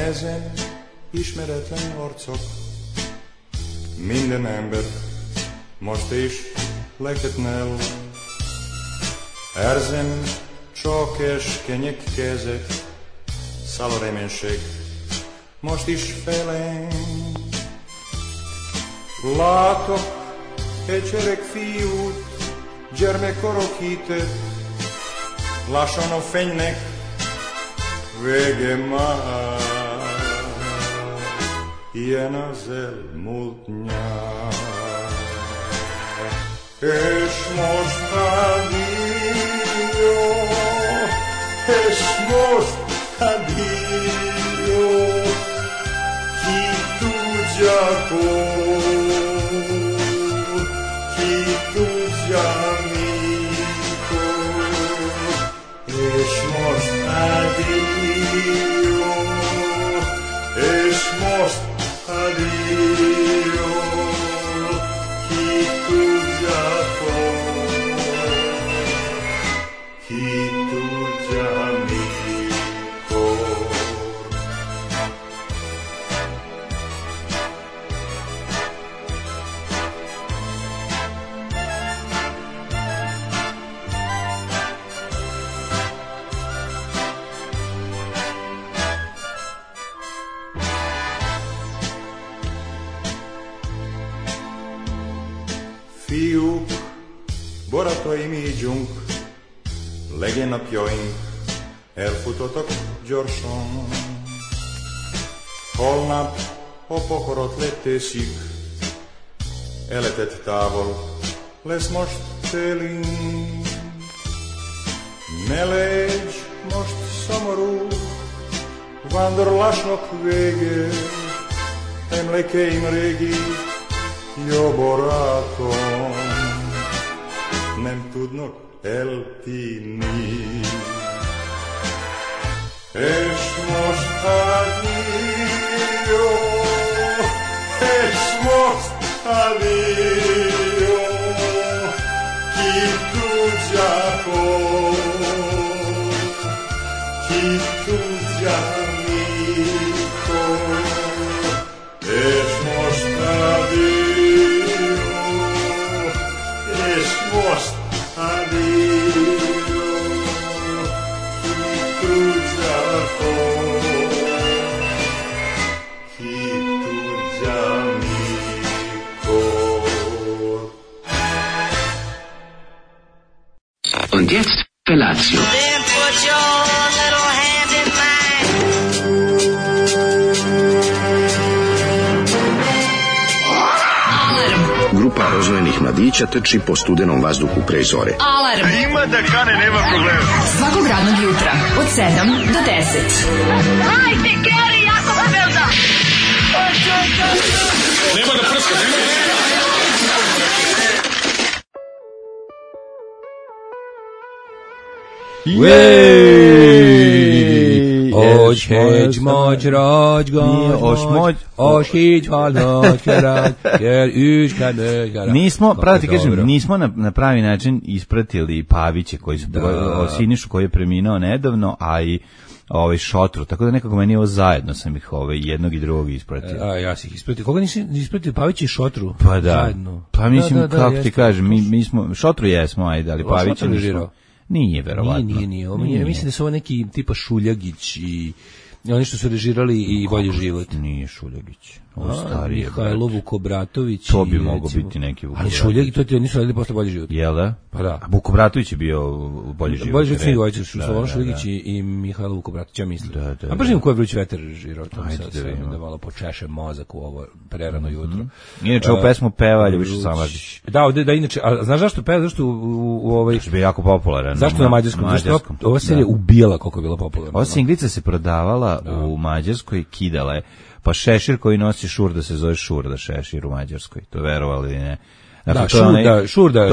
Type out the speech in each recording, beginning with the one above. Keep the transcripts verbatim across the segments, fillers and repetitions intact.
Ezen ismeretlen arcok, minden ember most is leketnel. Erzem csak keskenyek kezek, száll a reménység most is felém. Látok egy gyerek fiút, gyermekkorok hitet, lassan a fénynek vége már. Ilyen az elmúlt nyár. És most addio, és most addio, ki tudja mikor, ki tudja mikor. És most addio, és most addio, ki tudja ki tudja mikor. Fiúk, barátaim, ígyunk, legyen napjaink, elfutottak gyorsan. Holnap a pokorot leteszik, életet távol lesz most télünk. Ne légy most szomorú, vándorlásnak vége, emlékeim régi, jó barátom, nem tudnak eltűnni. És most addio, és most addio, ki tudja hol, ki tudja mikor. És most addio, és most addio, ki tudja hol, ki tudja mikor. Und jetzt Felatio. Then put your little hand in mine. Grupa rozvojenih mladića trči po studenom vazduhu pre zore. Alarm. Ima da kane, nema problema. Svakog radnog jutra, od sedam do deset. Hajde, Geri, jako se velda. Nema da prska, nema da prska. Oś hegy magyrágy gagy, oś hígy halnak kerad, jer üškane gara. Nismo, pravo ti kažem, nismo na, na pravi način ispratili Paviće koji su, o Sinišu koji je preminuo nedavno, a i ovaj Šotru, tako da nekako meni ovo zajedno sam ih ovaj, jednog i drugog ispratio. A ja sam ih ispratio. Koga nisi ispratio? Pavić i Šotru? Pa da. Zajedno. Pa mislim, da, da, da, kako jeste, ti kažem, mi, mi smo, Šotru jesmo, ajde, ali Pavića nismo. Nije, verovatno. Nije, nije, nije. Ovo, nije. Mislim da su ovo neki tipa Šuljagić i oni što su režirali i Bolji život. Nije Šuljagić. Ovo starije. Mihajlo Vukobratović. To bi mogao biti neki Vukobratović. Ali Šuljagić, to ti nisu radili posle Bolji život. Jel da? Pa da. A Vukobratović je bio u Bolji život. Bolji život svi dvojice su Slobodan Šuljagić i Mihajlo Vukobratović, ja mislim. Da, da, a baš im ko je Vruć vetar režirao. Ajde da vidimo. Da malo počeše mozak u ovo prerano jutro. Inače, ovu pesmu peva Ljubiša Samardžić. Da, ovde, da, inače, a znaš zašto peva? Zašto u, u, u ovaj... Zašto je jako popularan. Zašto na mađarskom? Zašto ova serija ubijala koliko je bila popularna. Ova singlica se prodavala u Mađarskoj, kidala je. Pa šešir koji nosi šurda se zove šurda šešir u Mađarskoj. To verovali ili ne. Dakle, da, šurda, šurda,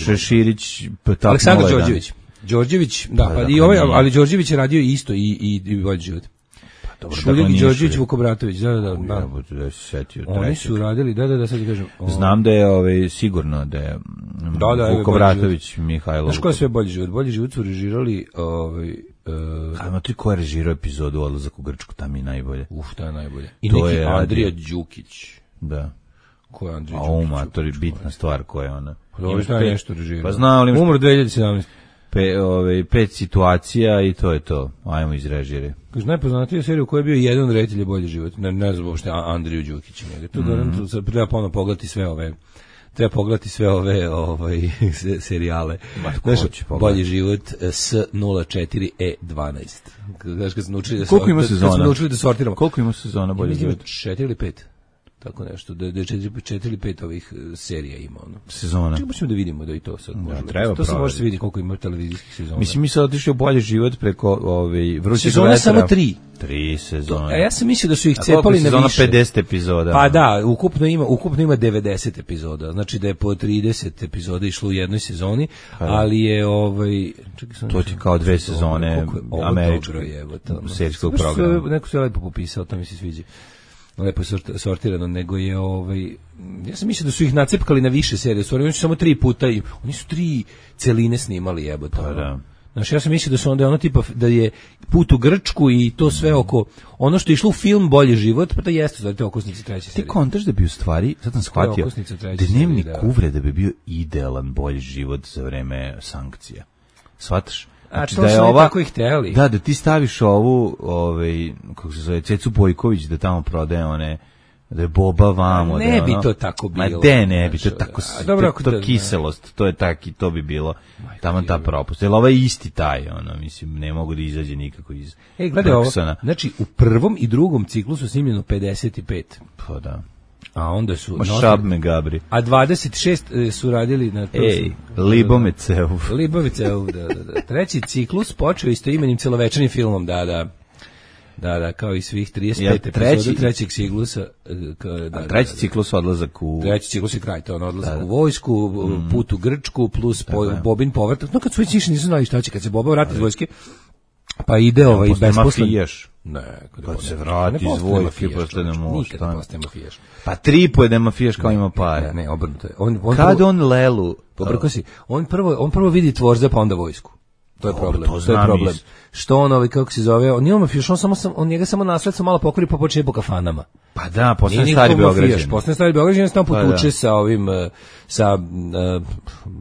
Šeširić, Aleksandar Đorđević. Đorđević, da, pa, pa i ovaj, ali Đorđević je radio isto i i i Bolji život. Šuljak i Đorđević Vukobratović, da, da, da. da. Oni su radili, da, da, da, sad ti kažem. O... Znam da je ovaj, sigurno da je da, da, Vukobratović, Mihajlo. Znaš ko je sve Bolji život? Bolji život su režirali ovaj, Uh, Ajmo ti ko je režirao epizodu Odlazak u Grčku, tam je najbolje. Uf, to je najbolje. I to neki je Andrija Đukić. Da. Ko je Andrija A Đukić? uma, to je bitna stvar koja je ona. Pa dobro, šta je nešto režirao? Pa znao li... Umro dve hiljade sedamnaeste. Pe, ove, pet situacija i to je to. Ajmo izrežiri. Kaže, najpoznatija serija u kojoj je bio jedan reditelj je Bolji život. Ne, ne znam uopšte Andriju Đukića. To mm. to treba ponovno pogledati sve ove... Treba pogledati sve ove ovaj, serijale. Znaš, Bolji život S nula četiri E dvanaest. Znaš, kad smo naučili da, koliko ima sezona? Kad smo naučili da sortiramo. Koliko ima sezona Bolji život? četiri ili pet. Tako nešto, da da četiri ili pet ovih serija ima ono. Sezona. Čekaj, ćemo da vidimo da i to sad može. Ja, treba to se može se vidi koliko ima televizijskih sezona. Mislim mi se otišli u Bolji život preko ovaj vrućeg sezone samo tri. Tri sezone. A ja sam mislio da su ih cepali na više. pedeset epizoda. Pa da, ukupno ima, ukupno ima devedeset epizoda. Znači da je po trideset epizoda išlo u jednoj sezoni, ali je ovaj čekaj sam. To ti kao dve sezone američkog serijskog programa. Neko se lepo popisao, to mi se sviđa. Lepo sortirano, nego je ovaj ja sam mislio da su ih nacepkali na više serije, stvari oni su samo tri puta i oni su tri celine snimali, jebote. Pa da. Znači ja sam mislio da su onda ono tipa da je Put u Grčku i to sve oko ono što je išlo u film Bolji život, pa to jeste znači okosnice treće serije. Ti kontaš da bi u stvari, sad sam shvatio, Dnevnik uvrede bi bio idealan Bolji život za vreme sankcija. Shvataš? Znači, a to da je ova, tako ih hteli. Da, da ti staviš ovu, ovaj, kako se zove, Cecu Bojković da tamo prodaje one, da je Boba vamo. Ne da bi ono, to tako bilo. Ma de ne bi, to je tako, a, dobro, to, to da, kiselost, to je taki, to bi bilo, tamo ta propust. Jer ovaj isti taj, ono, mislim, ne mogu da izađe nikako iz Ej, gledaj ovo, znači, u prvom i drugom ciklu su snimljeno pedeset pet. Pa da. A onda su Ma šab me gabri. A dvadeset šest su radili na Ej, Libome Cev. Libome Cev, da, da, da. Treći ciklus počeo istoimenim celovečernim filmom, da, da. Da, da, kao i svih trideset pet ja, treći, epizoda trećeg ciklusa. Da, da, a treći da, da, ciklus odlazak u... Treći ciklus je kraj, to on odlazak da, da. u vojsku, mm. Put u Grčku, plus po, Bobin povratak. No kad su već nisu znali šta će, kad se Boba vrati iz vojske, pa ide ja, ovaj besposlen. Ne, kad, kad se vrati iz vojske, postane most. Nikad ne postaje mafijaš. Pa tripo je da mafijaš kao ima pare. Ne, ne, obrnuto je. On, on kad prvo, on Lelu... Pobrko si, on prvo, on prvo vidi tvorza, pa onda vojsku. To je problem. To, to je problem. Iz... Što on ovaj kako se zove, on nije mafijaš, on samo on njega samo nasledstvo malo pokori pa počne po kafanama. Pa da, posle stari Beograđanin. Posle stari Beograđanin tamo potuče da. sa ovim sa uh,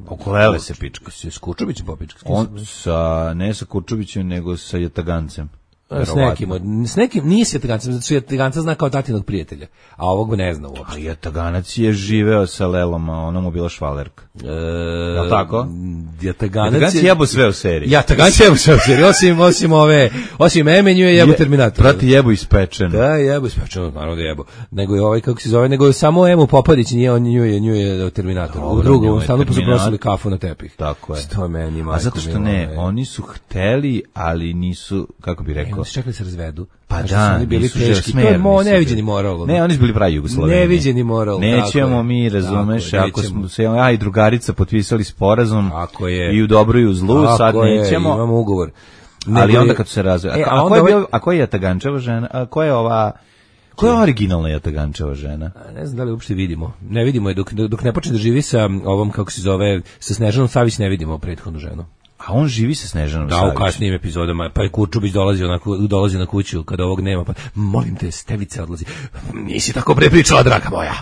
Okolele se pička se s Kurčubićem popička. On sa ne sa Kurčubićem nego sa Jatagancem. S nekim, s nekim nije s Jatagancem, zato što Jataganca zna kao tatinog prijatelja, a ovog ne zna uopšte. A Jataganac je živeo sa Lelom, a ona mu bila švalerka. E, je tako? Jataganac, Jataganac je jebo sve u seriji. Jataganac je jebo sve u seriji, osim, osim ove, osim Emenju je jebo Terminator. Prati jebo ispečen. Da, jebo ispečen, naravno da jebo. Nego je ovaj, kako se zove, nego je samo Emu Popadić, nije on nju je, nju je Terminator. U drugom stanu pa su prosili kafu na tepih. Tako je. To je meni, majko. A zato što ne, oni su hteli, ali nisu, kako bi rekao, su čekali se razvedu. Pa da, oni bili teški. To je mo, neviđeni moral. Ne, oni su bili pravi Jugoslaveni. Neviđeni moral. Nećemo mi, razumeš, ako smo se ja i drugarica potpisali sporazum i u dobru i u zlu, sad nećemo. Imamo ugovor. Ali onda kad se razve. A, a, ko je bio, a ko je Jatagančeva žena? A ko je ova... Ko je originalna Jatagančeva žena? A ne znam da li uopšte vidimo. Ne vidimo je, dok, dok ne počne da živi sa ovom, kako se zove, sa Snežanom Savić ne vidimo prethodnu ženu. A on živi sa Snežanom Savić. Da, u kasnijim epizodama. Pa je Kurčubić dolazi, onako, dolazi na kuću kada ovog nema. Pa, molim te, Stevica odlazi. Nisi tako prepričala, draga moja.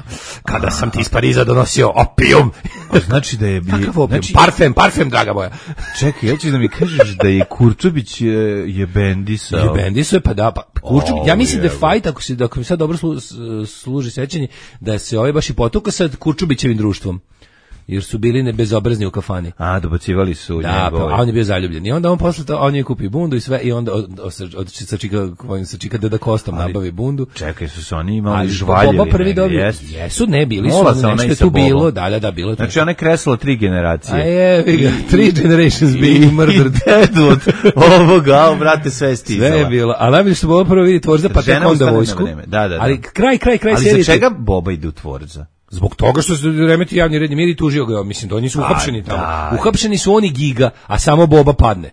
Kada A, sam ti iz Pariza donosio opijum. Znači da je... Kakav opijum? Znači, parfem, parfem, draga moja. Čekaj, ja ću da mi kažeš da je Kurčubić je, je bendisao. Je bendisao, pa da. Pa, Kurčubić, oh, ja mislim je. da je fajt, ako, si, ako mi sad dobro slu, služi sećanje, da se ovaj baš i potuka sad Kurčubićevim društvom. Jer su bili ne bezobrazni u kafani. A, dobacivali su da, njegove. Da, a on je bio zaljubljen. I onda on posle to, on je kupi bundu i sve, i onda od, od, od, sa čika, sa čika Deda Kostom ali, nabavi bundu. Čekaj, su se oni imali žvaljevi. Boba prvi dobio. Yes. Jesu, ne, bili Mola su, nešto je tu bilo. Da, da, da, bilo. Znači, ona je kresla tri generacije. A je, vi three generations being murdered. I dead od ovoga, brate, sve stizala. Sve je bilo. A najbolje što Boba prvo vidi tvorza, pa tek onda vojsku. Da, da, da. Ali kraj, kraj, kraj serije. Ali za čega Boba ide u tvorza? Zbog toga što se remeti javni red i mir i tužio ga, mislim, da oni su uhapšeni tamo. Da. Uhapšeni su oni Giga, a samo Boba padne.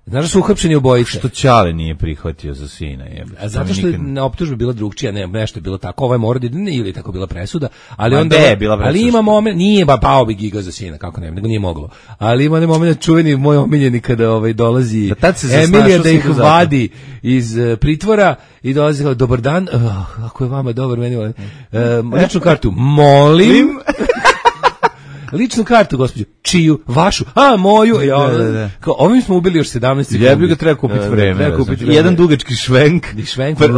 Znaš da su uhapšeni obojice? Što Ćale nije prihvatio za sina. Je. A zato što je na optužbi bila drugčija, ne, nešto je bilo tako, ovo je mora da ili tako bila presuda, ali Ma onda je bila presuda. Ali ima moment, nije ba pao bi giga za sina, kako ne, nego nije moglo. Ali ima onaj moment čuveni moj omiljeni kada ovaj dolazi da Emilija da ih vadi iz uh, pritvora i dolazi kao dobar dan, uh, ako je vama dobar meni uh, ličnu kartu, molim. Ličnu kartu, gospođo. Čiju? Vašu? A, moju. Ja, da, da, da. Kao, ovim smo ubili još sedamnaest sekundi. Ja bih ga treba kupiti vreme. Treba kupiti vreme. Jedan dugački švenk. švenk od,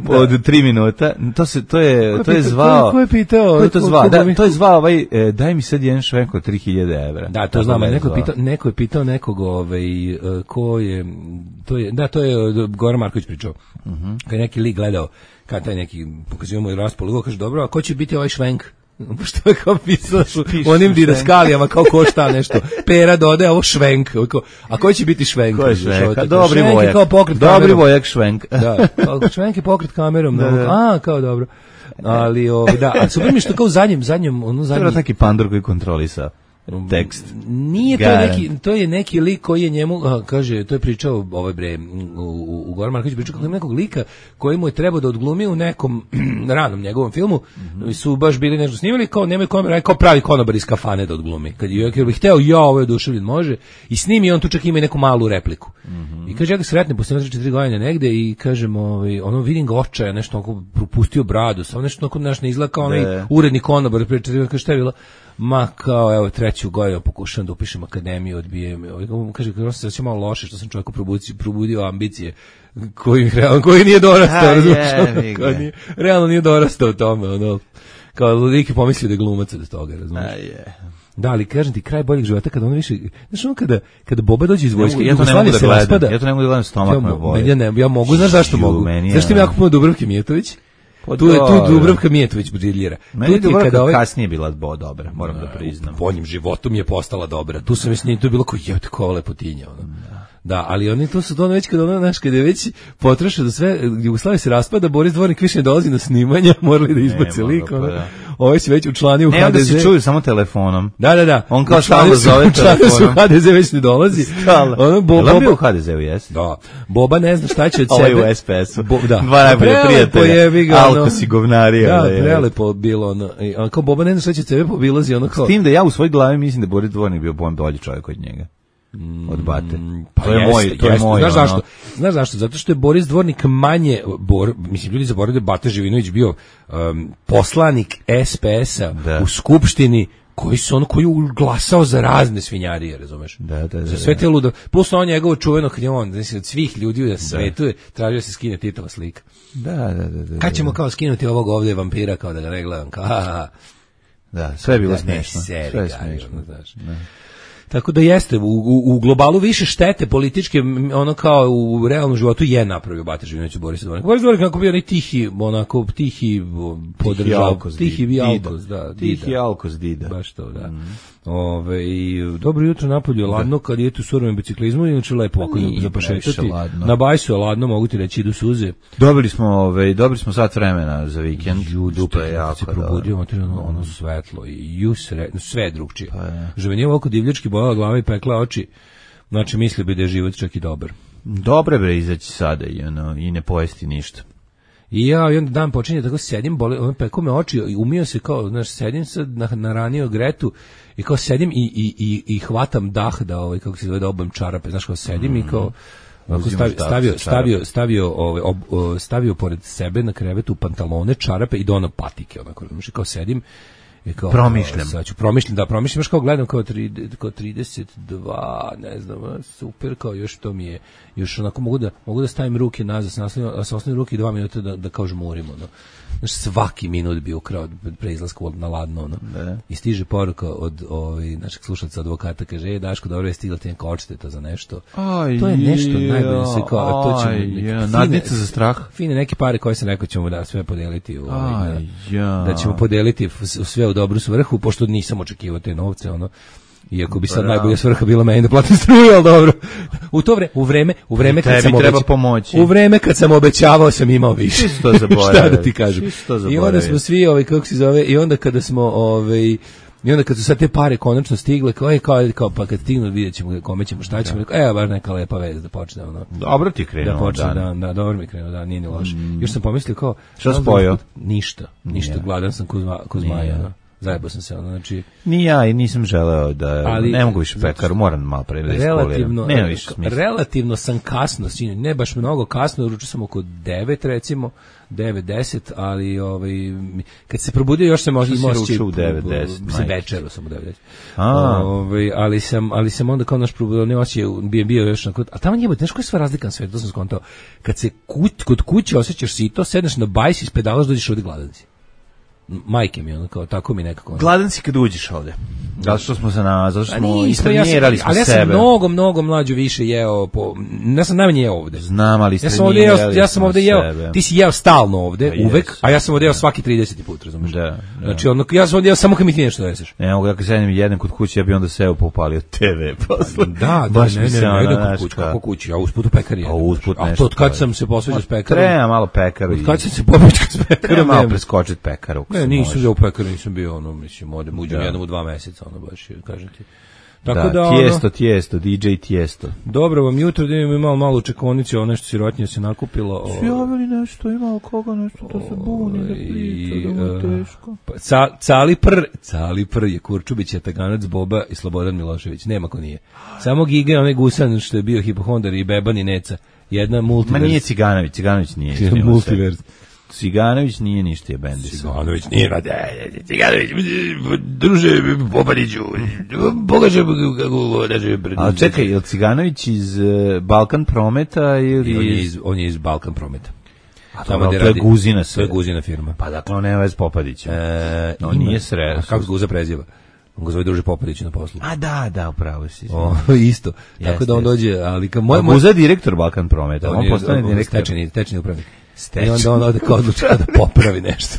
od, od tri minuta. To se to je ko to je pita, zvao. Ko je pitao? Ko je to zvao? Da, to je zvao ovaj e, daj mi sad jedan švenk od tri hiljade evra. Da, to znamo. Neko je pitao, neko je pitao nekog, ovaj ko je to je da to je Goran Marković pričao. Mhm. Uh-huh. Kad neki lik gledao, kad taj neki pokazujemo i raspol, kaže dobro, a ko će biti ovaj švenk? Što je kao pisao u onim didaskalijama, kao ko šta nešto. Pera dodaje ovo švenk. A koji će biti švenk? Ko je švenk? Dobri vojak. Dobri vojak švenk. Da, švenk je pokret kamerom. Da, da. A, kao dobro. Ali, ovaj, da, a super mi što kao u zadnjem, zadnjem, ono zadnjem... To je taki pandor koji kontrolisa tekst. Nije to neki, to je neki lik koji je njemu, a, kaže, to je pričao ovaj bre, u, u, u Goran Marković pričao kako ima nekog lika koji mu je trebao da odglumi u nekom ranom njegovom filmu, mm-hmm. su baš bili nešto snimali, kao nemaju kamera, kao pravi konobar iz kafane da odglumi. Kad je, jer bih hteo, ja, ovo je oduševljen, može, i snimi, on tu čak ima i neku malu repliku. Mm-hmm. I kaže, ja ga sretnem, posle tri četiri godine negde i kažem, ovaj, ono, vidim ga očaja, nešto onako propustio bradu, samo nešto onako naš ne izgleda kao onaj uredni konobar, pre četiri, kaže, šta je bilo? Ma kao, evo, treću godinu pokušam da upišem akademiju, odbijem. Kaže, kao se znači malo loše što sam čovjeku probudio, probudio ambicije koji, realno, koji nije dorastao, razumiješ? Nije, realno nije dorastao u tome, ono. Kao lik je pomislio da je glumac od toga, razumiješ? Da, ali kažem ti, kraj boljeg života kada on više, znaš ono kada, kada Boba dođe iz vojske, ja to ne mogu da gledam, raspada, ja to ne mogu da gledam, stomak me boli. Ja, ne, ja mogu, znaš zašto mogu? Zašto mi jako puno Dubravke Mijetović? Tu je tu Dubravka Mijetović briljira. Meni je Dubravka ovaj... kasnije bila bo dobra, moram da priznam. U boljim životom je postala dobra. Tu sam mislim, tu je bilo kao je tako lepotinja, ono. Da. Da, ali oni to su dono već kad ona naš kad je već potrošio da sve Jugoslavija se raspada, Boris Dvornik više ne dolazi na snimanja, morali da izbace lik, ono. Pa ovaj se već učlanio u ne, ha de ze. Ne, onda se čuju samo telefonom. Da, da, da. On kao stalno zove telefonom. ha de ze već ne dolazi. Ono Boba bio u ha de zeu, jesi? Da. Boba ne zna šta će od sebe. Ovo je u es pe esu. Bo, da. Dva najbolje prijatelja. Alko si govnarija. Da, prelepo bilo ono. On kao Boba ne zna šta će od sebe, pobilazi ono kao. S tim da ja u svojoj glavi mislim da Boris Dvornik bio bolji čovjek od njega. Od Bate. Pa to je jest, moj, to jest, je moj. Znaš ono. zašto? Znaš zašto? Zato što je Boris Dvornik manje bor, mislim ljudi zaboravljaju da Bata Živinović bio um, poslanik es pe esa da. U skupštini koji su on koji glasao za razne svinjarije, razumeš? Da, da, da. Za sve te ludo. Plus on njegovo čuveno kad je on, znači od svih ljudi na svetu je tražio da se skine Titova slika. Da, da, da, da. Kad ćemo kao skinuti ovog ovdje vampira kao da ga ne gledam kao. Ha, da, sve je bilo smiješno. Sve je smiješno, znaš. Tako da jeste, u, u, u globalu više štete političke, ono kao u realnom životu je napravio Bata Živinović u Borisa Dvornika. Boris Dvornik kako bio onaj tihi, onako tihi podržav, tihi bi alkos, da. Tihi alkos dida. Baš to, da. Mm. Ove, i dobro jutro napolju, ladno, kad je tu surovim biciklizmu, inače lepo ako za pašetati. Na bajsu je ladno, mogu ti reći, idu suze. Dobili smo, ove, dobili smo sat vremena za vikend. Judu, to je jako, se probudio, materijalno, ono svetlo i jusre, sve drugčije. Pa je. Žvenije ovako divljački bojala glava i pekla oči, znači misli bi da je život čak i dobar. Dobre bre izaći sada i, ono, i ne pojesti ništa. I ja i onda dan počinje tako sedim, boli, on pekao me oči i umio se kao, znaš, sedim sad na, na ranio gretu i kao sedim i, i, i, i hvatam dah da, ovaj, kako se zove, da obam čarape, znaš, kao sedim mm. i kao stavio, stavio, stavio, stavio, ovaj, ob, stavio pored sebe na krevetu pantalone, čarape i do ono patike, onako, znaš, kao sedim. I kao, promišljam. Sad ću promišljam, da promišljam, kao gledam kao, tri, kao trideset dva, ne znam, super, kao još to mi je, još onako mogu da, mogu da stavim ruke nazad, sa, sa osnovim ruke dva minuta da, da kao žmurimo, no. Znaš, svaki minut bi ukrao pre izlaska na ladno, no. I stiže poruka od ovaj, našeg slušalca advokata, kaže, e, Daško, dobro je stigla ti neka odšteta za nešto. Aj, to je nešto najbolje se kao, to ćemo, ja, nadnica za strah. Fine neke pare koje sam rekao ćemo da sve podeliti, u, ovaj, aj, ja. Da ćemo podeliti sve u dobru svrhu, pošto nisam očekivao te novce, ono. Iako bi sad najbolja svrha bila meni da platim struju, al dobro. U to vreme, u vreme, u vreme kad sam treba pomoći. U vreme kad sam obećavao sam imao više. Što zaboravio. Šta da ti kažem? I onda smo svi, ovaj kako se zove, i onda kada smo ovaj I onda kad su sad te pare konačno stigle, kao, kao, kao pa kad stignu vidjet ćemo kome ćemo, šta ćemo, rekao, evo baš neka lepa vez da počne. Ono, dobro ti krenuo da počne, dan. Da, da, dobro mi krenuo, da, nije ni loše. Mm. Još sam pomislio kao... Šta spojio? Ništa, ništa, yeah. gladan sam kod, kod zmaja, no. Zajebao sam se, ono, znači... Ni ja i nisam želeo da... Ali, ne mogu više pekaru, moram malo pre da relativno, nema više smisla. Relativno sam kasno, sinoć, ne baš mnogo kasno, ručio sam oko devet recimo, devet deset, ali ovaj, kad se probudio još sam možda imao ručio u devet deset. Mislim, večeru sam u devet deset. Ovaj, ali, sam, ali sam onda kao naš probudio, ne osjećao, bio, bio još na kod... A tamo njebate, znaš koja je sva razlika na svetu, to sam skontao. Kad se kuć, kod kuće osjećaš sito, sedneš na bajs, ispedalaš, dođeš ovdje gladan si. Majke mi, ono, kao, tako mi nekako... Gladan si kad uđeš ovde. Zato što smo se na... Zato što smo istrenirali smo ali sebe. Ali ja sam mnogo, mnogo mlađu više jeo... Po, ja sam najmanje jeo ovde. Znam, ali istrenirali ja sam, ja sam ovde jeo... Sebe. Ti si jeo stalno ovde, ja, uvek, yes. A ja sam ovde jeo svaki trideseti put, razumiješ? Da, da. Znači, ono, ja sam ovde jeo samo kad mi ti nešto doneseš. Ne mogu, ja kad sedem jedan kod kuće, ja bi onda seo popalio te ve posle. Da, da, ne, ne, ne, ne, kod kuće, kako kući, a usput u pekari. A usput nešto. A to od kad sam se posveđao s pekarom? Treba malo pekaru. Od kad sam se pobeđao s pekarom? Treba malo preskočiti pekaru. Ne, nisam u pekaru, nisam bio, ono, mislim, odem, uđem jednom u dva meseca, ono, baš, kažem ti. Tako da, da tijesto, ono, tijesto, D J tijesto. Dobro vam jutro, da imamo imao malo u čekonici, ono nešto sirotnije se nakupilo. Svi javili nešto, imao koga nešto, to se buni, da priča, da mu je teško. Pa, ca, cali pr, cali pr je Kurčubić, Jataganac, Boba i Slobodan Milošević, nema ko nije. Samo Giga, onaj Gusan što je bio hipohondar i Beban i Neca, jedna multivers. Ma nije Ciganović, Ciganović nije. Multivers. Ciganović nije ništa je bendiso. Ciganović nije rade. Ciganović, druže Bobaniću, pogaže kako da će... Ali čekaj, je li Ciganović iz Balkan Prometa ili... On je iz, on je iz Balkan Prometa. A to, to je Guzina sve. To je Guzina firma. Pa dakle, on nema vez Popadića. E, on nije sred. A kako Guza preziva? On ga zove druže Popadić na poslu. A da, da, upravo si. O, isto. Tako jest, da on dođe, ali kao moj moj Guza direktor Balkan Prometa, on, on postane direktor, stečajni, stečajni upravnik. Stečni. I onda on ode kao odluči da popravi nešto.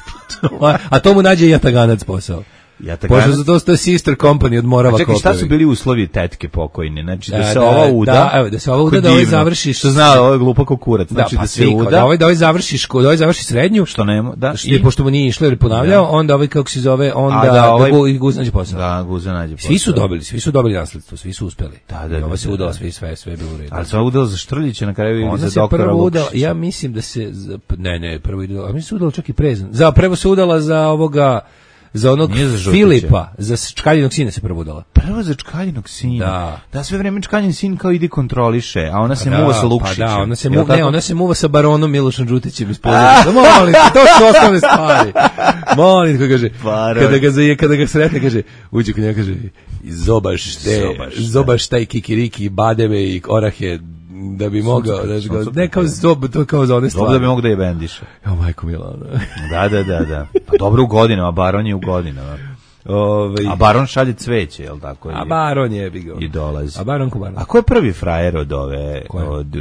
A to mu nađe Jataganac posao. Jataganac. Pošto za to što je sister company od Morava Kopevi. Čekaj, šta su bili uslovi tetke pokojne? Znači da, da se da, ova uda, da, evo, da se ova uda, da ovaj završiš... Što zna, ovo je glupo kao kurac. Znači da, pa da se uda... Da ovaj, da ovaj završiš, da ovaj završi srednju, što nema, da, što, i, pošto mu nije išlo jer je ponavljao, da. Onda ovaj, kako se zove, onda A, da, ovaj, da Guza nađe posao. Da, Guza nađe posao. Svi su dobili, svi su dobili nasledstvo, svi su uspeli. Da, da, I ova se udala, sve, sve, sve je bilo u redu. Ali se ova udala za Štrljića, na kraju ili za doktora Lukšića. Ja mislim da se, ne, ne, prvo udala, a mislim se udala čak i prezan. Za prvo se udala za ovoga, za onog za Filipa, za Čkaljinog sina se prvo udala. Prvo za Čkaljinog sina. Da. Da, sve vreme Čkaljin sin kao ide kontroliše, a ona se da, muva sa Lukšićem. Pa da, ona se muva, ne, ona se muva sa baronom Milošom Đutićem iz Požarevca. Molim, to su osnovne stvari. Molim, kako kaže, kada ga zaje, kada ga sretne, kaže, uđe kod njega, kaže, zobaš te, zobaš taj kikiriki, bademe i orahe, da bi mogao, znači, ne kao zob, to kao za one stvari. Dobro da bi mogao da je bendiše. Jo, majko Milano. Da, da, da, da. Pa dobro u godinama, Baron je u godinama. Ove, a Baron šalje cveće, je li tako? A Baron je bi ga. I dolazi. A Baron ko Baron? A ko je prvi frajer od ove, od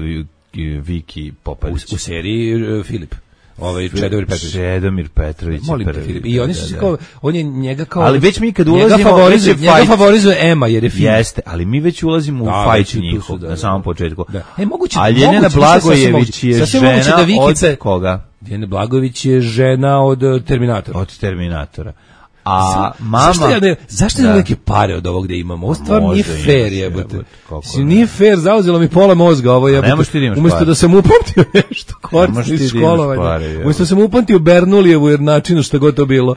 Viki Popadić? U, u seriji uh, Filip. Ovaj Čedomir Petrović. Čedomir Petrović je prvi. I oni su kao, on je njega kao... Ali već mi kad ulazimo... Njega favorizuje, njega favorizuje Ema, jer je film. Jeste, ali mi već ulazimo da, u fajt njihov, da, na samom početku. Da. E, moguće, a Ljeljana Blagojević je žena da Vikice, od koga? Ljeljana Blagojević je žena od Terminatora. Od Terminatora. A mama zašto ja ne, zašto da. neke pare od ovog da imamo? Ovo stvarno nije fair, jebote. Si nije fair, zauzelo mi pola mozga ovo jebote. Umesto da sam upamtio nešto korisno iz školovanja. Umesto da sam upamtio Bernoullijevu jer načinu što god to bilo.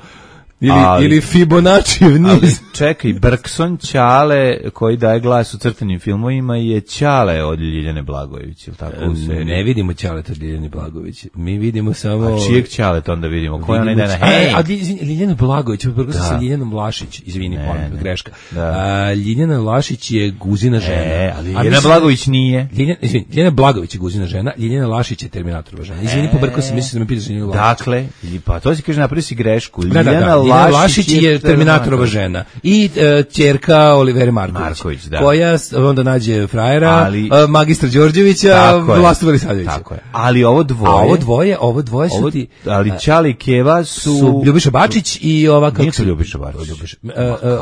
Ili, ali, ili Fibonaccijev niz. Ali čekaj, Brkson Ćale koji daje glas u crtanim filmovima je Ćale od Ljiljane Blagojević, ili tako u seriji? Ne vidimo Ćale od Ljiljane Blagojević. Mi vidimo samo... A čijeg Ćale to onda vidimo? Koja ona ide na hej? A, a Ljiljana Blagojević, Brkson sa Ljiljanom Vlašić, izvini, molim, greška. Da. A, Ljiljana Vlašić je Guzina žena. E, ali Ljiljana Blagojević nije. Ljiljana, izvini, Ljiljana Blagojević je Guzina žena, Ljiljana Vlašić je Terminatorova žena. Izvini, pobrkao sam, mislim da me pitaš Ljiljanu Vlašić. Dakle, pa to si kaže, napravi si grešku. Ljiljana Vlašić je Terminatorova žena i uh, ćerka Olivere Marković, Marković da. koja onda nađe frajera, ali, uh, magistra Đorđevića, Vlastu Velisadovića. Tako je. Ali ovo dvoje, a ovo dvoje, ovo dvoje su ovo, ti, ali Ćale i Keva su, su Ljubiša Bačić i ova kako se Ljubiša Bačić. Ljubiša, uh,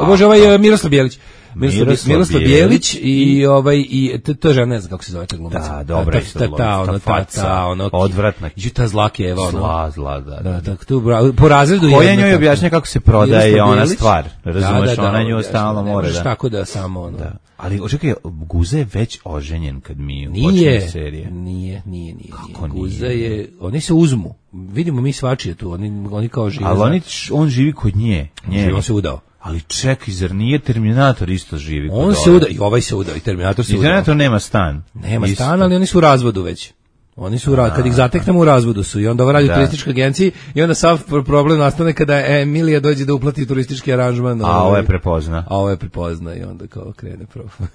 uh, Bože, ovaj uh, Miroslav Bjelić. Miroslav, Miroslav, Miroslav Bijelić Bijelić i ovaj i to, to žena ne znam kako se zove ta glumica. Da, dobra ta, ta, ta, ono, ta, ta, ono, odvratna. I ta zlake Eva, ono. Zla, zla, da. Da, tako tu po razredu koja jedna. njoj objašnja kako se prodaje ona stvar. Razumeš, da, da, da, ona nju stalno mora da. Tako da samo ono. Da. Ali očekaj, Guza je već oženjen kad mi nije, počne serije. Nije, nije, nije. Kako nije? Guza je, oni se uzmu. Vidimo mi svačije tu, oni, oni kao žive. Ali oni, on živi kod nje. nje. On se udao. Ali čekaj, zar nije Terminator isto živi kod on se udao, i ovaj se udao, i Terminator se udao. I Terminator nema stan. Nema isto. Stan, ali oni su u razvodu već. Oni su, a, kad ih zateknemo u razvodu su i onda ovo radi u turističkoj agenciji i onda sav problem nastane kada Emilija dođe da uplati turistički aranžman. A ovo je prepozna. A ovo je prepozna i onda kao krene problem.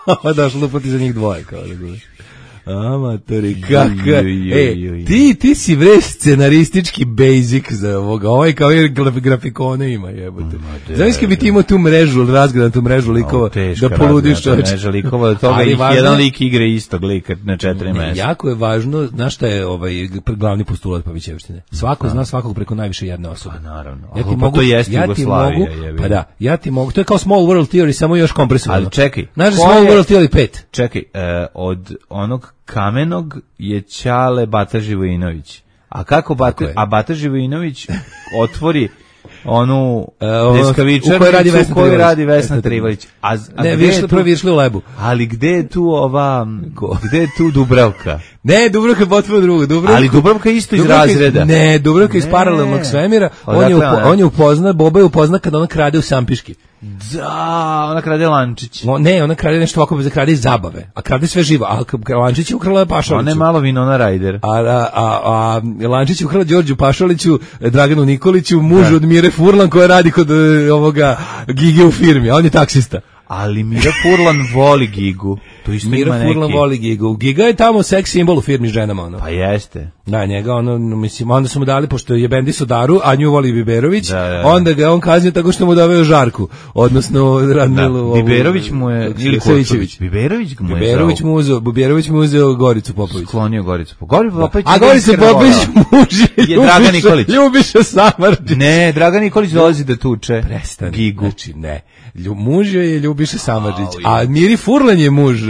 Ovo daš lupati za njih dvoje kao da gledaj. Amatori, kaka. E, ti, ti si bre scenaristički basic za ovoga. Ovaj kao i grafikone ima, jebote. Znaš kad bi ti imao tu mrežu, razgranatu mrežu likova, da poludiš čovječ. Mreža likova, od toga ih jedan lik igre istog lika na četiri mesta. Jako je važno, znaš šta je ovaj glavni postulat Pavićevštine? Svako zna svakog preko najviše jedne osobe. Pa naravno. Ja ti mogu, to jeste ja ti mogu, pa da, ja ti mogu, to je kao Small World Theory, samo još kompresovano. Ali čekaj. Znaš Small World Theory pet? Čekaj, od onog Kamenog je Ćale Bata Živojinović. A kako Bata, a Bata Živojinović otvori onu deskavičarnicu u kojoj radi Vesna, koju radi Vesna Trivalić. A, a ne, višli, prvo višli u lebu. Ali gde je tu ova, gde je tu Dubravka? Ne, Dubravka je potpuno drugo. Dubravka, ali Dubravka je isto iz razreda. Ne, Dubravka iz paralelnog svemira. On je, upo, on je upozna, Boba je upozna kada ona krade u Sampiški. Da, ona krade lančić. O, ne, ona krade nešto ovako, krade iz zabave. A krade sve živo. A lančić je ukrala Pašaliću. Ona je malo Winona Ryder. A, a, a, a lančić je ukrala Đorđu Pašaliću, Draganu Nikoliću, mužu od Mire Furlan koja radi kod ovoga Gige u firmi. A on je taksista. Ali Mira Furlan voli Gigu. To isto Mira ima Furlan neki. voli Gigu. Giga je tamo seks simbol u firmi s ženama. Ono. Pa jeste. Da, njega, ono, mislim, onda su mu dali, pošto je bendi Sodaru, a nju voli Biberović, da, da, da. onda ga on kaznio tako što mu doveo Žarku, odnosno Radmilu. Da, Biberović mu je, ili Savićević. Biberović mu je Biberović mu uzeo, Biberović mu uzeo Goricu Popović. Sklonio Goricu Popović. Goricu Popović. A Gorica Popović muž je Dragan Nikolić. Ljubiša Samardžić. Ne, Dragan Nikolić dolazi da tuče. Prestani. Gigu. Znači, ne. Muž je Ljubiša Samardžić, a Miri Furlan je muž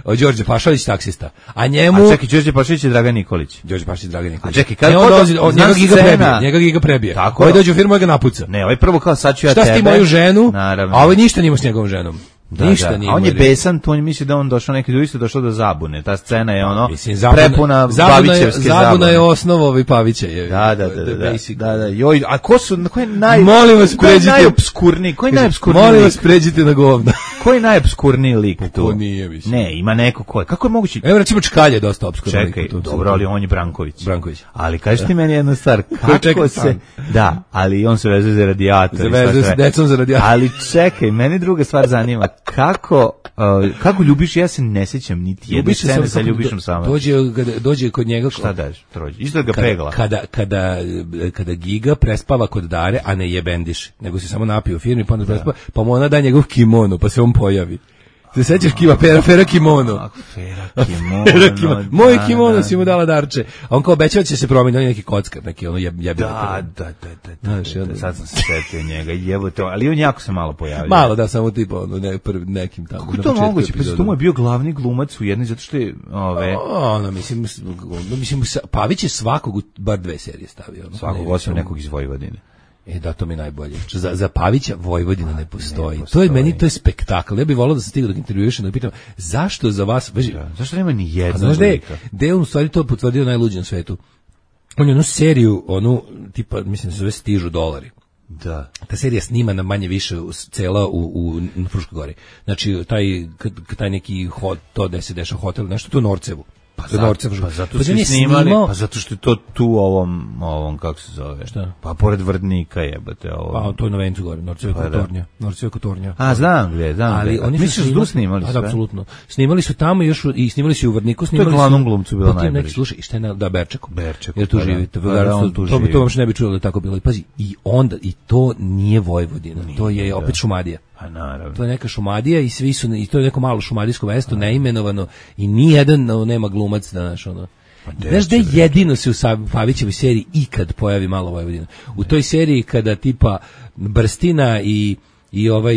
uh, Đorđe Pašalić, taksista. A njemu... A čekaj, Đorđe Pašalić je Dragan Nikolić. Đorđe Pašalić je Dragan Nikolić. A čekaj, kad ne, on dođe, on, njega Giga prebije, njega Giga prebije. Tako. Ovaj dođe u firmu i ga napuca. Ne, ovaj prvo kao sad ću ja šta tebe. Šta s ti moju ženu? Naravno. A ovaj ništa nima s njegovom ženom. Da, ništa da. nije. A on je besan, to on misli da on došao neki drugi su došao do zabune. Ta scena je ono mislim, zabuna, prepuna zabune. Babićevske zabune. Zabuna je osnova ovaj Pavića je. Da, da, da, da. Da, da. Joj, a ko su, ko je naj Molim vas pređite. Najobskurniji, koji najobskurniji? Molim vas pređite na govna. Koji najobskurniji lik tu? Ko nije, mislim. Ne, ima neko ko je. Kako je moguće? Evo recimo Čkalje dosta opskurni lik. Čekaj, dobro, ali on je Branković. Branković. Ali kaži ti meni jednu stvar, kako se da, ali on se vezuje za radijator. Se vezuje sa decom za radijator. Ali čekaj, meni druga stvar zanima, kako Uh, kako Ljubiš, ja se ne sjećam niti jedne scene sa Ljubišom Samardžićem. Dođe, kada, dođe kod njega... Šta daš, trođe? Isto ga pegla. Kada, kada, kada Giga prespava kod Dare, a ne jebendiš, nego se samo napije u firmi, pa onda prespava, pa mu ona da njegov kimono, pa se on pojavi. Te sećaš kiva, pera, fera kimono. Fera kimono. Fera kimono. Moj kimono si mu dala darče. A on kao obećava će se promijeniti, on je neki kockar, neki ono jeb, jebilo. Da, da, da, da, da, da, da, sad sam se setio njega, jevo to, ali on jako se malo pojavio. Malo, da, samo tipa, ono, ne, prv, nekim tamo. Kako je to moguće? Pa to mu je bio glavni glumac u jednoj, zato što je, ove... Ono, mislim, mislim, Pavić je svakog, bar dve serije stavio. Ono, svakog osim nekog iz Vojvodine. E, da, to mi je najbolje. Za, za Pavića Vojvodina ne postoji. ne postoji. To je meni, to je spektakl. Ja bih volao da se stigao dok intervjušem, da pitam, zašto za vas... Veži, da, zašto nema ni jedna? Znaš da je on u stvari to potvrdio najluđi na svetu? On je onu seriju, onu, tipa, mislim da se zove Stižu dolari. Da. Ta serija snimana manje više cela u, u, na Fruškoj gori. Znači, taj, taj neki hot, to gde se deša hotel, nešto tu u Norcevu. Pa, zato, pa zato su snimali, pa zato što je to tu ovom, ovom kako se zove, šta? Pa pored Vrdnika jebate ovo. Pa to je na Vencu gore, Norceva pa, Kotornja, Norceva Kotornja. A znam gdje, znam. Ali oni su snimali, snimali sve. Da, apsolutno. Snimali su tamo još i snimali su u Vrdniku, snimali su. To je glavnom glumcu bilo najbolje. Neki slušaj, šta je na da Berčeku. Berčeku. Jer tu živi, to to to vam ne bi čulo da tako bilo. I pazi, i onda i to nije Vojvodina, to je opet Šumadija. Pa naravno. To je neka Šumadija i svi su i to je neko malo šumadijsko mesto neimenovano i ni jedan nema glumac da naš ono. Znaš da jedino se u Pavićevoj seriji ikad pojavi malo Vojvodina. U toj seriji kada tipa Brstina i i ovaj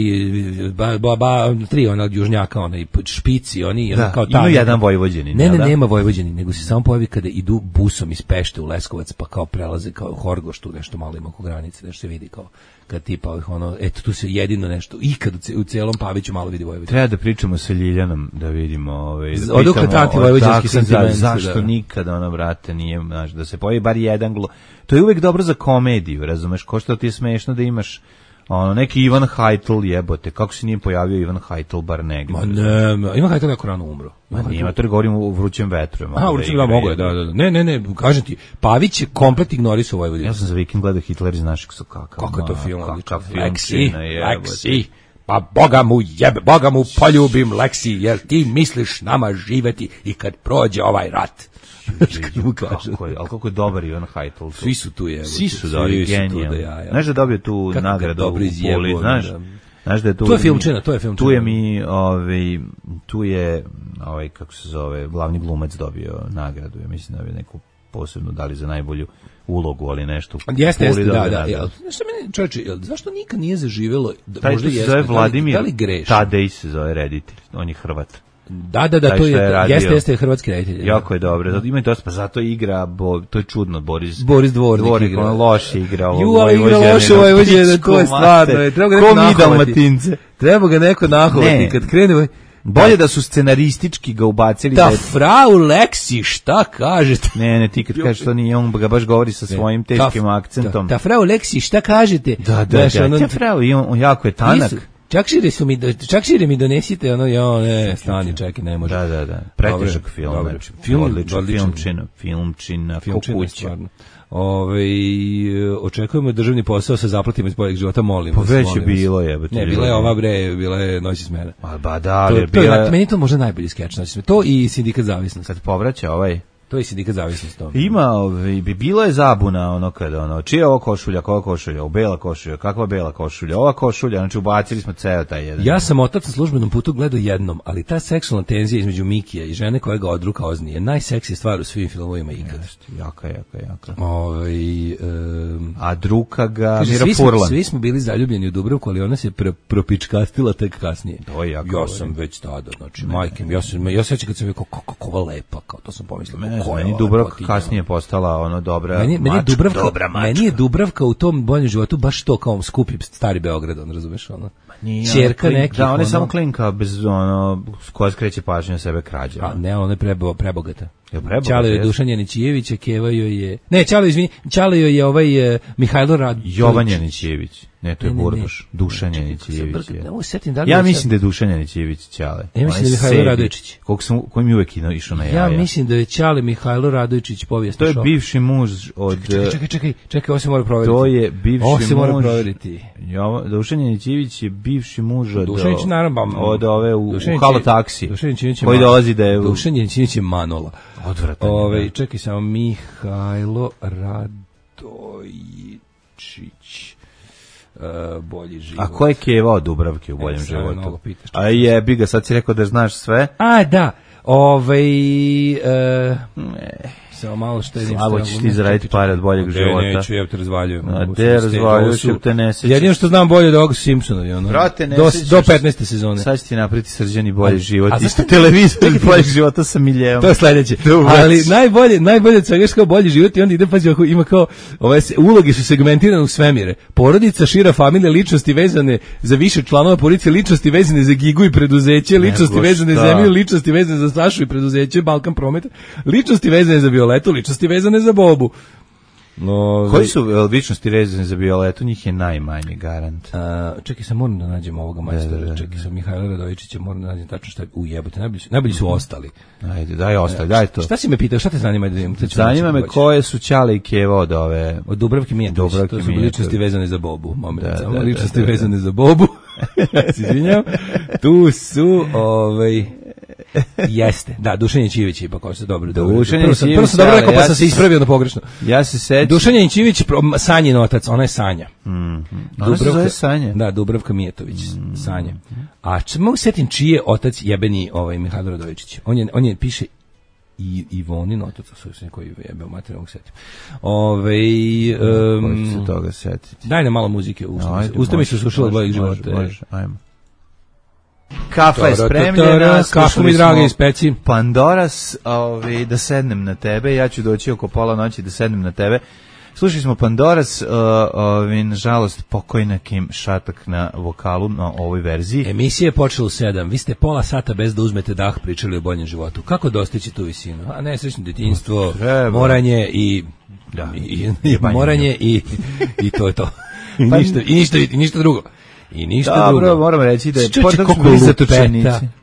ba, ba, ba, tri ona južnjaka, onaj špici, oni da, kao ta. Ima jedan Vojvođanin. Ne, ne, da? nema Vojvođanin, nego se samo pojavi kada idu busom iz Pešte u Leskovac, pa kao prelaze kao Horgoš, tu nešto malo ima oko granice, nešto se vidi kao kad tipa ovih ono, eto tu se jedino nešto ikad u celom Paviću malo vidi Vojvodina. Treba da pričamo sa Ljiljanom da vidimo, ovaj, da odakle tati vojvođanski sentiment, zašto da. Nikada ona brate nije, znaš, da se pojavi bar jedan glo. To je uvek dobro za komediju, razumeš, ko što ti je smešno da imaš ono, neki Ivan Hajtl jebote, kako se nije pojavio Ivan Hajtl bar negdje? Ma ne, Ivan Hajtl jako rano umro. Ma nima, to govorim u Vrućem vetru. A, u Vrućem vetru, mogo je, da, da, da. Ne, ne, ne, kažem ti, Pavić je komplet ignorisao Vojvodinu. Ja sam za vikend gledao Hitler iz našeg su kakav. Kako je to film? Kakav film. Leksi, Leksi, pa Boga mu jebe, Boga mu poljubim Leksi, jer ti misliš nama živeti i kad prođe ovaj rat. Kako je, ali kako je dobar Ivan Hajtl. Svi su tu je. Svi su dobri, genijalni. Znaš da dobio tu nagradu u Puli, znaš? Znaš da je tu... To je filmčina, to je filmčina. Tu je mi, ovaj, tu je, ovaj, kako se zove, glavni glumac dobio nagradu. Ja mislim da je neku posebno dali za najbolju ulogu, ali nešto. Jeste, jeste, da, da. Znaš meni, čovječe, zašto nikad nije zaživjelo? Taj što se zove Vladimir Tadej se zove reditelj, on je Hrvat. Da, da, da, to je, jeste, jeste hrvatski reditelj. Jako je dobro, ima i dosta, pa zato igra, bo, to je čudno, Boris, Boris Dvornik, Dvornik igra. On loše igra ovo. Ju, ali igra loše ovo Vojvođanina, to je stvarno, treba ga neko nahovati. Treba ga neko nahovati, kad krene... Bolje da su scenaristički ga ubacili. Ta frau Leksi, šta kažete? Ne, ne, ti kad kažeš to nije, on ga baš govori sa svojim teškim akcentom. Ta frau Leksi, šta kažete? Da, da, da, ta frau, on jako je tanak. Čak šire su mi, čak šire mi donesite, ono, jo, ne, stani, čekaj, ne može. Da, da, da, pretežak film, znači, film, odličan, filmčina, filmčina, kukuća. Ove, očekujemo državni posao sa zaplatima iz boljeg života, molim vas. Pa već je bilo, jebate. Ne, bila je ova bre, bila je Noć smena. A ba da, ali je bila... Meni to možda najbolji skeč, znači, to i Sindikat zavisnosti. Kad povraća ovaj... To je Sindikat zavisnosti. Ima, ovaj, bi bilo je zabuna ono kada ono, čija je ovo košulja, koja košulja, o bela košulja, kakva bela košulja, ova košulja, znači ubacili smo ceo taj jedan. Ja sam otac na službenom putu gledao jednom, ali ta seksualna tenzija između Mikija i žene koja ga odruka ozni je najseksija stvar u svim filmovima ikada. Jaka, jaka, jaka. Ovaj um, a druga ga Miro Furlan. Svi smo bili zaljubljeni u Dubravku, ali ona se pro, propičkastila tek kasnije. To je jako. Ja sam već tada, znači majke, ja sam ja sećam kad sam rekao kako kako lepa, kao to sam pomislio. Meni Dubravka kasnije postala ono dobra meni, meni mačka, Dubravka, dobra mačka. Meni je Dubravka u tom boljem životu baš to kao skupi stari Beograd, on razumeš ono. Ćerka neki. Da, ona je samo klinka bez ono koja skreće pažnju na sebe krađa. A ne, ona je prebo, prebogata. Je prebogata. Ćale je Dušan Janićijević, Keva joj je. Ne, Ćale izvini, Ćale joj je ovaj uh, Mihajlo Radović. Jovan Janićijević. Ne, to je Burduš. Dušan Janićijević. Ja mislim da je Dušan Janićijević Ćale. Ja mislim da je Mihajlo Radovičić. Kog sam koji mi uvek išao na jaja. Ja mislim da je Ćale Mihajlo Radovičić povijesni šok. To je bivši muž od Čekaj, čekaj, čekaj, čekaj, ovo se mora provjeriti. To je bivši muž. Ovo se mora provjeriti. Dušan Janićijević je bivši muž od Dušanić naravno od ove u Halo taksi. Dušanić koji dolazi da je Dušan Janićijević je Manola. Odvratan. Ove, čekaj samo, Mihajlo Radojičić, uh, bolji život. A ko je Keva od Dubravke u boljem e, životu? Pitaš, a jebi ga, sad si rekao da znaš sve. A, da, ove, uh, ne. Samo malo štedim. Slabo ćeš ti zaraditi pare od boljeg života. Ne, neću, ja te razvaljujem. A te razvaljuš, ja te ne sećaš. Jedino što znam bolje od ovog Simpsonovi, ono. Brate, ne do, do petnaeste sezone. Sad će ti napraviti Srđani bolji život. A isto televizor od boljeg života sa miljevom. To je sledeće. Ali najbolje, najbolje od svega što bolji život i onda ide, pazi, ima kao, ove uloge su segmentirane u svemire. Porodica, šira familija, ličnosti vezane za više članova porodice, ličnosti vezane za Gigu i preduzeće, ličnosti vezane za Emiju, ličnosti vezane za Sašu i preduzeće, Balkan Promet, ličnosti vezane za Violetu, ličnosti vezane za Bobu. No, koji su ličnosti vezane za Violetu? Njih je najmanje, garant. A, čekaj, sam moram da nađem ovoga majstora. Čekaj, sam Mihajlo Radojičića, moram da nađem tačno šta je ujebote. Najbolji, najbolji su ostali. Ajde, daj ostali, daj to. Šta si me pitao, šta te zanima? Da zanima me koje su Ćale i Keva od ove... Od Dubravke Mijatović, to su ličnosti vezane za Bobu. Moment, da, samo da, ličnosti da, da, vezane za Bobu. Se izvinjam. Tu su, ovaj... Jeste, da, Dušan Janićijević ipak ovo se dobro. Dušan Janićijević, prvo sam dobro rekao, pa sam se ispravio na pogrešno. Ja se sećam. Dušan Janićijević, Sanjin otac, ona je Sanja. Mm. Ona se zove Sanja. Da, Dubravka Mijatović, mm. Sanja. A č, mogu setim čiji je otac jebeni ovaj Mihajlo Radojičić. On je, on je piše i Ivonin otac, sa se koji jebe u materijalnog setim. Ove, um, se toga setiti. Daj nam malo muzike, usta mi se slušala od mojih života. Može, ajmo. Kafa je spremljena, kafu mi drage ispeci. Pandoras, ovi, da sednem na tebe, ja ću doći oko pola noći da sednem na tebe. Slušali smo Pandoras, ovi, nažalost, pokojna Kim Šatak na vokalu na ovoj verziji. Emisija je počela u sedam, vi ste pola sata bez da uzmete dah pričali o boljem životu. Kako dostići tu visinu? A nesrećno djetinjstvo, moranje i... Da, i, i, i moranje i, i to je to. I ništa, i ništa, i ništa drugo. I ništa dobro, drugo. Moram reći da je koliko lupeta,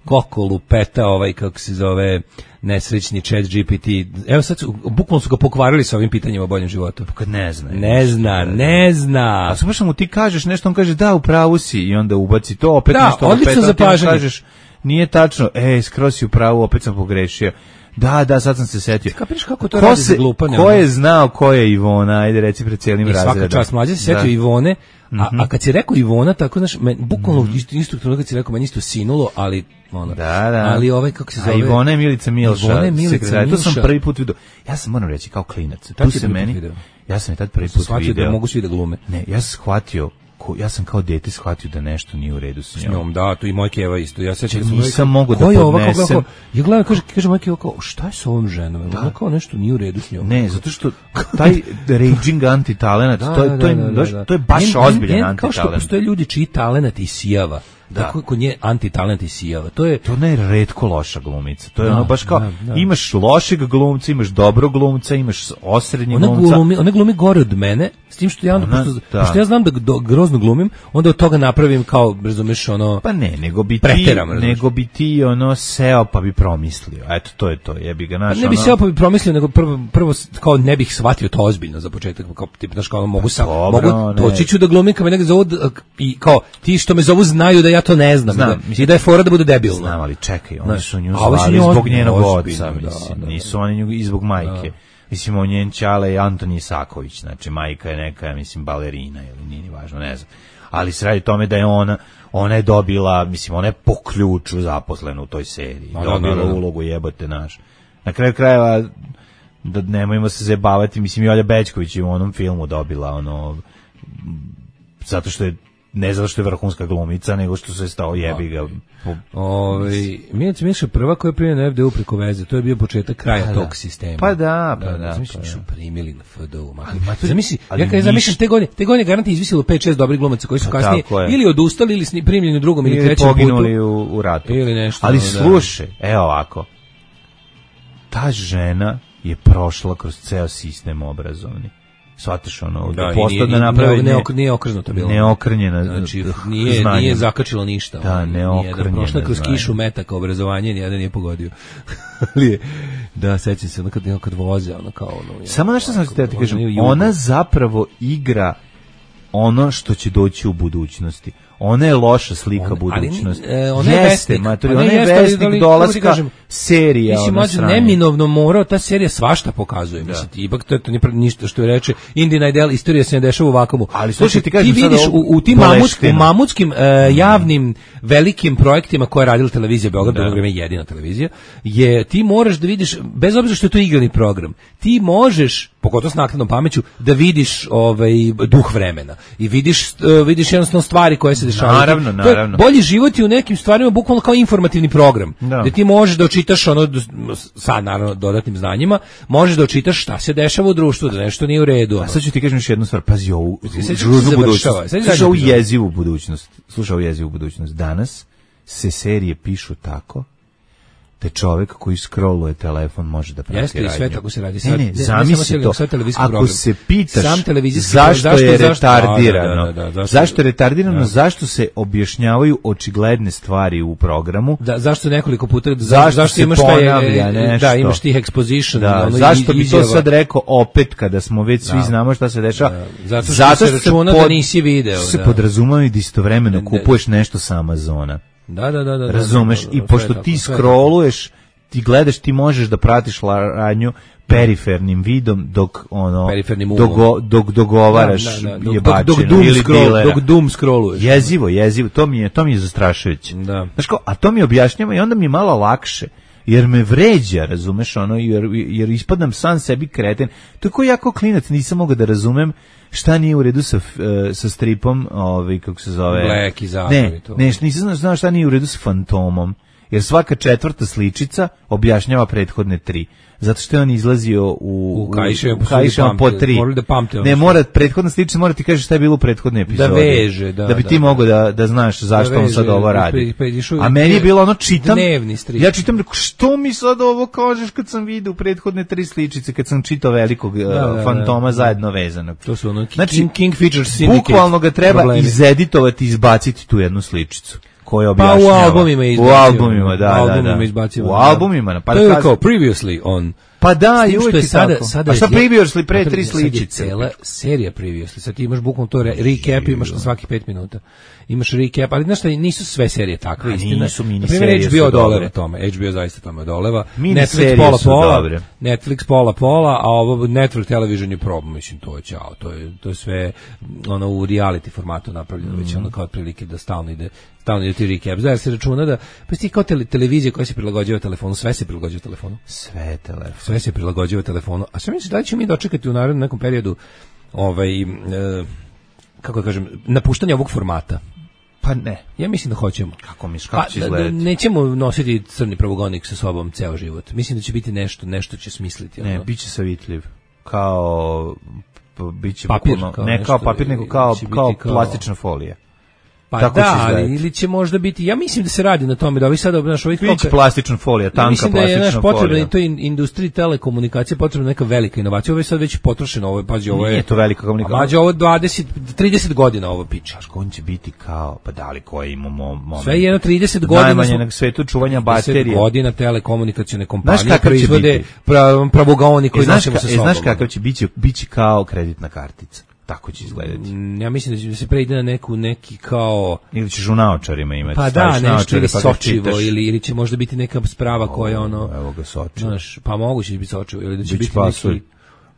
koliko lupeta ovaj, kako se zove, nesrećni chat G P T. Evo sad, su, bukvalno su ga pokvarili sa ovim pitanjima o boljem životu. Pa kad ne zna. Ne zna, ne zna. A samo što mu ti kažeš nešto, on kaže da, u pravu si i onda ubaci to, opet da, nešto. Da, odlično zapažanje. Kažeš, nije tačno, ej, skroz si u pravu, opet sam pogrešio. Da, da, sad sam se setio. Kapiraš kako to ko radi se, za glupanje? Ko je znao ko je Ivona, ajde reci pred cijelim razredom. I svaka čast, mlađe se setio Ivone, a, mm-hmm. a kad si rekao Ivona, tako, znaš, men, bukvalno mm-hmm. isto, isto trenutka kad si rekao, meni isto sinulo, ali, ono, da, da. ali ovaj, kako se zove... A Ivona je Milica Milša. Ivona je Milica Milša. To sam prvi put vidio. Ja sam, moram reći, kao klinac. Tu se meni, video. Ja sam je tad prvi put shvatio video. Da mogu svi da glume. Ne, ja sam shvatio, ko, ja sam kao dete shvatio da nešto nije u redu s njom. S njom, da, tu i moj Keva isto. Ja sećam se nisam mogao da podnesem. Ja gledam, kaže, kaže moj Keva kao, šta je sa ovom ženom? Da. Ona kao nešto nije u redu s njom. Ne, zato što taj raging anti-talenat, da, to je, da, to je, da, da, da. to je baš njen, ozbiljan njen, anti-talenat. Kao što postoje ljudi čiji talenat isijava. Da. Tako kod nje anti-talent isijava. To je to ne je retko loša glumica. To je da, ono baš kao da, da. Imaš lošeg glumca, imaš dobrog glumca, imaš osrednjeg ona glumca. Glumi, ona glumi gore od mene, s tim što ja onda, ona, pošto, da. pošto ja znam da do, grozno glumim, onda od toga napravim kao, razumeš, ono... Pa ne, nego bi ti, preteram, nego bi ti ono seo pa bi promislio. Eto, to je to, jebi ga naš. Pa ne bi ono... seo pa bi promislio, nego prvo, prvo kao ne bih shvatio to ozbiljno za početak, kao tip, znaš, kao mogu sam, dobro, mogu, doći ću da glumim, kao me nekako zovu, i kao, ti što me zovu znaju da ja to ne znam. Znam. Mislim, i da je fora da bude debilno. Znam, ali čekaj, oni ne. su nju zvali zbog njenog oca, mislim, da, da, nisu oni nju i zbog majke. Da. Mislim, on njen ćale je Antoni Isaković, znači majka je neka, mislim, balerina ili nije ni važno, ne znam. Ali se radi tome da je ona, ona je dobila, mislim, ona je po ključu zaposlena u toj seriji, da, dobila da, da, da. ulogu jebote naš. Na kraju krajeva, da nemojmo se zabavati, mislim, Jolja Bećković je u onom filmu dobila, ono, zato što je ne zato što je vrhunska glumica, nego što se stao jebi ga. Ovaj Milica Milša prva koja je primljena na F D U preko veze, to je bio početak kraja pa tog da. sistema. Pa da, pa da. da Zamisli pa da su primili na F D U. Ali, zamisli, ja kad zamišljam te godine, te godine garanti izvisilo pet šest dobrih glumaca koji su pa kasnije ili odustali ili sni primljeni u drugom ili, ili trećem putu. Ili poginuli u, u ratu. Ili nešto. Ali da. slušaj, evo ovako. Ta žena je prošla kroz ceo sistem obrazovni. Shvataš ono, da, da postao da napravi ne, ne, nije okrnjeno bilo. Neokrnjena, znači, nije, nije zakačilo ništa. Da, neokrnjena. Da, prošla kroz kišu metaka obrazovanje, nijedan nije pogodio. Ali da, sećam se, ono kad, kad voze, ono kao ono... Samo nešto sam se ti kažem, ona zapravo igra ono što će doći u budućnosti. Ona je loša slika on, budućnosti. Ali, e, ona je vesnik. Maturi, ona je vesnik dolaska kažem, serija. Mislim, mađu, neminovno morao, ta serija svašta pokazuje. Da. Mislim, ipak to, to nije ništa što je reče. Indina Idel, istorija se ne dešava u vakumu. Ali slušaj, ti, ti vidiš u, u tim mamutskim, mamutskim uh, javnim velikim projektima koje je radila televizija Beograd, da. Beograd je jedina televizija, je ti moraš da vidiš, bez obzira što je to igrani program, ti možeš, pogotovo s naknadnom pameću, da vidiš ovaj duh vremena i vidiš uh, vidiš jednostavno stvari koje se dešavaju. Naravno, naravno. Bolji život je u nekim stvarima bukvalno kao informativni program. Da. Gde ti možeš da očitaš ono sad naravno dodatnim znanjima, možeš da očitaš šta se dešava u društvu, da nešto nije u redu. A sad ću ti kažem još jednu stvar, pazi ovu žurnu budućnost. Slušaj ovu jezivu budućnost. Slušaj ovu jezivu budućnost. Danas se serije pišu tako da čovjek koji scrolluje telefon može da prati radnju. Jeste i sve tako se radi. Sad, ne, ne, zamisli to. Ako program. se pitaš Sam zašto, zašto je retardirano, da, da, da, zašto, zašto je retardirano, da. Zašto se objašnjavaju očigledne stvari u programu, da, zašto nekoliko puta, zašto, zašto imaš ponavlja nešto, da, imaš tih exposition, da, ono, zašto bi izjava. To sad rekao opet kada smo već svi da. Znamo šta se dešava, da. Zato što zato se računa pod, da nisi video. Se podrazumaju da istovremeno kupuješ nešto sa Amazona. Da, da, da, da. Razumeš, da, da, da, i pošto ti scrolluješ, ti gledaš, ti možeš da pratiš radnju perifernim vidom dok ono dok dok dogovaraš da, da, da. jebačinu ili dilera. Dok doom scrolluješ. Jezivo, jezivo, to mi je to mi je zastrašujuće. Da. Znaš ko, a to mi objašnjava i onda mi je malo lakše. jer me vređa, razumeš, ono, jer, jer ispadam sam sebi kreten. To je ko jako klinac, nisam mogao da razumem šta nije u redu sa, sa stripom, ovaj, kako se zove... Black i Zato ne, i to. ne, nisam znao šta nije u redu sa Fantomom, jer svaka četvrta sličica objašnjava prethodne tri. Zato što je on izlazio u, u Kaiševom po tri. Da pamte, ne, mora, prethodna sličica mora ti kaže šta je bilo u prethodnoj epizodi. Da veže, da. Da bi da, ti da, mogao da, da znaš zašto da veže, on sad ovo radi. Pa, pa, a meni je bilo ono, čitam, ja čitam, što mi sad ovo kažeš kad sam vidio prethodne tri sličice, kad sam čitao velikog da, da, Fantoma da, zajedno vezanog. To su ono, znači, King, King Features Syndicate. Bukvalno ga treba problemi. Izeditovati i izbaciti tu jednu sličicu. Koje objašnjava. Pa u albumima je izbacio. U albumima, da, u albumima da, da. Izbacio, u albumima. Pa to je kao previously on. Pa da, i uvijek je sada, tako. Sada a šta previously pre tri sličice? Sad je cela serija previously. Sad ti imaš bukvalno to re, recap, imaš na svaki pet minuta. Imaš recap, ali znaš šta, nisu sve serije takve, istina. Nisu mini serije. H B O doleva tome, H B O zaista tome doleva. Netflix pola pola, dobre. Netflix pola pola, a ovo Network Television je probu, mislim, to je ćao, to je, to je sve ono u reality formatu napravljeno, mm. već ono kao otprilike da stalno ide stalno ide ti recap. Znači se računa da pa ti kao tele, televizija koja se prilagođava telefonu, sve se prilagođava telefonu. Sve telefon. Sve se prilagođava telefonu. A sve misliš da li ćemo mi dočekati u narednom nekom periodu ovaj e, kako da kažem, napuštanje ovog formata? Pa ne. Ja mislim da hoćemo. Kako misliš, kako pa, će izgledati? Nećemo nositi crni pravogonik sa sobom ceo život. Mislim da će biti nešto, nešto će smisliti. Ne, ono. Biće savitljiv. Kao biće papir, bukvalno, kao ne nešto, kao papir, nego kao, kao, kao plastična folija. Pa tako da, ali ili će možda biti, ja mislim da se radi na tome, da ovi sada, znaš, ovih biće plastična folija, tanka mislim plastična folija. Mislim da je naš potrebna i to industriji telekomunikacije, potrebna neka velika inovacija. Ovo je sad već potrošeno, ovo je, pađe, ovo je... Nije to velika komunikacija. Pađe, ovo je dvadeset, trideset godina ovo piče. Znaš, on će biti kao, pa da li koji imamo moment. Sve jedno trideset godina. Najmanje na svetu čuvanja baterije. trideset godina telekomunikacione kompanije proizvode pravogaoni koji nosimo sa sobom. Znaš kakav će biti? Biće kao kreditna kartica. Tako će izgledati. Ja mislim da se preide na neku neki kao ili ćeš u naočarima imati. Pa da, nešto ili pa sočivo ili ili će možda biti neka sprava koja ono. Evo ga sočivo. Znaš, pa moguće će biti sočivo ili da će biti neki,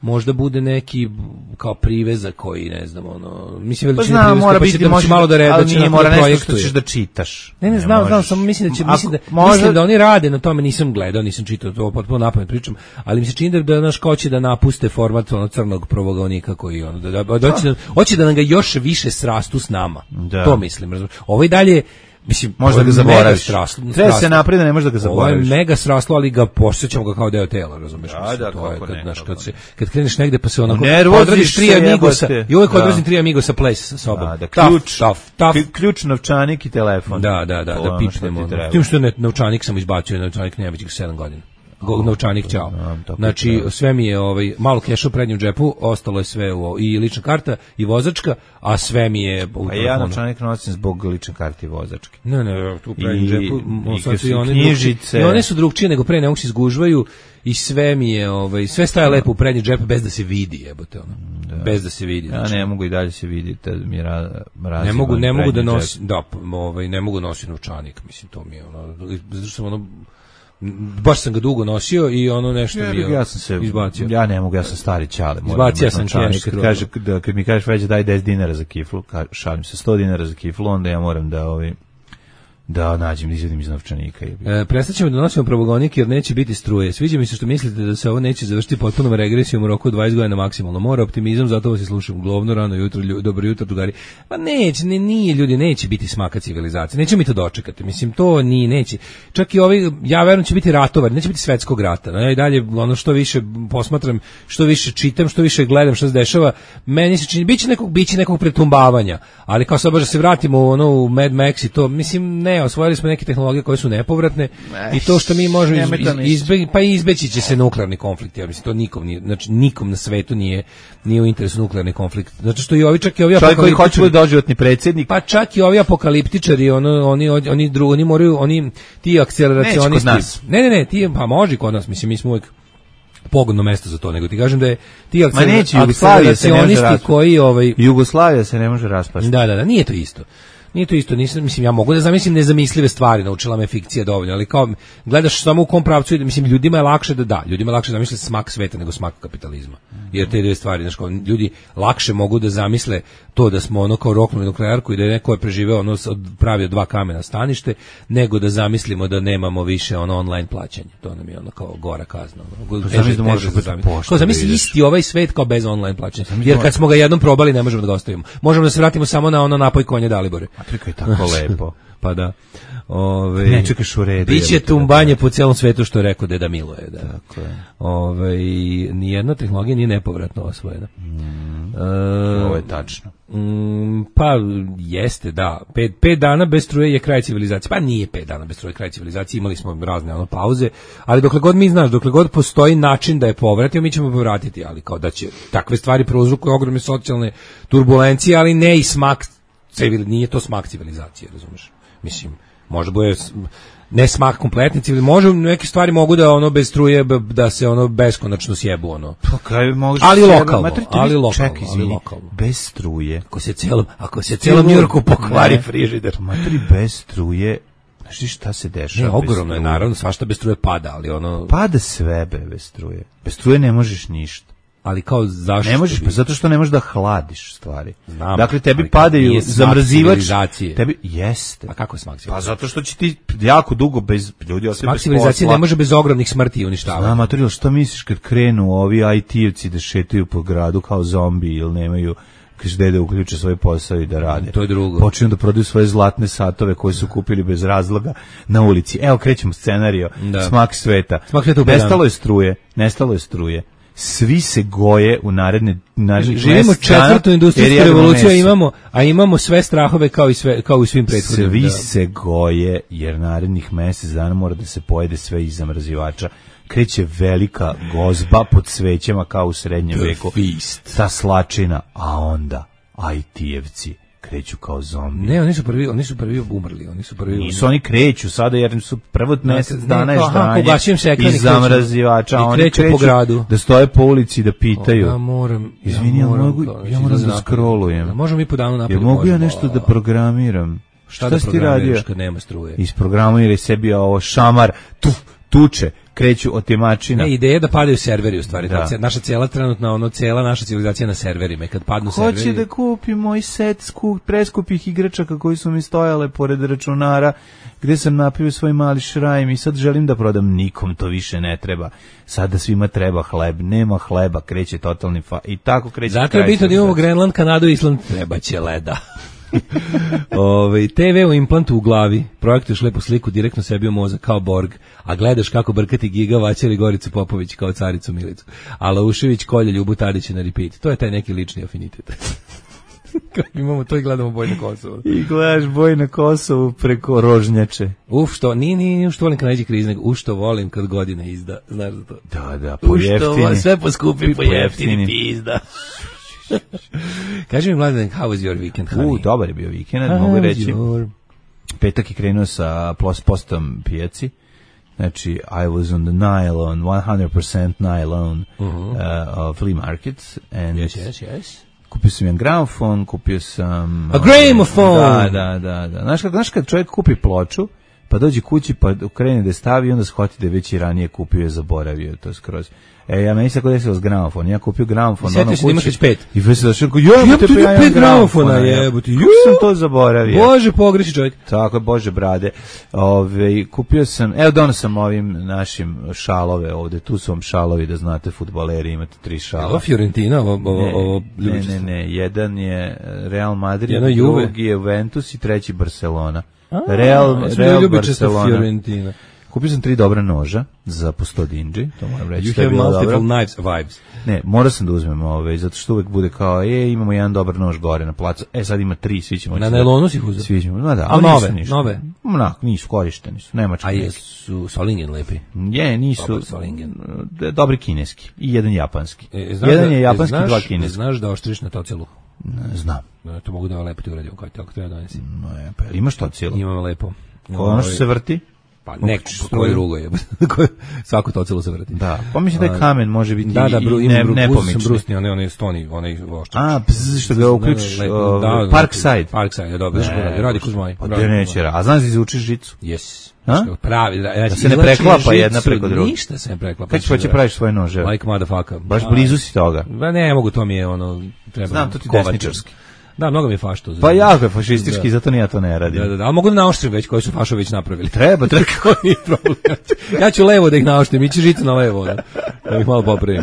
možda bude neki kao privezak koji ne znam ono. Mislim pa veličina zna, mora biti da može malo da reda, ali nije mora nešto što ćeš da čitaš. Ne, ne znam, znam, samo mislim da će mislim da možda... mislim da oni rade na tome, nisam gledao, nisam čitao to, potpuno napamet pričam, ali mi se čini da naš ko će da napuste format ono crnog pravogonika koji ono da hoće da hoće da nam ga još više srastu s nama. To mislim, razumiješ. Ovo i dalje mislim, možda ga zaboraviš. Treba se napred da ne možeš da ga zaboraviš. Ovo je mega sraslo, ali ga posjećamo ga kao deo tela, razumiješ? Da, da, to je, kad, ne, znaš, kad, se, kad kreneš negde pa se onako odradiš tri amigosa i uvijek odrazim tri amigosa place sa sobom. Da, da, ključ, tough, tough. Ključ, novčanik i telefon. Da, da, da, da pipnemo. Tim što je novčanik sam izbacio, novčanik nema već sedam godina. Novčanik, ćao. Znači, sve mi je ovaj, malo keša u prednjem džepu, ostalo je sve u, i lična karta i vozačka, a sve mi je u telefonu. A ja novčanik nosim zbog lične karte i vozačke. Ne, ne, tu u prednjem džepu. I, i, one knjižice. I one su drugčije nego pre, ne mogu se izgužvaju i sve mi je, ovaj, sve staje lepo u prednjem džepu bez da se vidi, jebote, ono. Da. Bez da se vidi. Znači. Ja ne mogu i dalje se vidjeti, mi je ra, ne mogu, ne mogu da nosim, da, ovaj, ne mogu nositi novčanik, mislim, to mi je, ono, zato sam ono, baš sam ga dugo nosio i ono nešto ja, bio ja sam se izbacio. Ja ne mogu, ja sam stari ćale. Izbacio sam keš. Kad, kaže, da, kad mi kažeš već daj deset dinara za kiflu, ka, šalim se sto dinara za kiflu, onda ja moram da ovi da nađem, izvedim iz novčanika. E, prestaćemo da nosimo pravogonik jer neće biti struje. Sviđa mi se što mislite da se ovo neće završiti potpunom regresijom u roku dvadeset godina maksimalno. Mora optimizam, zato vas i slušam. Glovno, rano jutro, lju, dobro jutro, drugari. Pa neće, ne, nije ljudi, neće biti smaka civilizacije. Nećemo mi to dočekati. Mislim, to ni neće. Čak i ovi, ja verujem će biti ratovar, neće biti svetskog rata. No, ja i dalje, ono što više posmatram, što više čitam, što više gledam što se dešava, meni se čini, biće nekog, biće nekog pretumbavanja. Ali kao sad baš da se vratimo u, ono, u Mad Max i to, mislim, ne, osvojili smo neke tehnologije koje su nepovratne Eš, i to što mi možemo iz, iz, izbe, pa izbeći će se nuklearni konflikt, ja mislim to nikom nije, znači nikom na svetu nije nije u interesu nuklearni konflikt. Zato što i ovi čak i ovi čovjek koji hoće biti doživotni predsjednik, pa čak i ovi apokaliptičari, ono oni oni drugi oni moraju oni ti akceleracionisti. Ne, ne, ne, ti pa može kod nas, mislim mi smo uvijek pogodno mesto za to, nego ti kažem da je ti akceleracionisti koji ovaj Jugoslavija se ne može raspasti. Da, da, da, nije to isto. Nije to isto, nisam, mislim, ja mogu da zamislim nezamislive stvari, naučila me fikcija dovoljno, ali kao, gledaš samo u kom pravcu ide, mislim, ljudima je lakše da da, ljudima je lakše da zamisle smak sveta nego smak kapitalizma. Jer te dve stvari, znaš, kao, ljudi lakše mogu da zamisle to da smo ono kao roknuli nuklearku i da je neko je preživeo ono, pravio dva kamena stanište, nego da zamislimo da nemamo više ono online plaćanje. To nam je ono kao gora kazna. Ono. Pa zamisli da možeš biti pošta. Kao zamisli isti ovaj svet kao bez online plaćanja. Jer kad smo ga jednom probali ne možemo da ga ostavimo. Možemo da se vratimo samo na ono napoj konje Dalibore. Afrika je tako lepo. Pa da. Ove, ne čekaš u redu. Biće tumbanje po celom svetu što je rekao Deda Miloje. Da. Tako je. Ove, nijedna tehnologija nije nepovratno osvojena. Mm, e, ovo je tačno. Mm, pa jeste, da. Pet, pet dana bez struje je kraj civilizacije. Pa nije pet dana bez struje kraj civilizacije. Imali smo razne ono, pauze. Ali dokle god mi znaš, dokle god postoji način da je povratimo, mi ćemo povratiti. Ali kao da će takve stvari prouzrokuju ogromne socijalne turbulencije, ali ne i smak civil, nije to smak civilizacije, razumeš? Mislim, možda bude ne smak kompletni civil, može neke stvari mogu da ono bez struje da se ono beskonačno sjebu ono. Pa kaj može ali sjeba, lokalno, matri, ali lokalno, ček, ali lokalno. Bez struje. Ako se celom, ako se celom Njujorku pokvari frižider. Matri bez struje. Znaš šta se dešava? Ne, ogromno je naravno, svašta bez struje pada, ali ono pada sve be, bez struje. Bez struje ne možeš ništa. Ali kao zašto? Ne možeš, pa zato što ne možeš da hladiš stvari. Znam, dakle, tebi padaju zamrzivač. Tebi jeste. A kako je smak civilizacije? Pa zato što će ti jako dugo bez ljudi ostati bez posla. Smak civilizacije ne može bez ogromnih smrti i uništavanja. Znam, Matoril, što misliš kad krenu ovi I T-evci da šetaju po gradu kao zombi ili nemaju gde da uključe svoj posao i da rade. To je drugo. Počinju da prodaju svoje zlatne satove koje su kupili bez razloga na ulici. Evo, krećemo scenario. Da. Smak sveta. Smak sveta nestalo je struje. Nestalo je struje. Svi se goje u naredne narednih živimo četvrtu industrijsku revoluciju, a imamo a imamo sve strahove kao i sve kao u svim prethodnim. Svi da. se goje jer narednih mjesec dana mora da se pojede sve iz zamrzivača. Kreće velika gozba pod svećama kao u srednjem veku. Feast. Ta slačina, a onda I T-evci kreću kao zombi. Ne, oni su prvi, oni su prvi umrli, oni su prvi. Nisu oni kreću sada jer su prvo mjesec dana je zdanje iz zamrzivača, oni kreću po gradu. Da stoje po ulici da pitaju. Ja moram, izvini, ja moram, ja moram da scrollujem. Možemo mi po danu napolje. Ja mogu ja nešto da programiram. Šta, šta da si ti radio? Kad nema struje? Isprogramiraj sebi ovo šamar, tu, tuče. Kreću otimačina. Ne, ideja je da padaju serveri u stvari. Da. Naša cijela trenutna, ono, cijela naša civilizacija na serverima. I kad padnu Hoće serveri... Hoće da kupi moj set skup, preskupih igračaka koji su mi stojale pored računara, gde sam napravio svoj mali šrajm i sad želim da prodam. Nikom to više ne treba. Sada svima treba hleb. Nema hleba, kreće totalni fa... I tako kreće... Zato je bitno da imamo Grenland, Kanadu i Island. Treba će leda. Ove, te ve u implantu u glavi, projektuješ lepu sliku direktno sebi u mozak kao Borg, a gledaš kako brkati Giga Vaćeli Goricu Popović kao caricu Milicu, a Laušević kolje Ljubu Tadića na repeat. To je taj neki lični afinitet. Imamo to i gledamo Boj na Kosovu. I gledaš Boj na Kosovu preko Rožnjače. Uf, što, nije, nije, što volim kad nađe kriz, nego u što volim kad godina izda. Znaš za to? Da, da, po jeftini. Sve poskupi, po jeftini pizda. Kaži mi, Mladen, how was your weekend, honey? U, dobar je bio vikend, mogu reći. Your... Petak je krenuo sa plus postom pijaci. Znači, I was on the nylon, one hundred percent nylon uh-huh. uh, flea market. And yes, yes, yes. Kupio sam jedan gramofon, kupio sam... A gramophone! Da, da, da. da. Znaš, kad, znaš kad čovjek kupi ploču, pa dođe kući, pa krene da je stavi i onda shvati da je već i ranije kupio i zaboravio to skroz. E, ja meni se kod desilo s gramofon. Ja kupio gramofon. Sjeti se da imaš već pet. I već se došao, jebate pa ja imam gramofona, jebate. Kako sam to zaboravio? Bože, pogreši čovjek. Tako je, Bože brade. Ove, kupio sam, evo dono sam ovim našim šalove ovde. Tu su vam šalovi, da znate, fudbaleri, imate tri šala. Ovo Fiorentina, ovo, ovo, ne, ovo ne, ne, ne, jedan je Real Madrid, drugi je Juventus i treći Barcelona. A, Real, Real Barcelona. Fiorentina. Kupio sam tri dobra noža za po sto dinđi, to moram reći. You have multiple dobro. Knives vibes. Ne, morao sam da uzmem ove, zato što uvek bude kao, e, imamo jedan dobar nož gore na placu, e, sad ima tri, svi ćemo... Na nailonu si ih uzeo? Svi ćemo, no da, ali nove, nisu, nove? Onak, nisu, korišteni su, nemački. A jesu Solingen lepi? Je, nisu, dobar Solingen. Dobri kineski i jedan japanski. E, znaš jedan da, je japanski, znaš, dva kineski. Znaš da oštriš na tocelu? Ne, znam. Ne, to mogu da vam lepo ti uradim, kako treba donesi. No, je, pa imaš tocelu? Imam lepo. Ono što se vrti? Pa neko struju drugo je. Svako to celo se vrti. Da, pa mislim da je kamen može biti da, da, bru, i ne, nepomični. Brusni, onaj, onaj stoni, onaj oštrač. A, pz, što ga uključiš, uh, Parkside. Parkside, dobro, ne, radi Kuzmaj. Pa da neće, a znaš da izučiš žicu? Yes. A? Pravi, da se ne preklapa jedna preko druge. Ništa se ne preklapa. Kad ćeš praviš svoje nože? Like motherfucker. Baš blizu si toga. Ba ne mogu, to mi je ono, treba. Znam, to ti desničarski. Da, mnogo mi je faš to. Pa jako je fašistički, da. Zato ni ja to ne radim. Da, da, da, ali mogu da naoštrim već koji su fašović napravili. Treba, treba. Ja ću levo da ih naoštrim, ići žicu na levo, da, da ih malo popravim.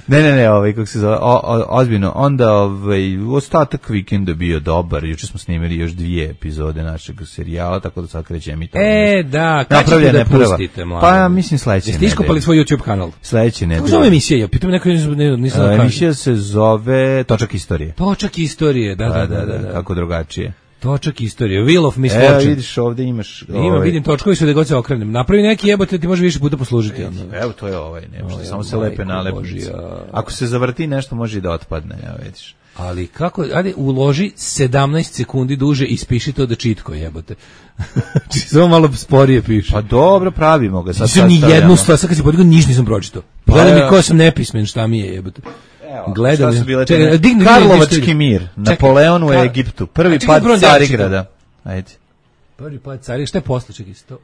Ne, ne, ne, ovaj, kako se zove, o, o, ozbiljno, onda ovaj, ostatak vikenda bio dobar, juče smo snimili još dvije epizode našeg serijala, tako da sad krećem i to. E, da, kad ćete da pustite, mlado? Pa ja mislim sledeće nedelje. Jeste iskopali svoj YouTube kanal? Sledeće nedelje. Kako zove emisija? Ja pitam neko, nisam da emisija se zove Točak istorije. Točak istorije, da, da, da, da, da. Kako drugačije. Točak istorije, Wheel of Misfortune. Evo vidiš ovde imaš... Ovaj... Ima, vidim točkovi su da god se okrenem. Napravi neki jebote, ti može više puta poslužiti. Evo, evo to je ovaj, nema što, samo se lepe nalepnice. Ako se zavrti nešto može i da otpadne, evo vidiš. Ali kako, ajde, uloži sedamnaest sekundi duže i spiši to da čitko jebote. Samo malo sporije piše. Pa dobro, pravimo ga. Sad nisam ni jednu stvar, sad kad si podigao, ništa nisam pročitao. Gledam mi ko sam nepismen, šta mi je jebote. Gledali. Šta su bile te? Karlovački mir, Napoleon u Egiptu, prvi pad Carigrada. Ajde. Prvi pad Carigrada, šta je posle, čekaj, sto...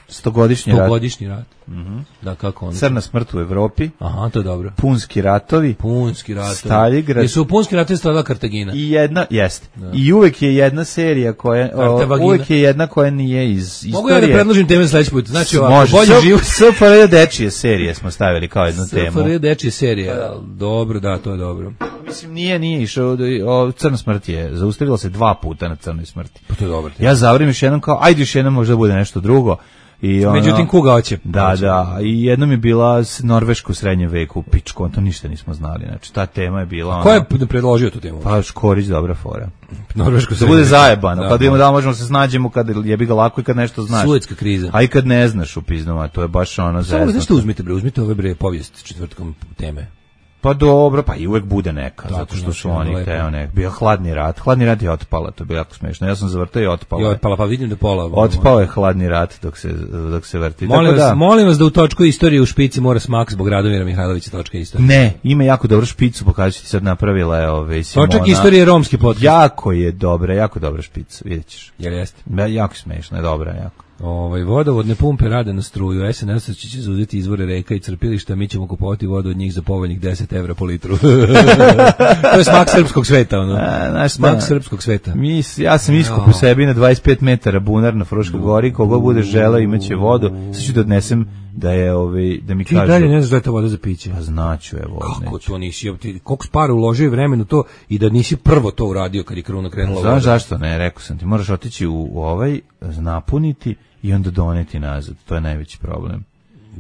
Stogodišnji rat. Stogodišnji rat. Mm-hmm. Da, kako ono? Crna smrt u Evropi. Aha, to je dobro. Punski ratovi. Punski ratovi. Staligrad. Jesu u Punski ratovi stradala Kartagina. I jedna, jeste. Da. I uvek je jedna serija koja, o, uvek je jedna koja nije iz istorije. Mogu ja da predložim teme sledeći put? Znači ovako, može. Bolji život. S F R J dečije serije smo stavili kao jednu temu. S F R J dečije serije, dobro, da, to je dobro. Mislim, nije, nije išao, o, Crna smrt je, zaustavila se dva puta na Crnoj smrti. Pa to je dobro. Ja zavrim još jednom kao, ajde još jednom možda bude nešto drugo. I ono, međutim, kuga hoće. Da, hoće. Da, i jednom je bila Norveška u srednjem veku, pičko, to ništa nismo znali, znači ta tema je bila... Ko je predložio tu temu? Pa Škorić, dobra fora. Norveško da bude zajebano, da, kad imamo da možemo se snađemo, kad jebi ga lako i kad nešto znaš. Suetska kriza. A i kad ne znaš u piznama, to je baš ono zezno. Samo nešto uzmite, bre, uzmite ove bre povijest četvrtkom teme. Pa dobro, pa i uvek bude neka, da, zato što su oni teo nek. Bio hladni rat, hladni rat je otpala, to je bilo jako smešno. Ja sam zavrtao i otpala. I otpala, pa vidim da pola. Otpao je hladni rat dok se dok se vrti. Molim vas, da, molim vas da u točku istorije u špici mora smak zbog Radomira Mihajlovića točka istorije. Ne, ima jako dobru špicu, pokažu ti sad napravila je ove Simona. Točak istorije romski podcast. Jako je dobra, jako dobra špica, videćeš. Jel jeste? Ja, jako smešno, je dobra, jako. Ovaj vodovodne pumpe rade na struju, S N S će zauzeti izvore reka i crpilišta, mi ćemo kupovati vodu od njih za povoljnih deset evra po litru. To je smak srpskog sveta, ono. A, znaš, smak srpskog sveta. Mi, ja sam iskop u sebi na dvadeset pet metara bunar na Fruškoj gori, kogo bude želeo imaće vodu, sad ću da odnesem da je ovaj da mi ti kažu. Ti dalje ne znaš da je ta voda za piće. Pa znaću, evo. Kako neću. To nisi, ti koliko para uložio vremenu to i da nisi prvo to uradio kad je kruna krenula voda. Znaš zašto ne, rekao sam ti, moraš otići u, u ovaj, napuniti i onda doneti nazad, to je najveći problem.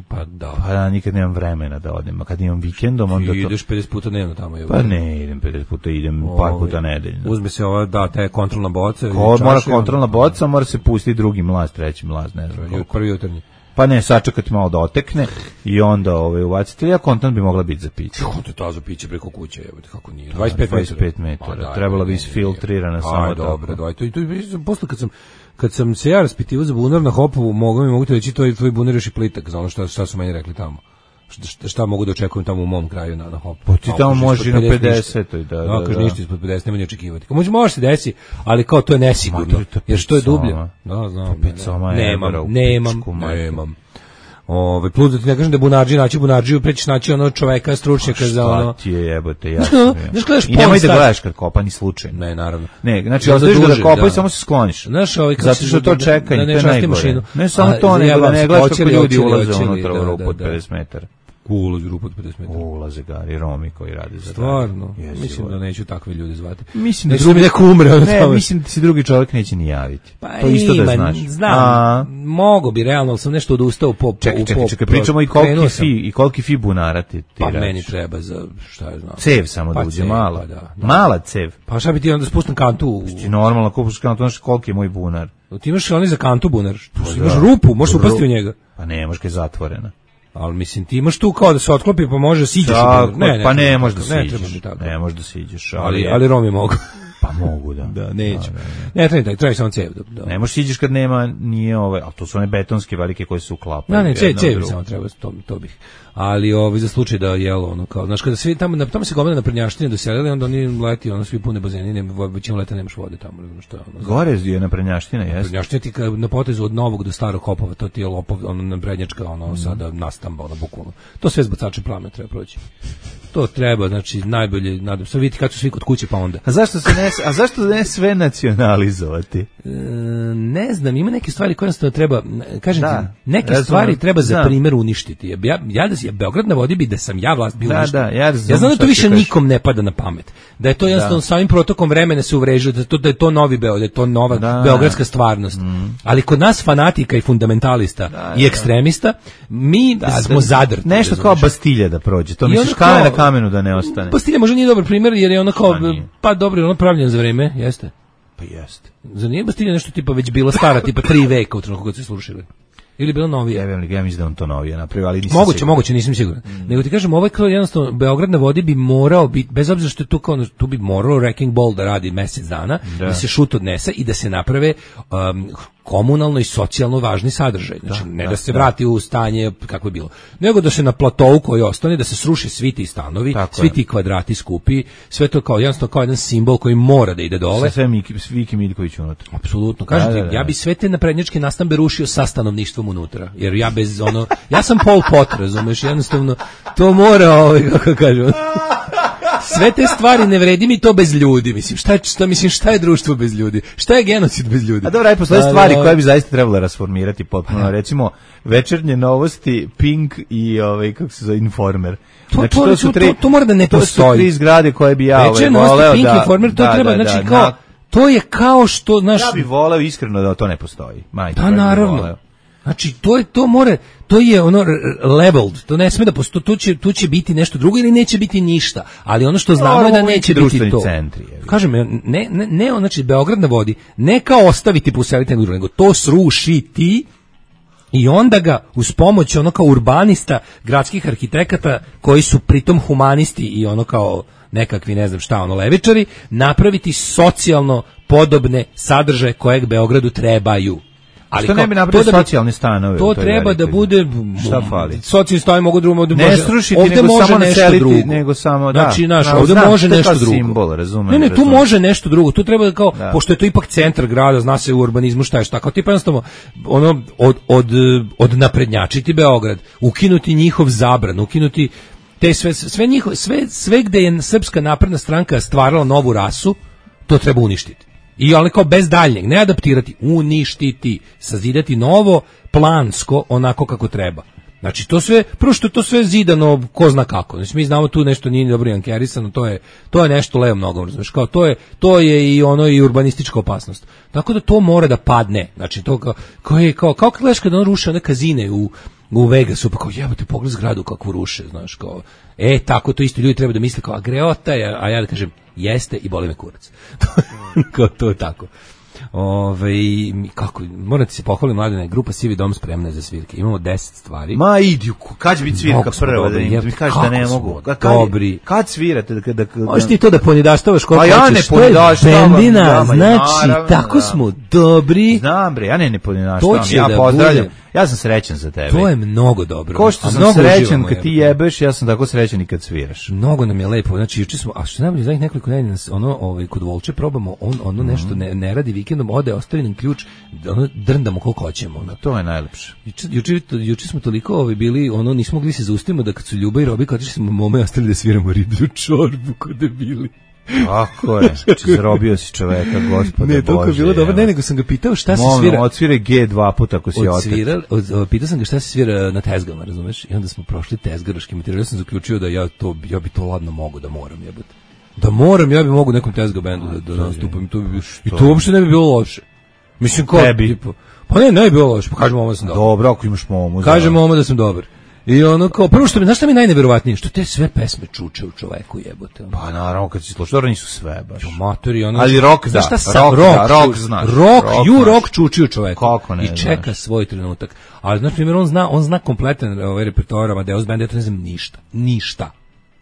Pa da. Pa ja nikad nemam vremena da odem, a kad imam vikendom onda to... I ideš pedeset puta dnevno tamo. Je pa ne, idem pedeset puta, idem o, par puta nedeljno. Uzme se ova, da, ta je kontrolna boca. Ko, mora kontrolna boca, mora se pustiti drugi mlaz, treći mlaz, ne znam koliko. Prvi jutarnji. Pa ne, sačekati malo da otekne i onda ovaj ubaciti. Ja kontant bi mogla biti za piće. Kako to za piće preko kuće, jebote, kako nije. dvadeset pet metara. Pa, trebala bi isfiltrirana samo tako. Dobro, daj, to i to posle kad sam kad sam se ja raspitivao za bunar na Hopovu, mogu mi mogu ti reći to je tvoj bunar još i plitak, za ono šta šta su meni rekli tamo. Šta, šta mogu da očekujem tamo u mom kraju na na Hopu. Pa ti tamo može i na pedesetoj, da, da. Da, kaže ništa ispod pedeset, nema ni očekivati. Može može se desi, ali kao to je nesigurno. Jer što je dublje? Da, znam. Nemam, nemam, nemam. Ove, plus da ti ne kažem da bunarđi naći bunarđiju, prećiš naći ono čoveka, stručnjaka za ono... Šta ti je jebote, jasno. I nemoj da gledaš kad kopa, ni slučajno. Ne, naravno. Ne, znači, ostaviš ga da kopa i samo se skloniš. Znaš, ovaj, zato što to čekanje, to je najgore. Ne samo to, nego da ne gledaš kako ljudi ulaze unutra u rupu od pedeset metara. Ulazi u rupu od pedeset metara. Ulaze gari, Romi koji rade za stvarno, mislim da neću takve ljude zvati. Mislim da drugi neko umre. Ne, mislim da se drugi čovjek neće ni javiti. Pa to isto da znaš. Znam, mogo bi, realno, ali sam nešto odustao po... Čekaj, čekaj, čekaj, pričamo i koliki fi, i koliki fi bunara ti ti pa meni treba za, šta je znam. Cev samo da uđe, mala. Mala cev. Pa šta bi ti onda spustim kantu? Ti normalno kupuš kantu, znaš koliki je moj bunar. Ti imaš oni za kantu bunar, imaš rupu, možeš upasti u njega. Pa ne, možeš kad je zatvorena. Ali mislim ti imaš tu kao da se otklopi pa može siđeš. Ne, ne, pa ne možeš da siđeš. Ne možeš da siđeš, ali ali Romi mogu. Pa mogu, da. Da, neću. Da, da, da. Ne, treba, treba samo cev. Da, da. Ne možeš iđeš kad nema, nije ovaj, ali to su one betonske velike koje se uklapaju. Ne, ne, cev, cev samo treba, to, to bih. Ali ovaj za slučaj da jelo ono kao, znaš kada svi tamo na tamo se gomila na Prednjaštini doselili, onda oni leti, ono svi pune bazeni, nema većina leta nemaš vode tamo, ne znam šta je ono. Gore je na Prednjaština, jeste. Prednjaština ti ka, na potezu od Novog do Starog Kopova, to ti je lopov, ono na Prednjačka, ono mm. sada nastamba, ono bukvalno. To sve zbacače plamena treba proći. To treba, znači najbolje, nadam se vidite kad su svi kod kuće pa onda. A zašto se ne, a zašto ne sve nacionalizovati? E, ne znam, ima neke stvari koje jednostavno treba, kažem da, ti, neke razumem, stvari treba za znam. primjer uništiti. Ja, ja da je Beograd na vodi bi da sam ja vlast bio da, uništen. Da, ja, razum, ja znam da to više nikom ne pada na pamet. Da je to jednostavno da. samim protokom vremena se uvrežuje, da to da je to novi Beograd, da je to nova da. beogradska stvarnost. Mm. Ali kod nas fanatika i fundamentalista da, i ekstremista, mi da, smo da, zadrti. Nešto kao Bastilja da prođe. To misliš kamen na kamenu da ne ostane. Bastilja možda nije dobar primjer jer je ono kao pa dobro, ono pravljen za vreme, jeste. Pa jeste. Za nije Bastilja nešto tipa već bila stara, tipa tri veka u trenutku kad se slušali. Ili bilo novije? Ja vjerujem, ja mislim da on to novije napravio, ali nisam moguće, siguran. moguće, nisam siguran. Mm. Nego ti kažem, ovaj kao jednostavno Beograd na vodi bi morao biti, bez obzira što je tu kao, tu bi morao Wrecking Ball da radi mjesec dana, da, da se šut odnese i da se naprave um, komunalno i socijalno važni sadržaj. Znači, da, ne da, da se da. vrati u stanje kako je bilo, nego da se na platovu koji ostane, da se sruše svi ti stanovi, tako svi je. ti kvadrati skupi, sve to kao jednostavno kao jedan simbol koji mora da ide dole. Sve Miki, Viki Miljković unutra. Apsolutno. Kažem ti, da, da, da. ja bi sve te naprednjačke nastambe rušio sa stanovništvom unutra, jer ja bez ono, ja sam Pol Pot, razumeš, jednostavno to mora, ovaj, kako kažem, sve te stvari ne vredi mi to bez ljudi, mislim, šta je, šta, mislim, šta je društvo bez ljudi, šta je genocid bez ljudi. A dobro, aj postoje stvari koje bi zaista trebalo rasformirati potpuno, recimo večernje novosti, Pink i ovaj, kako se zove, Informer. To, znači, to, to, su tri, to, to mora da ne postoji. To su tri zgrade koje bi ja ovaj, voleo Pink da... Informer, to da, treba, da, znači, da, kao, na, to je kao što, znaš... Ja bih voleo iskreno da to ne postoji. Majte, da, naravno. Znači, to je, to more, to je ono leveled, to ne sme da postoji, tu će, tu će biti nešto drugo ili neće biti ništa, ali ono što znamo no, je da neće biti to. Centri, kažem, ne, ne, ne, znači, Beograd na vodi, ne kao ostaviti poseliti nego, nego to srušiti i onda ga uz pomoć ono kao urbanista, gradskih arhitekata, koji su pritom humanisti i ono kao nekakvi, ne znam šta, ono levičari, napraviti socijalno podobne sadržaje kojeg Beogradu trebaju. Ali što ne bi napravili socijalne stanove? To treba da bude, šta fali? Socijalni stanovi mogu drugo, ne može, srušiti, ovde nego može samo nešto drugo. Nego samo, da. Znači, naš, no, ovde znam, može nešto drugo. Simbol, razumem, ne, ne, razumem. tu može nešto drugo. Tu treba kao, da. Pošto je to ipak centar grada, zna se u urbanizmu šta je šta. Kao tipa jednostavno, ono, od, od, od naprednjačiti Beograd, ukinuti njihov zabran, ukinuti te sve, sve, njihov, sve, sve gde je Srpska napredna stranka stvarala novu rasu, to treba uništiti. I ali kao bez daljnjeg, ne adaptirati, uništiti, sazidati novo, plansko, onako kako treba. Znači to sve, prvo što je to sve zidano, ko zna kako. Znači mi znamo tu nešto nije dobro jankerisano, to je to je nešto levo mnogo, znači kao to je to je i ono i urbanistička opasnost. Tako da to mora da padne. Znači to kao kao je kao kao gledaš kad on ruši one kazine u u Vegasu, pa kao jebote pogled zgradu kako ruše, znaš, kao e tako to isto ljudi treba da misle kao a greota je, a ja da kažem jeste i boli me kurac. Kao to je tako. Ove, kako, moram ti se pohvaliti, Mladene, grupa Sivi dom spremna za svirke. Imamo deset stvari. Ma idi, kad će biti svirka prva? Da mi kažeš da ne mogu. Kad, dobri. Kad svirate? Da, da, da, možeš ti to da ponidaštavaš koliko hoćeš. A ja ne ponidaštavam. Bendina, znači, naravno, tako da. Smo dobri. Znam bre, ja ne ne ponidaštavam. Ja da pozdravljam. Bude. Ja sam srećan za tebe. To je mnogo dobro. Ko što sam srećan kad ti jebeš, ja sam tako srećan i kad sviraš. Mnogo nam je lepo. Znači juče smo, a što najbolje za nekoliko nedelja ono ovaj kod Volče probamo, on ono nešto ne, ne radi vikendom, ode, ostavi nam ključ, ono drndamo koliko hoćemo. Ono. To je najlepše. Juče juče juče smo toliko ovaj bili, ono nismo mogli se zaustaviti da kad su Ljuba i Robi kad smo mome ostali da sviramo riblju čorbu kod debili. Tako je, znači zarobio si čoveka, gospode Bože. Ne, toliko je bilo dobro, ne, nego sam ga pitao šta se Mono, svira. Odsvire G dva puta ako si odsvira, od, od, pitao sam ga šta se svira na tezgama, razumeš? I onda smo prošli tezgaroški materijal, ja sam zaključio da ja to, ja bi to ladno mogu da moram, jebote. Da moram, ja bi mogu nekom tezga bendu da, da nastupam, to bi, i to uopšte ne bi bilo loše. Mislim, ko, tipa, pa ne, ne bi bilo loše, pa kažem ovo da sam dobar. Dobro, ako imaš momu. Kažem ovo da sam dobar. I ono kao, prvo što mi, znaš šta mi je najneverovatnije? Što te sve pesme čuče u čoveku, jebote. Ono. Pa naravno, kad si slušao, dobro nisu sve baš. Matori, ono, ali rock da, šta sa, rock, rock, da, rock znaš. Rock, rock, you rock čuči u čoveku. Kako ne, i čeka znaš. Svoj trenutak. Ali, znači, primjer, on zna, on zna kompletan ovaj repertoar Amadeus Band, ja to ne znam ništa. Ništa.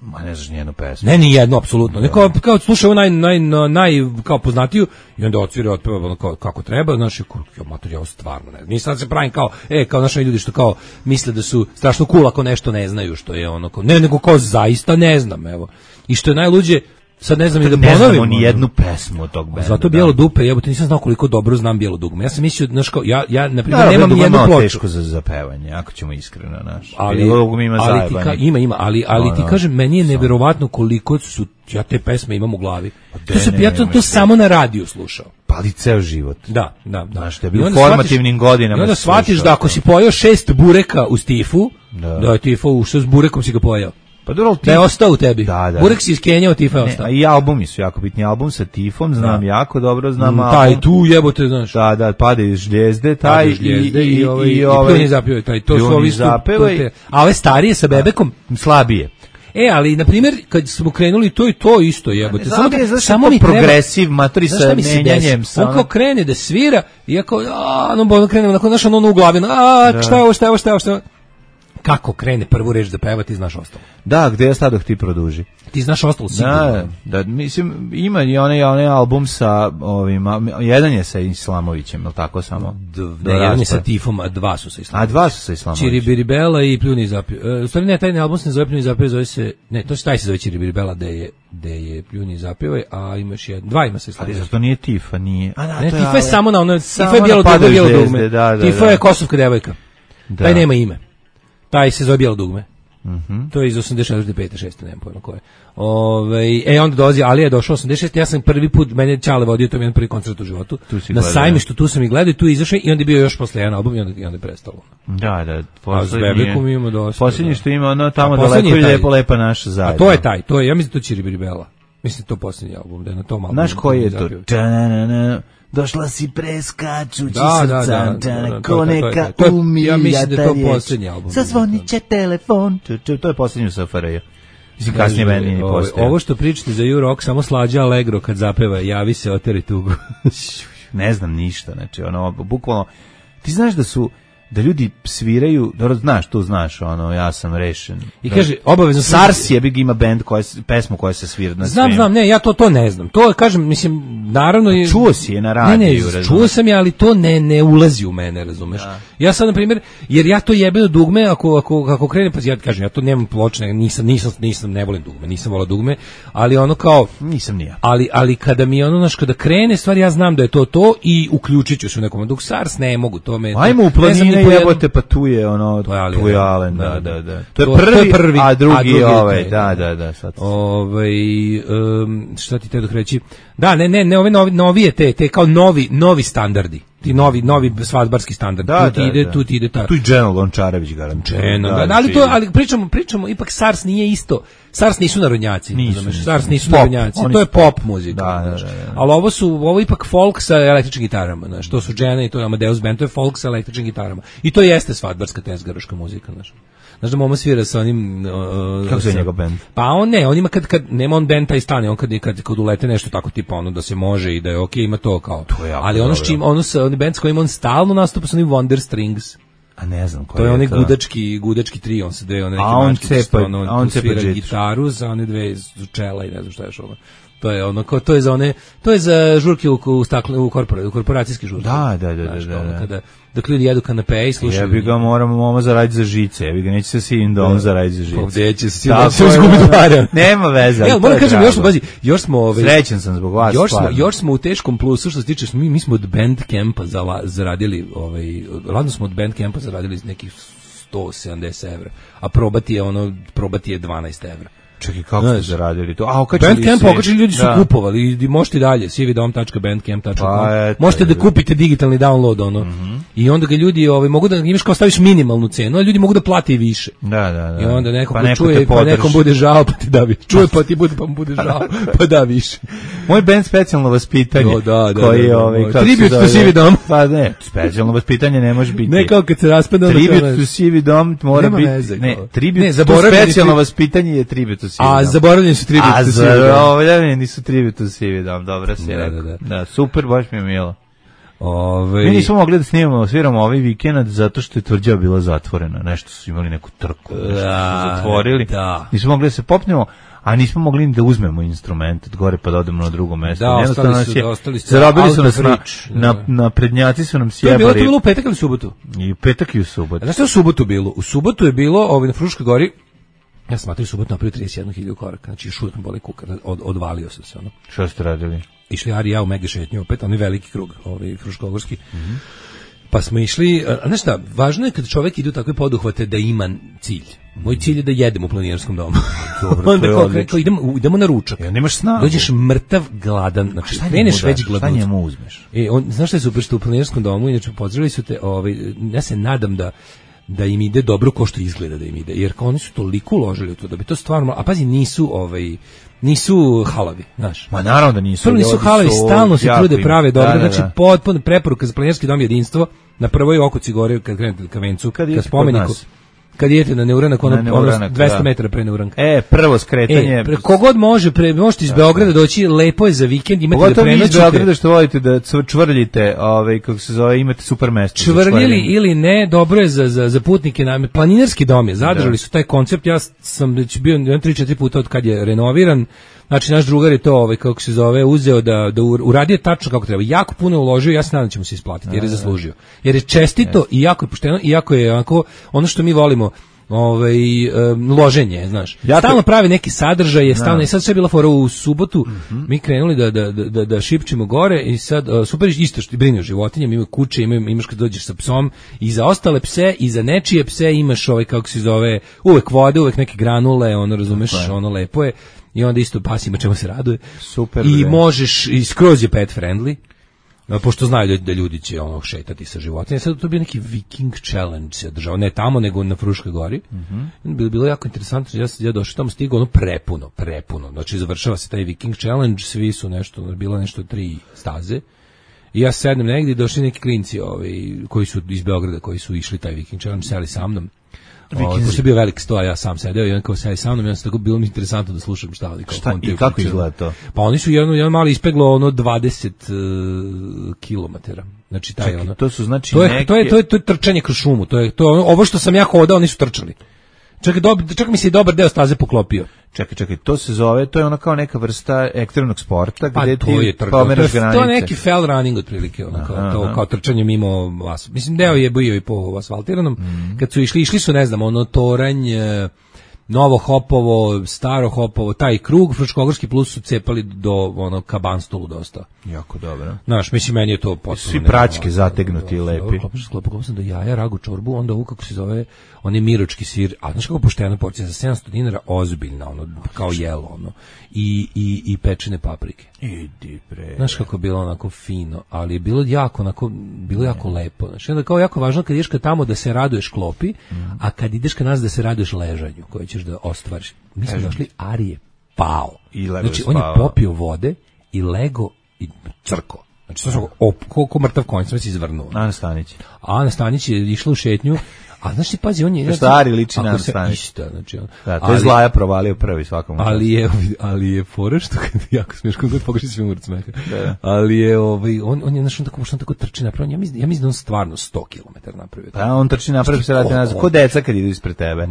Ma ne znaš nijednu pesmu. Ne, ni jednu, apsolutno. Ne, kao, kao slušao naj, naj, naj, kao poznatiju i onda odsvira, otpeva ono kao, kako treba, znaš, ja, mater, ja stvarno ne znam. Nisam se pravim kao, e, kao naši ljudi što kao misle da su strašno cool ako nešto ne znaju, što je ono, kao, ne, nego kao zaista ne znam, evo. I što je najluđe, sad ne znam i da ponovim. Ne znamo ni jednu pesmu od tog benda. Zato Bijelo dupe, jebote, nisam znao koliko dobro znam Bijelo dugme. Ja sam mislio, znaš kao, ja, ja na primjer, nemam ni jednu ploču. Teško za zapevanje, ako ćemo iskreno, znaš. Ali, ima, ali ti ka, ima, ima, ali, ali no, ti kažem, meni je neverovatno koliko su, ja te pesme imam u glavi. To se, ja to, to samo na radiju slušao. Pa ali ceo život. Da, da, da. Znaš, te bi u formativnim godinama. I onda shvatiš da ako si pojeo šest bureka u Stifu, da, da je Tifo ušao s burekom si ga pojeo. Pa dobro, da je ostao u tebi. Da, da. Burek si iskenjao, Tifa je ostao. A i albumi su jako bitni. Album sa Tifom, znam da. jako dobro, znam mm, album. Taj tu jebote, znaš. Da, da, Padaju žljezde, taj i, žljezde, i, i, ovaj, i, i, ovaj, i pljuni zapjeva, taj, to su ovi zapjeva. A ove starije sa Bebekom? Slabije. E, ali, na primjer, kad smo krenuli, to i to isto jebote. Samo, da, je, samo mi progresiv, matori sa menjanjem. On kao krene da svira, iako, a, no, ono krene, onako, znaš, ono u glavi, a, šta je ovo, šta je ovo, šta je ovo, šta je ovo. Kako krene prvu reč da peva, ti znaš ostalo. Da, gde ja stadoh ti produži. Ti znaš ostalo sigurno. Da, da, mislim, ima i onaj, onaj album sa ovim, jedan je sa Islamovićem, ili tako samo? Ne, jedan je sa Tifom, a dva su sa Islamovićem. A dva su sa Islamovićem. Čiribiribela i Pljuni zapjeva. U stvari ne, taj album se ne zove Pljuni zapjeva, zove se, ne, to taj se zove Čiribiribela, gde je, gde je Pljuni zapjeva, a imaš jedan, dva ima sa Islamovićem. Ali zato nije Tifa, nije. A, da, ne, to Tifa je, je samo na ono, Tifa je bijelo dugme, bijelo dugme. Da, da, Tifa je kosovka devojka. Da. Taj nema ime. Taj se zove Bijelo dugme. Mm-hmm. To je iz osamdeset četvrte, pete, šeste, nemam pojma koje. Ove, e, onda dolazi, ali je došao osamdeset šeste, ja sam prvi put, mene Čale vodio, to je jedan prvi koncert u životu. Na Sajmištu, tu sam i gledao, tu je izašao i onda je bio još posle jedan album i onda, i onda je prestalo. Da, da. A s Bebekom imamo dosta. Posljednji što ima, ono tamo daleko i lijepo lepa naša zajedno. A to je taj, to je, ja mislim da to Čiribiribela. Mislim to posljednji album, da je na tom albumu. Znaš koji je to? Došla si preskačući da, srca, da, da, da, ko neka umija. Ja mislim da je to posljednji album. Zazvonit će telefon. To je posljednji u S F R J. Mislim, kasnije meni nije postoje. Ovo što pričate za U-Rock, samo slađa Allegro kad zapeva, javi se, oteri tugu. Ne znam ništa, znači, ono, bukvalno, ti znaš da su, da ljudi sviraju, dobro, znaš, tu znaš, ono, ja sam rešen. I da, kaže, obavezno... Sars je big ima band, koja, pesmu koja se svira na Znam, svim. znam, ne, ja to to ne znam. To, kažem, mislim, naravno... A čuo si je na radiju, ne, ne, razumeš. Čuo sam je, ali to ne, ne ulazi u mene, razumeš. Ja, ja sad, na primjer, jer ja to jebeno dugme, ako, ako, ako krene, pa ja kažem, ja to nemam pločne, nisam, nisam, nisam, ne volim dugme, nisam volao dugme, ali ono kao... Nisam ni ja. Ali, ali kada mi ono, znaš, kada krene stvar, ja znam da je to to i uključit ću se u nekom, dok Sars ne mogu, to me... Ajmo u planine jebote, pa tu je ono, to je Alen, tu je Alen, da, da, da. To je to, prvi, to je prvi, a drugi, a drugi ovaj, da, da, da, sad. Ovaj, um, šta ti te dok reći? Da, ne, ne, ne, ove novi, novije te, te kao novi, novi standardi. Ti novi, novi svadbarski standard. Da, tu ti da, ide, da. tu ti ide ta. Tu i Dženo Lončarević garantuje. Da, da, ali to, ali pričamo, pričamo, ipak Sars nije isto. Sars nisu narodnjaci, nisu, nisu, Sars nisu pop, narodnjaci. To je pop muzika. Da, da, da, da. Ali ovo su, ovo je ipak folk sa električnim gitarama, znaš. To su Džena i to je Amadeus band, to je folk sa električnim gitarama. I to jeste svadbarska tezgaroška muzika, znaš. Znaš da Momo svira sa onim... Uh, kako se je njegov band? Pa on ne, on ima kad, kad nema on band taj stane, on kad, kad, kad ulete nešto tako tipa ono da se može i da je okej, okay, ima to kao. To je ali ono s čim, ono sa, oni band s kojim on stalno nastupa su oni Wonder Strings. A ne znam koji to je. je onaj to. gudački, gudački tri, on se dve, one neke a on cepa, ono, a on svira cepa gitaru za one dve čela i ne znam šta je još ono. To je ono, to je za one, to je za žurke u, u, stakle, u, korpora, u korporacijske žurke. Da, da, da. Znaš, da, da, ono, kada, dok ljudi jedu kanape i slušaju. Ja bi ga moramo moma zaraditi za žice, ja bi ga neće se sivim dom zaraditi za žice. Ovdje će se sivim dom se izgubiti pare. Nema veze. Ja, moram kažem, još smo, bazi, još smo... Ove, srećen sam zbog vas, još smo, još smo u teškom plusu, što se tiče, mi, mi smo od Bandcampa zaradili, ovaj, ladno smo od Bandcampa zaradili nekih sto sedamdeset evra, a probati je ono, probati je dvanaest evra. Čekaj, kako ste zaradili to? A, okačili Bandcamp, okačili ljudi su da. kupovali i možete i dalje, sividom tačka bandcamp tačka com. Pa, možete da kupite digitalni download, ono. Mm-hmm. I onda ga ljudi, ovaj, mogu da, imaš kao staviš minimalnu cenu, a ljudi mogu da plate i više. Da, da, da. I onda neko pa ko čuje, pa nekom bude žao, pa ti da više. Čuje, pa ti bude, pa mu bude žao, pa da više. Moj band specijalno vaspitanje. O, da, da, koji, da, da, ovaj, da, Tribute to Sividom. Pa ne, specijalno vaspitanje ne može biti. Ne kao kad se raspada. Tribute to Sividom mora biti. Ne, Tribute to specijalno vaspitanje je Tribute to Sividom. A zaboravljeni su Tribute to Sividom. A zaboravljeni su Tribute to Sividom, dobra si rekao. Da, super, baš mi je milo. Ove... Mi nismo mogli da snimamo, sviramo ovaj vikend zato što je tvrđava bila zatvorena. Nešto su imali neku trku, nešto da, su zatvorili. Da. Nismo mogli da se popnemo, a nismo mogli ni da uzmemo instrument od gore pa da odemo na drugo mesto. Da, ostali su, da, ostali su. Zarobili su nas na, na, na prednjaci su nam sjebali. To je bilo, to je bilo u petak ili u subotu? I u petak i u subotu. Znaš što je u subotu bilo? U subotu je bilo ovaj, na Fruškoj gori, ja sam matrio u subotu napravio trideset jednu hiljadu koraka, znači još uvijek mi boli kuka, od, odvalio sam se. Ono. Što ste radili? Išli Ari i ja u mega šetnju, opet, onaj veliki krug, ovaj Fruškogorski. Mm-hmm. Pa smo išli, a znaš šta, važno je kad čovjek ide u takve poduhvate da ima cilj. Moj cilj je da jedem u planinarskom domu. Dobro, onda kao, kao idemo, idemo na ručak. Ja, nemaš snagu. Dođeš mrtav, gladan, znači kreneš već gladan. Šta njemu uzmeš? E, on, znaš šta je super što u planinarskom domu, inače pozdravili su te, ovaj, ja se nadam da da im ide dobro ko što izgleda da im ide, jer kao oni su toliko uložili u to da bi to stvarno, a pazi nisu ovaj nisu halavi, znaš. Ma naravno da nisu. Prvo nisu halavi, stalno se trude prave dobro, da, da, da. Znači potpuno preporuka za planinarski dom jedinstvo na prvoj oko Cigore kad krenete ka vencu, kad, kad spomeniku. Kad idete na Neuranak, ono, na ono dvesta da. metara pre Neuranka. E, prvo skretanje. E, pre, kogod može, pre, možete iz Beograda doći, lepo je za vikend, imate Pogotovo da prenoćite. Pogotovo iz Beograda što volite da čvrljite, ovaj, kako se zove, imate super mesto. Čvrljili ili ne, dobro je za, za, za putnike. Na, planinarski dom je, zadržali da. su taj koncept, ja sam već bio tri četiri puta od kad je renoviran. Znači, naš drugar je to, ovaj, kako se zove, uzeo da, da uradio tačno kako treba. Jako puno uložio, ja se nadam da ćemo se isplatiti, jer je zaslužio. Jer je čestito yes. i jako je pošteno, i jako je onako, ono što mi volimo, ovaj, um, loženje, znaš. Jako... Stalno pravi neki sadržaj, stalno, i sad sve je bila fora u subotu, mm-hmm. mi krenuli da, da, da, da šipčimo gore i sad, uh, super, isto što brinu o životinjama, imaju kuće, imaju, imaš kad dođeš sa psom, i za ostale pse, i za nečije pse imaš ovaj, kako se zove, uvek vode, uvek neke granule, ono, razumeš, okay. ono, lepo je. I onda isto pas ima čemu se raduje. Super. I možeš, i skroz je pet friendly, pošto znaju da ljudi će ono šetati sa životinjama. Sad to bi neki Viking Challenge se održao, ne tamo, nego na Fruškoj gori. Mm-hmm. Bilo, bilo jako interesantno, ja, ja došao tamo, stigao ono prepuno, prepuno. Znači završava se taj Viking Challenge, svi su nešto, bilo nešto tri staze. I ja sednem negdje i došli neki klinci ovaj, koji su iz Beograda, koji su išli taj Viking Challenge, seli sa mnom. Ovo, pošto je bio velik sto, a ja sam sedeo i on kao sedi sa mnom, ja sam tako bilo mi interesantno da slušam šta ali kao šta, i kako izgleda to? Pa oni su jedno, jedno malo ispeglo ono dvadeset uh, kilometara. Znači taj Čekaj, ono. To su znači to je, neke... to je to je to je trčanje kroz šumu, to je to je ono, ovo što sam ja hodao, oni su trčali. Čekaj, dob, čak mi se i dobar deo staze poklopio. Čekaj, čekaj, to se zove, to je ona kao neka vrsta ekstremnog sporta pa gde ti pomeraš granice. To je neki fell running otprilike, ono, kao, aha, to, aha. kao trčanje mimo vas. Mislim, deo je bio i po asfaltiranom. Mm. Kad su išli, išli su, ne znam, ono, Toranj, Novo Hopovo, Staro Hopovo, taj krug, Fruškogorski plus su cepali do ono Kabanstolu dosta. Jako dobro. Znaš, mislim, meni je to potpuno... Svi praćke zategnuti i lepi. Klopao sam do jaja, ragu, čorbu, onda ovo kako se zove, on je miročki sir, a znaš kako pošteno porcija, za sedamsto dinara, ozbiljna, ono, kao jelo, ono, i, i, i pečene paprike. Idi bre. Znaš kako je bilo onako fino, ali je bilo jako, onako, bilo jako lepo. Znači, onda kao jako važno kad ideš ka tamo da se raduješ klopi, mm. a kad ideš ka nas da se raduješ ležanju, koje ćeš da ostvariš. Mi smo došli, Ari je pao. I lego znači, on je popio vode i lego i crko. Znači, to je ko, ko mrtav konj, sam se izvrnuo. Ana Stanić. Ana Stanić je išla u šetnju, a znaš ti, pazi, on je... Stari liči na Ana Stanić. Isto, znači on... Da, to je ali, Zlaja provalio prvi svakom. Ali je, ali je fora što kad jako smiješko, god pogreši svim umrt smeha. Da. Ali je, ovaj, on, on je, znaš, on tako, što on tako trči napravio, ja mislim, ja mislim da on stvarno sto kilometara napravio. Pa on trči napravio, se vrati nazad, ko deca kad idu ispred tebe.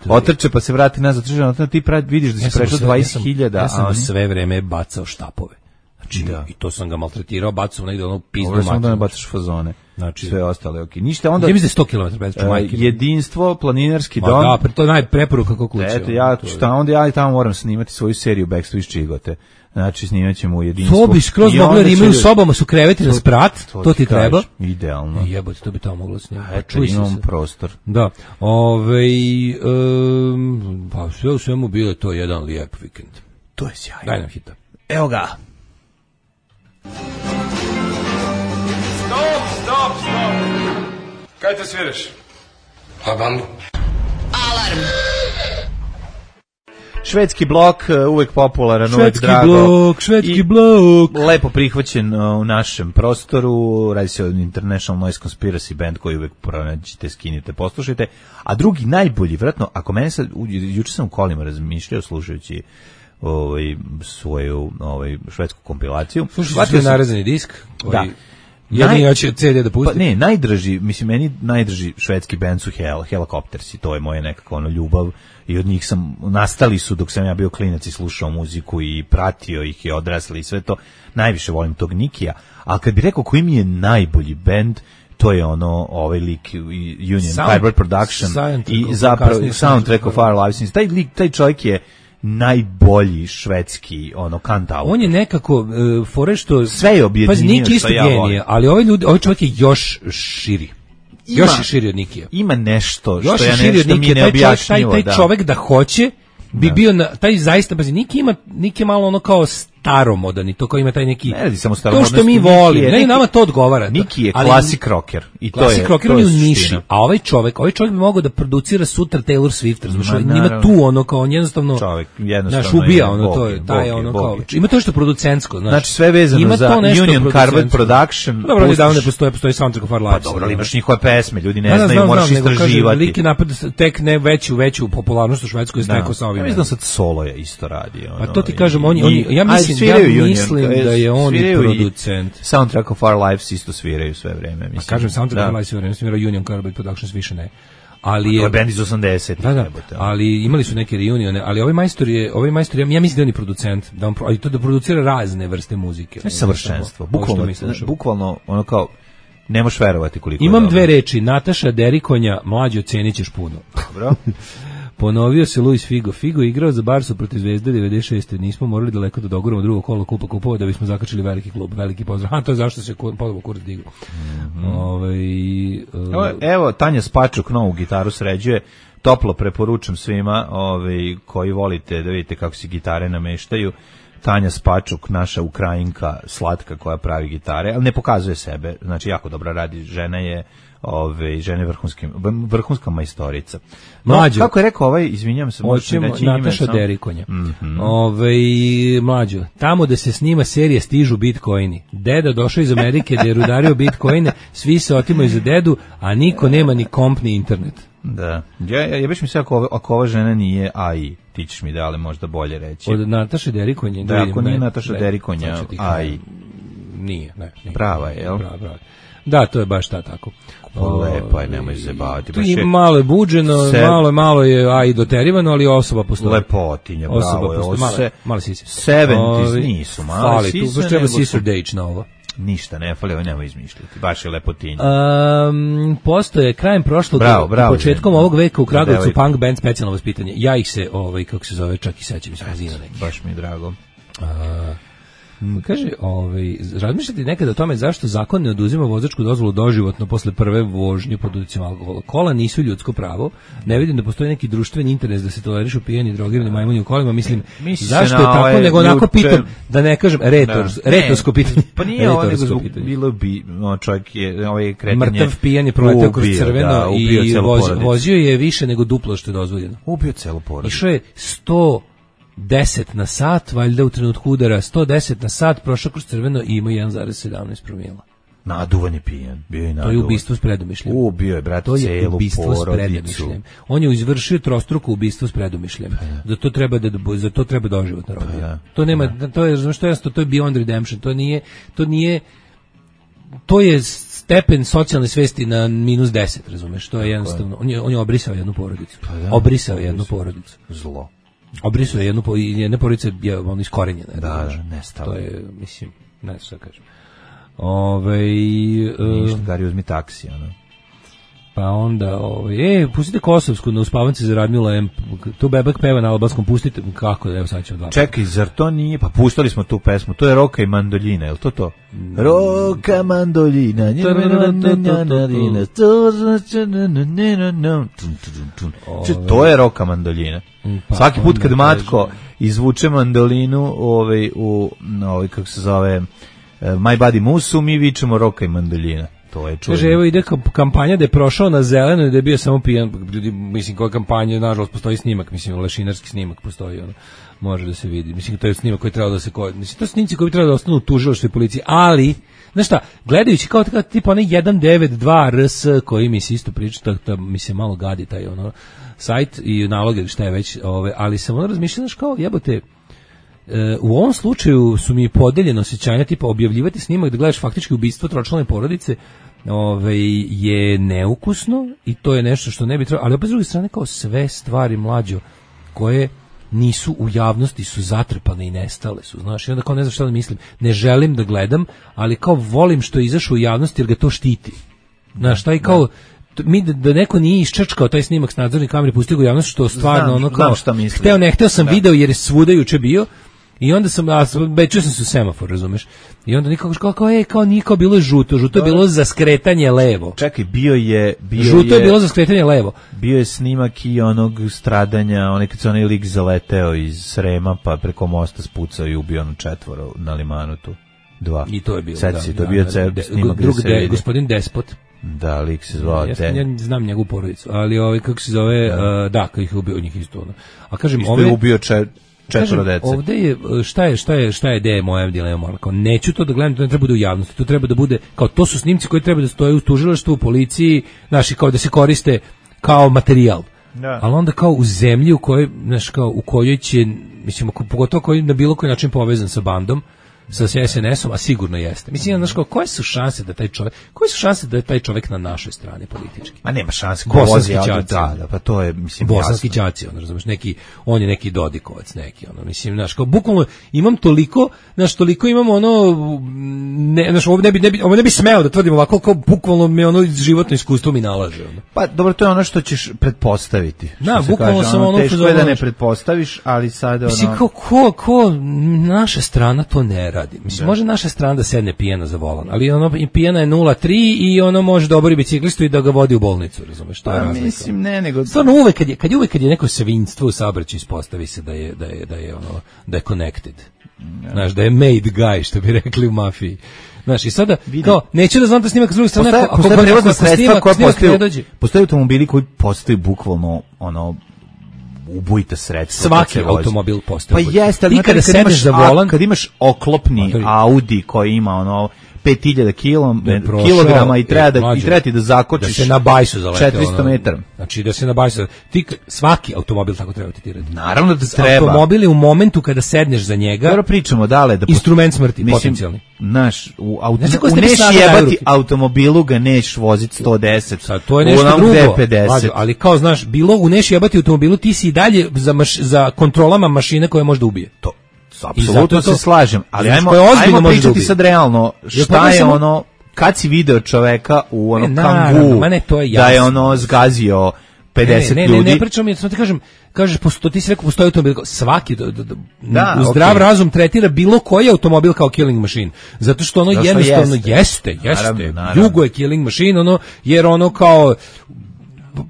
Otrče pa se vrati nazad, trči, ti pravi, vidiš da si prešao dvadeset hiljada. Ja sam sve vreme bacao štapove. Znači, da. I to sam ga maltretirao, bacao negde ono pizdu mačinu. Ovo da ne bacaš fazone. Znači, sve ostale, okej. Okay. Ništa onda... Ja mislim sto kilometara bez čumajke. Uh, jedinstvo, planinarski dom. Ma da, to je najpreporuka kako kuće. Eto, ja, šta, onda ja i tamo moram snimati svoju seriju Backstreet iz Čigote. Znači, snimat ćemo u jedinstvu. To bi skroz mogli, jer imaju u sobama su kreveti na sprat, to, to ti treba. Idealno. Jebote, to bi tamo moglo snimati. Eto, imam prostor. Da. Ovej, um, pa sve u svemu bilo je to jedan lijep vikend. To je sjajno. Daj nam hita. Evo ga. Stop, stop, stop. Kaj te sviraš? Pa bandu. Alarm. Švedski blok, uvek popularan, švedski uvek drago. Blok, švedski blok. Lepo prihvaćen u našem prostoru. Radi se o International Noise Conspiracy band koji uvek pronađite, skinite, poslušajte. A drugi najbolji, vratno, ako mene sad, juče sam u kolima razmišljao slušajući ovaj svoju ovaj švedsku kompilaciju. Slušaj, je narezani disk koji... Da. Jedni ja će C D da pusti. Pa ne, najdraži, mislim, meni najdraži švedski bend su Hel, Helicoptersi, to je moje nekako ono ljubav i od njih sam, nastali su dok sam ja bio klinac i slušao muziku i pratio ih i odrasli i sve to. Najviše volim tog Nikija, ali kad bi rekao koji mi je najbolji bend, to je ono, ovaj lik Union Sound, Firebird Production i zapravo soundtrack of Our Lives. Taj lik, taj čovjek je najbolji švedski ono kantautor. On je nekako uh, fore što sve je objedinio. Pa Niki isto ja genije, ali ovaj ljudi, ovaj čovjek je još širi. Ima, još je širi od Nikija. Ima nešto što još ja nešto mi je neobjašnjivo. Taj, taj, taj čovjek da hoće bi da. bio na taj zaista bazi Niki ima Niki je malo ono kao staromodan i to kao ima taj neki ne radi samo to što mi volimo, ne nama to odgovara. Niki je klasik rocker i to je klasik rocker u niši, a ovaj čovjek, ovaj čovjek bi mogao da producira sutra Taylor Swift, razumiješ, ima tu ono kao on jednostavno čovjek jednostavno naš ubija ono to je taj ono kao ima to što producentsko, znači znači sve vezano za Union Carbide Production. Dobro, da ne postoji, postoji Soundtrack of Our Lives. Pa dobro, ali imaš njihove pesme, ljudi ne znaju, moraš istraživati. Lik je napad tek ne veću veću popularnost u Švedskoj stekao sa ovim. Ja mislim sad solo je isto radi. A to ti kažem, oni ja mislim ja mislim da je on producent. Soundtrack of Our Lives isto sviraju sve vreme, mislim. A kažem Soundtrack of Our Lives sve vreme, svira Union Carbide Productions više ne. Ali je bend iz osamdesetih. Da, da, ali imali su neke reunione, ali ovaj majstor je, ovaj majstor je, ja mislim da on je producent, da on ali to da producira razne vrste muzike. To je savršenstvo. Bukvalno, bukvalno ono kao ne možeš verovati koliko. Imam dve reči, Nataša Derikonja, mlađi ocenićeš puno. Dobro. Ponovio se Luis Figo. Figo igrao za Barsu protiv Zvezde devedeset šeste. Nismo morali daleko da doguramo drugo kolo kupa kupova da bismo zakačili veliki klub. Veliki pozdrav. A to je zašto se ponovo kurac digao. Mm -hmm. Ovaj uh, evo, evo Tanja Spačuk novu gitaru sređuje. Toplo preporučam svima ovaj, koji volite da vidite kako se gitare nameštaju. Tanja Spačuk, naša Ukrajinka slatka koja pravi gitare, ali ne pokazuje sebe. Znači jako dobro radi. Žena je ove žene vrhunske vrhunska majstorica. Mlađo, kako je rekao ovaj, izvinjavam se, hoćemo Nataša Derikonja. Mm -hmm. Ovaj mlađo, tamo da se snima serija stižu bitcoini. Deda došao iz Amerike da je rudario bitcoine, svi se otimaju za dedu, a niko nema ni komp ni internet. Da. Ja ja baš mi se ako ako ova žena nije A I, ti ćeš mi da li možda bolje reći. Od Nataše Derikonje, da, ako nije Nataša Derikonja A I. Nije, ne, nije. Prava je, jel? Prava, prava. Da, to je baš ta tako. Lepo je, nemoj se baviti. Tu je malo je buđeno, se... malo, malo je a i doterivano, ali osoba postoji. Lepotinja, bravo osoba je. Postoji. Male, male sise. sedamdeset nisu male fali, sise. Tu baš treba sister date na ovo. Ništa ne fali, ovo nemoj izmišljati. Baš je lepotinja. Um, postoje krajem prošlog bravo, bravo, početkom ovog veka u Kragujevcu punk band Specijalno vaspitanje. Ja ih se, ovaj, kako se zove, čak i sećam iz razina neki. Baš mi je drago. A, kaže, ovaj, razmišljate nekada o tome zašto zakon ne oduzima vozačku dozvolu doživotno posle prve vožnje pod uticajem alkohola? Kola nisu ljudsko pravo. Ne vidim da postoji neki društveni interes da se tolerišu pijeni, drogirani majmuni u kolima. Mislim, Misli zašto je tako, ovaj, nego onako juče... pitam, da ne kažem, retors, da. retorsko pitanje. Pa nije ovo, nego zbog, bilo bi, no, čovjek je, ovaj kretanje... Mrtav pijan je proletao kroz crveno da, i voz, vozio je više nego duplo što je dozvoljeno. Ubio celu porodicu. Išao je sto deset na sat, valjda u trenutku udara, sto deset na sat, prošao kroz crveno i ima jedan zarez sedamnaest promila. Naduvan je pijan, bio je naduvan. To je ubistvo s predumišljem. Ubio je, brate, celu porodicu. To je ubistvo s predumišljem. On je izvršio trostruko ubistvo s predumišljem. Pa, za to treba da za to treba doživotna robija. Pa, to nema, pa, to je, znaš što je jasno, to je beyond redemption. To nije, to nije, to je stepen socijalne svesti na minus deset, razumeš? To je jednostavno, on je, on je obrisao jednu porodicu. Pa, da, obrisao jednu porodicu. Zlo. Obrisao je jednu po, jedne porodice je on iskorenjena. Da, da, nestalo. To je, mislim, ne znam šta kažem. Ove, ništa, Gari, uzmi taksi, ono. Pa onda, ovaj, e, pustite Kosovsku na uspavance za Radmila M. Tu bebek peva na albanskom, pustite, kako, evo sad ćemo dva. Čekaj, zar to nije, pa puštali smo tu pesmu, to je Roka i mandoljina, je li to to? Roka, mandoljina, to je Roka, mandoljina. Svaki put kad Matko izvuče mandolinu, ovaj, u, ovaj, kako se zove, My Body Musu, mi vičemo Roka i mandoljina. To je čudno. Kaže, evo ide kampanja da je prošao na zeleno i da je bio samo pijan. Ljudi, mislim, koja kampanja, nažalost, postoji snimak, mislim, lešinarski snimak postoji, ono, može da se vidi. Mislim, to je snimak koji treba da se, mislim, to su snimci koji treba da ostanu u tužilaštvu i policiji, ali, znaš šta, gledajući kao tako, tipa onaj jedan devet dva R S, koji mi se isto priča, to, to mi se malo gadi taj, ono, sajt i naloge, šta je već, ove, ali sam ono razmišljao, znaš, kao, jebote, e, u ovom slučaju su mi podeljeno osjećanja, tipa objavljivati snimak da gledaš faktički ubistvo tročlane porodice, ovaj, je neukusno i to je nešto što ne bi trebalo, ali opet s druge strane kao sve stvari mlađo koje nisu u javnosti su zatrpane i nestale su, znaš, i onda kao ne znam šta da mislim, ne želim da gledam, ali kao volim što je izašao u javnosti jer ga to štiti, znaš, taj kao mi da, da neko nije iščačkao taj snimak s nadzorne kamere, pustio ga u javnost, što stvarno znam, ono kao hteo ne hteo sam da. Video jer je svuda juče bio. I onda sam, a bečio sam se u semafor, razumeš? I onda nikako kao, kao, ej, kao niko bilo je žuto, žuto je bilo za skretanje levo. Čekaj, bio je... Bio žuto je, je bilo za skretanje levo. Bio je snimak i onog stradanja, onaj kad se onaj lik zaleteo iz Srema, pa preko mosta spucao i ubio ono četvoro na limanu tu. Dva. I to je bilo, sad da. Si, to je da, bio da, ceo de, snimak drug, gde se de, vidi. Gospodin Despot. Da, lik se zvao ja, te. Ja znam njegovu porodicu, ali ovaj, kako se zove, da, uh, da kako ih ubio njih isto. Ono. A kažem, isto ove, je ubio če, četvoro dece. Ovde je, šta je, šta je, šta je ideja moja dilema, kao neću to da gledam, to ne treba da bude u javnosti, to treba da bude, kao to su snimci koji treba da stoje u tužilaštvu, u policiji, znaš, kao da se koriste kao materijal. Da. Ali onda kao u zemlji u kojoj, znaš, kao u kojoj će, mislim, pogotovo koji na bilo koji način povezan sa bandom, sa S N S-om, a sigurno jeste. Mislim, znaš, kao, koje su šanse da taj čovjek, koje su šanse da je taj čovjek na našoj strani politički? Ma nema šanse, ko vozi auto, da, da, pa to je, mislim, bosanski đaci, ono, razumeš, neki, on je neki Dodikovac, neki, ono, mislim, znaš, kao, bukvalno, imam toliko, znaš, toliko imam, ono, ne, znaš, ovo ne bi, ne bi, ovo ne bi smeo da tvrdim ovako, kao, bukvalno me, ono, životno iskustvo mi nalaže, ono. Pa, dobro, to je ono što ćeš pretpostaviti. Da, bukvalno sam ono, teško je da ne pretpostaviš, ali sad, ono... Mislim, kao, ko, ko, naša strana to ne radi. Mislim, da. Može naša strana da sedne pijena za volan, ali ono pijena je nula tri i ono može da obori biciklistu i da ga vodi u bolnicu, razumeš? To je razlika. Mislim, ne, nego... Stvarno uvek kad je, kad je uvek kad je neko svinjstvo u saobraćaju ispostavi se da je, da je, da je, ono, da je connected. Ja. Znaš, da je made guy, što bi rekli u mafiji. Znaš, i sada, Vidim. Kao, neću da znam da snimak s druge strane, ako postoje prevozna sredstva koja postaju, postoje automobili koji postaju bukvalno, ono, ubojite sredstva. Svaki automobil postoji. Pa jeste, ali kada sedneš za volan, kad imaš oklopni motori. Audi koji ima ono pet hiljada kilograma i treba da i treba ti da zakočiš da se na bajsu zalete četiristo metara. Znači da se na bajsu ti svaki automobil tako treba tretirati. Naravno da treba. Automobil je u momentu kada sedneš za njega. Dobro pričamo dale da instrument smrti mislim, potencijalni. Naš u auto u neš jebati automobilu ga neš voziti sto deset. Sad to je nešto drugo. Vađo, ali kao znaš, bilo u neš jebati automobilu ti si i dalje za maš, za kontrolama mašine koje može da ubije. To apsolutno se slažem, ali ajmo, ajmo pričati sad realno, šta je ono, kad si video čoveka u onom Kangu, da je ono zgazio pedeset ne, ne, ljudi. Ne, ne, ne pričam, ja ti kažem, kažeš, posto, ti si rekao, postoji automobil, svaki, da, da, da, u zdrav okay. razum tretira bilo koji automobil kao killing machine, zato što ono zato jednostavno jeste, jeste, jeste, naravno, naravno. Jugo je killing machine, ono, jer ono kao,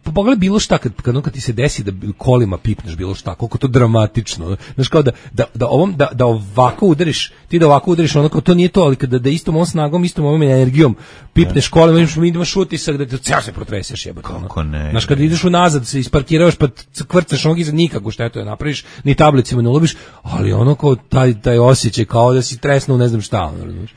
pogledaj bilo šta kad kad, kad ti se desi da kolima pipneš bilo šta, koliko to dramatično. Znaš kao da da da ovom da da ovako udariš, ti da ovako udariš, ono kao to nije to, ali kada da istom ovom snagom, istom ovom energijom pipneš kolima, imaš mi ideš utisak da te ceo se protreseš, jebote. Kako ne? Znaš kad ideš unazad, se isparkiraš pa kvrcaš nogi za nikakvu štetu, napraviš, ni tablicima ne ulobiš, ali ono kao taj taj osjećaj kao da si tresnuo ne znam šta, ono, razumiješ.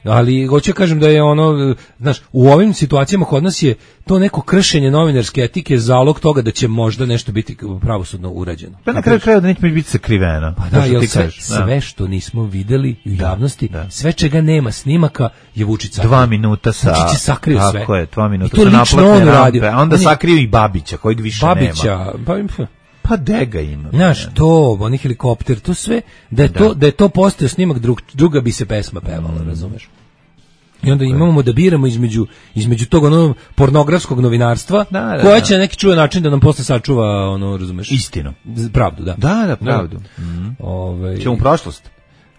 Ali hoću kažem da je ono, znaš, u ovim situacijama kod nas je to neko kršenje novinarske etike zalog toga da će možda nešto biti pravosudno urađeno. Pa na kraju krajeva da neće biti sakriveno. Pa da, jel sve, sve što nismo videli u javnosti, da, da. Sve čega nema snimaka je Vučić sakrio. Dva minuta sa... Vučić je sakrio sve. Tako je, dva minuta sa naplatne rampe. A onda sakrio i Babića, kojeg više Babića, nema. Babića, pa... Pa dega ima. Znaš, to, oni helikopter, to sve, da je, da. To, da je to postao snimak, drug, druga bi se pesma pevala, mm. razumeš? I onda imamo da biramo između, između tog ono pornografskog novinarstva, da, da, koja će na neki čuvan način da nam posle sačuva, ono, razumeš? Istinu. Pravdu, da. Da, da, pravdu. Da. Mm. Ove, Ćemo u prošlost.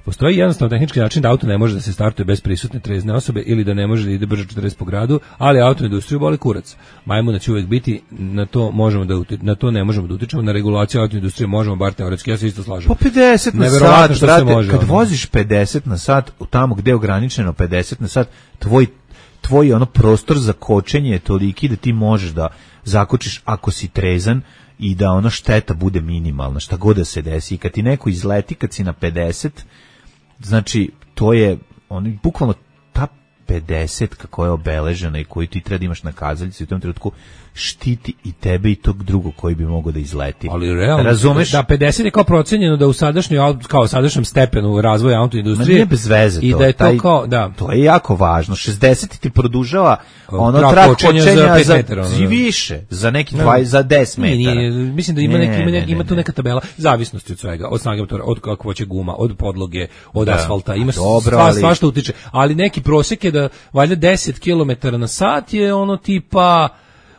Postoji jednostavno tehnički način da auto ne može da se startuje bez prisutne trezne osobe ili da ne može da ide brže četrdeset po gradu, ali auto industriju boli kurac. Majmuna će uvek biti, na to možemo da uti, na to ne možemo da utičemo, na regulaciju auto industrije možemo bar teoretski, ja se isto slažem. Po pedeset na sat, brate, može, kad ono. Voziš pedeset na sat, tamo gde je ograničeno pedeset na sat, tvoj tvoj ono prostor za kočenje je toliki da ti možeš da zakočiš ako si trezan i da ono šteta bude minimalna, šta god da se desi. I kad ti neko izleti, kad si na pedeset, znači, to je, on, bukvalno, ta pedeset koja je obeležena i koju ti treba da imaš na kazaljci u tom trenutku štiti i tebe i tog drugog koji bi mogao da izleti. Ali realno, razumeš? Da, pedeset je kao procenjeno da u sadašnjoj, kao sadašnjem stepenu razvoja autoindustrije. Nije bez veze to. I da je to taj, kao, da. To je jako važno. šezdeset ti produžava ono trak trak kočenja kočenja za pet za, metara, ono, i da. više, za neki dvadeset, za deset metara. Nije, nije, mislim da ima, Ne, neki, ima, ne, neki, ima ne, tu ne. neka tabela zavisnosti od svega, od snage motora, od kakvoće guma, od podloge, od Da. asfalta, ima Dobro, sva, ali- svašta utiče. Ali neki prosjek je da valjda deset kilometara na sat je ono tipa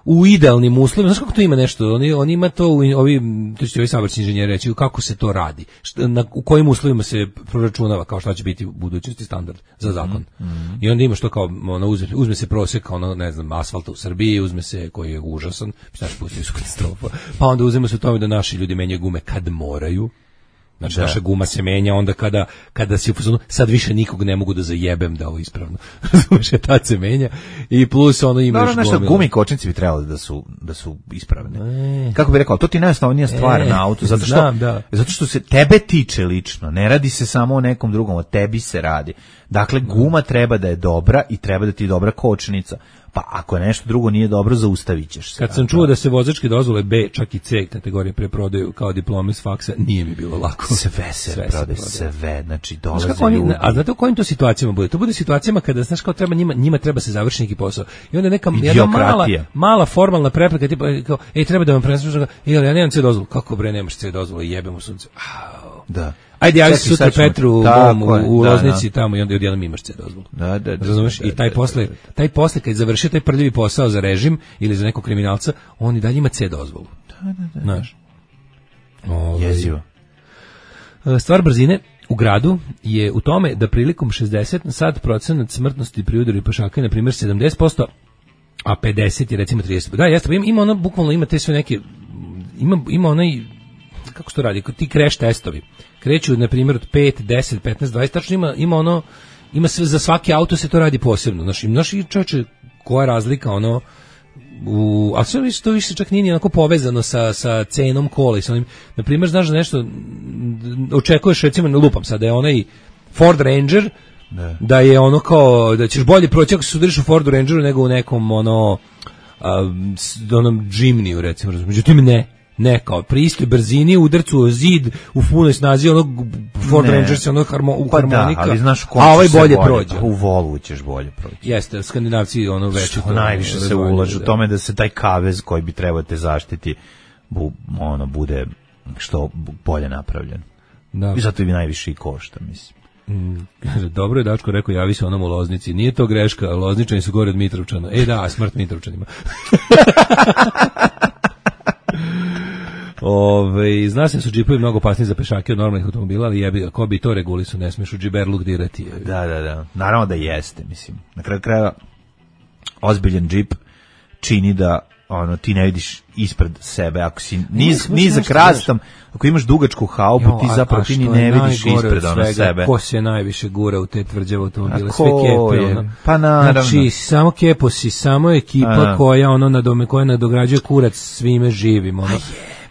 u idealnim uslovima. Znaš kako to ima nešto? Oni, oni ima to, u, ovi, to će ovi saobraćajni inženjeri reći, kako se to radi, šta, na, u kojim uslovima se proračunava, kao šta će biti u budućnosti standard za zakon. Mm, mm. I onda imaš to kao, ono, uzme, uzme se prosjek, ono, ne znam, asfalta u Srbiji, uzme se, koji je užasan, znaš, pustili su katastrofa, pa onda uzme se u tome da naši ljudi menjaju gume kad moraju. Znači, Da. naša guma se menja onda kada, kada si u fazonu, sad više nikog ne mogu da zajebem da ovo ispravno. Razumeš, je tad se menja. I plus ono imaš Naravno, nešto gomilu. gume i kočnici bi trebali da su da su ispravne. E. Kako bi rekao, to ti najosnovnija stvar E, na autu, zato što znam, da. zato što se tebe tiče lično, ne radi se samo o nekom drugom, o tebi se radi. Dakle, guma treba da je dobra i treba da ti je dobra kočnica. Pa ako nešto drugo nije dobro, zaustavit ćeš se. Kad sam čuo da se vozačke dozvole B, čak i C kategorije preprodaju kao diplome s faksa, nije mi bilo lako. Sve se Sve se prodaje, prodaje. sve, znači Znaš dolaze kako oni, ljudi. a znate u kojim to situacijama bude? To bude situacijama kada, znaš, kao treba njima, njima treba se završiti neki posao. I onda neka jedna mala, Idiokratija. mala formalna prepreka, tipa, kao, ej, treba da vam prenesem, ej, ali ja nemam C dozvolu. Kako bre, nemaš C dozvolu, jebemo sunce. Au. Da. Ajde, javi se Čekaj, sutra sad ćemo- Petru u, Tako dom, u, je, u da, Loznici tamo i onda odjednom imaš C dozvolu. Da, da, da. Razumeš? da, I taj da, posle, da, da. taj posle kad je završio taj prljavi posao za režim ili za nekog kriminalca, on i dalje ima C dozvolu. Da, da, da. Znaš. Ovaj, Jezivo. Stvar brzine u gradu je u tome da prilikom šezdeset na sat procenat smrtnosti pri udaru pešaka je na primjer sedamdeset posto, a pedeset je recimo trideset posto. Da, jeste, pa ima, ima ono, bukvalno ima te sve neke, ima, ima onaj, kako se to radi, ti crash testovi. Kreću, na primjer, od pet, deset, petnaest, dvadeset, tačno ima, ima ono, ima sve, za svaki auto se to radi posebno. Znaš, znaš i čovječe, koja je razlika, ono, u, a sve više, to više čak nije ni onako povezano sa, sa cenom kola i sa onim, na primjer, znaš da nešto, m, očekuješ, recimo, ne lupam sad, da je onaj Ford Ranger, Ne. da je ono kao, da ćeš bolje proći ako se sudariš u Fordu Rangeru nego u nekom, ono, a, s- onom Jimniju, recimo, razumiješ. Međutim, ne. Ne, kao pri istoj brzini, udarcu o zid, u punoj snazi, onog Ford Ne. Ranger se ono harmo, u Pa da, harmonika, ali znaš kom a ovaj će se bolje prođe. U Volvu ćeš bolje proći. Jeste, Skandinavci ono veći Što to, najviše se razvojni, ulaže u da. tome da se taj kavez koji bi trebao te zaštiti bu, ono bude što bolje napravljen. Da. I zato bi najviše i košta, mislim. Kaže, dobro je Dačko rekao, javi se onom u Loznici. Nije to greška, Lozničani su gore od Mitrovčana. E da, smrt Mitrovčanima. Ove, zna se da su džipovi mnogo opasniji za pešake od normalnih automobila, ali jebi ga, ko bi to regulisu, ne smiješ u džiberluk dirati. jebi. Da, da, da. Naravno da jeste, mislim. Na kraju kraja ozbiljan džip čini da ono ti ne vidiš ispred sebe ako si niz Imaš nizak nešto, rastom, ako imaš dugačku haubu, Jo, ti a- zapravo a ti ni što ne je vidiš najgore ispred od ono svega, sebe. Ko se najviše gura u te tvrđave automobile? A Sve ko kepe. je? Ono. Pa naravno. Znači, samo keposi, samo ekipa A. koja ono nadome, koja nadograđuje kurac svime živim. Ono.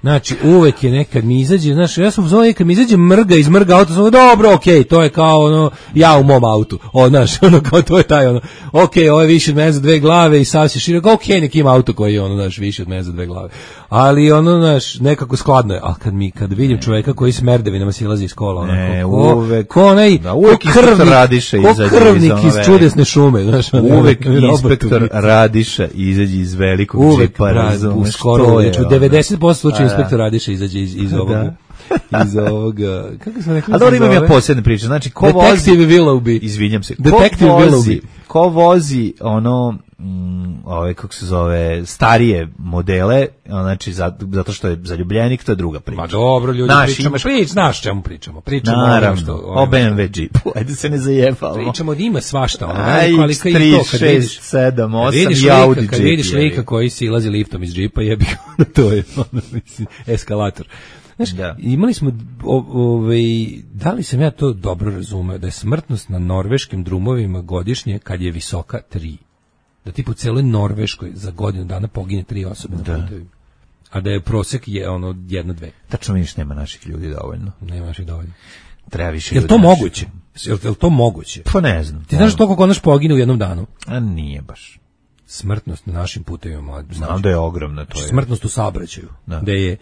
Znači, uvek je nekad mi izađe, znaš, ja sam zove, kad mi izađe mrga iz mrga auto, sam dobro, okej, okay, to je kao ono, ja u mom autu, o, znaš, ono, kao to je taj, ono, okej, okay, ovo je više od mene za dve glave i sav se šire, okej, okay, nek ima auto koji je, ono, znaš, više od mene za dve glave, ali, ono, znaš, nekako skladno je, ali kad mi, kad vidim čoveka koji s merdevinama silazi iz kola, ono, Ne, ko, uvek- ko onaj, da, uvek ko inspektor krvnik, Radiša ko izađe iz krvnik ono iz velike. čudesne šume, znaš, ono, Uvek ono, inspektor robotu. Radiša izađe iz velikog Uvek, džipa, bra, u razumeš, skoro, to je znači, u ono. devedeset posto slučaja A, da. inspektor Radiša izađe iz, iz ovog, iz ovog, kako se rekli? A dobro, imam ja posebne priče, znači ko Detective vozi, Willoughby. izvinjam se, ko Detective vozi, Willoughby. ko vozi ono, mm, ove, kako se zove, starije modele, znači za- zato što je zaljubljenik, to je druga priča. Ma dobro, ljudi, Znaš, pričamo, imaš- prič, znaš čemu pričamo, pričamo o onom Naravno, što, o B M W džipu, ajde se ne zajebamo. pričamo da ima svašta, ono, A, veliko, ali X kao i tri, to, kad vidiš, šest, sedam, kad osam vidiš i lika, Audi kad džip, vidiš jebi. lika koji silazi liftom iz džipa, jebi ga, to je, ono, mislim, eskalator. Znaš, Da. imali smo, o, ovaj, da li sam ja to dobro razumeo, da je smrtnost na norveškim drumovima godišnje, kad je visoka, tri. Da ti po celoj Norveškoj za godinu dana pogine tri osobe na putevima. A da je prosek je ono jedna, dve. Tačno vidiš, nema naših ljudi dovoljno. Nemaš i dovoljno. Treba više. Je li to moguće? Je li to moguće? Pa ne znam. Ti znaš toliko konaš pogine u jednom danu? A nije baš. Smrtnost na našim putevima. Znam da je ogromna. To je. Smrtnost u saobraćaju. Da. Da je...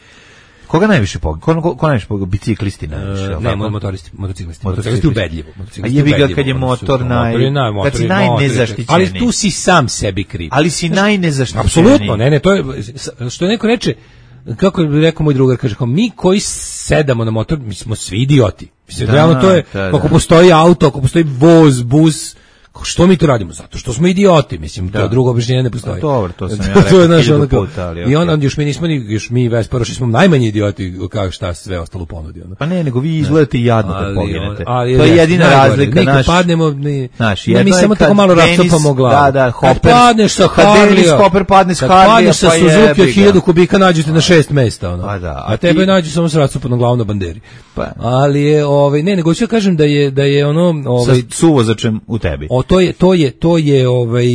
Koga najviše pogine? Ko, ko, ko najviše pogine? Biciklisti najviše? Uh, ne, motoristi, motociklisti. Motociklisti ubedljivo. A jebi ga kad je motor naj... Kad si najnezaštićeniji. Ali tu si sam sebi kriv. Ali si najnezaštićeniji. Apsolutno, ne, ne, to je... Što neko reče, kako je rekao moj drugar, kaže, kao, mi koji sedamo na motor, mi smo svi idioti. Mislim, da, realno to je, da, da. Ako postoji auto, ako postoji voz, bus, što mi to radimo? Zato što smo idioti, mislim, da. To drugo objašnjenje ne postoji. Dobro, to sam ja rekao naš, hiljadu puta, ali... I onda još mi nismo, još mi Vesparoši smo najmanji idioti, kao šta sve ostalo ponudi. Onda. Pa ne, nego vi izgledate jadno kad poginete. Ali, to je jedina razlika. Nekad padnemo, ne, naš, ne, mi samo tako malo rascopamo glavu. Da, da, Hopper, kad padneš sa Harlija, Hopper padne sa Harlija, padneš sa Suzuki od hiljadu kubika, nađete na šest mesta. Ono. A, da, a, a tebe nađu samo s rascopanom glavom na banderi. Pa. Ali je, ovaj, ne, nego ću kažem da je, da je ono... Ovaj, sa suvozačem u tebi. O, to je, to je, to je ovaj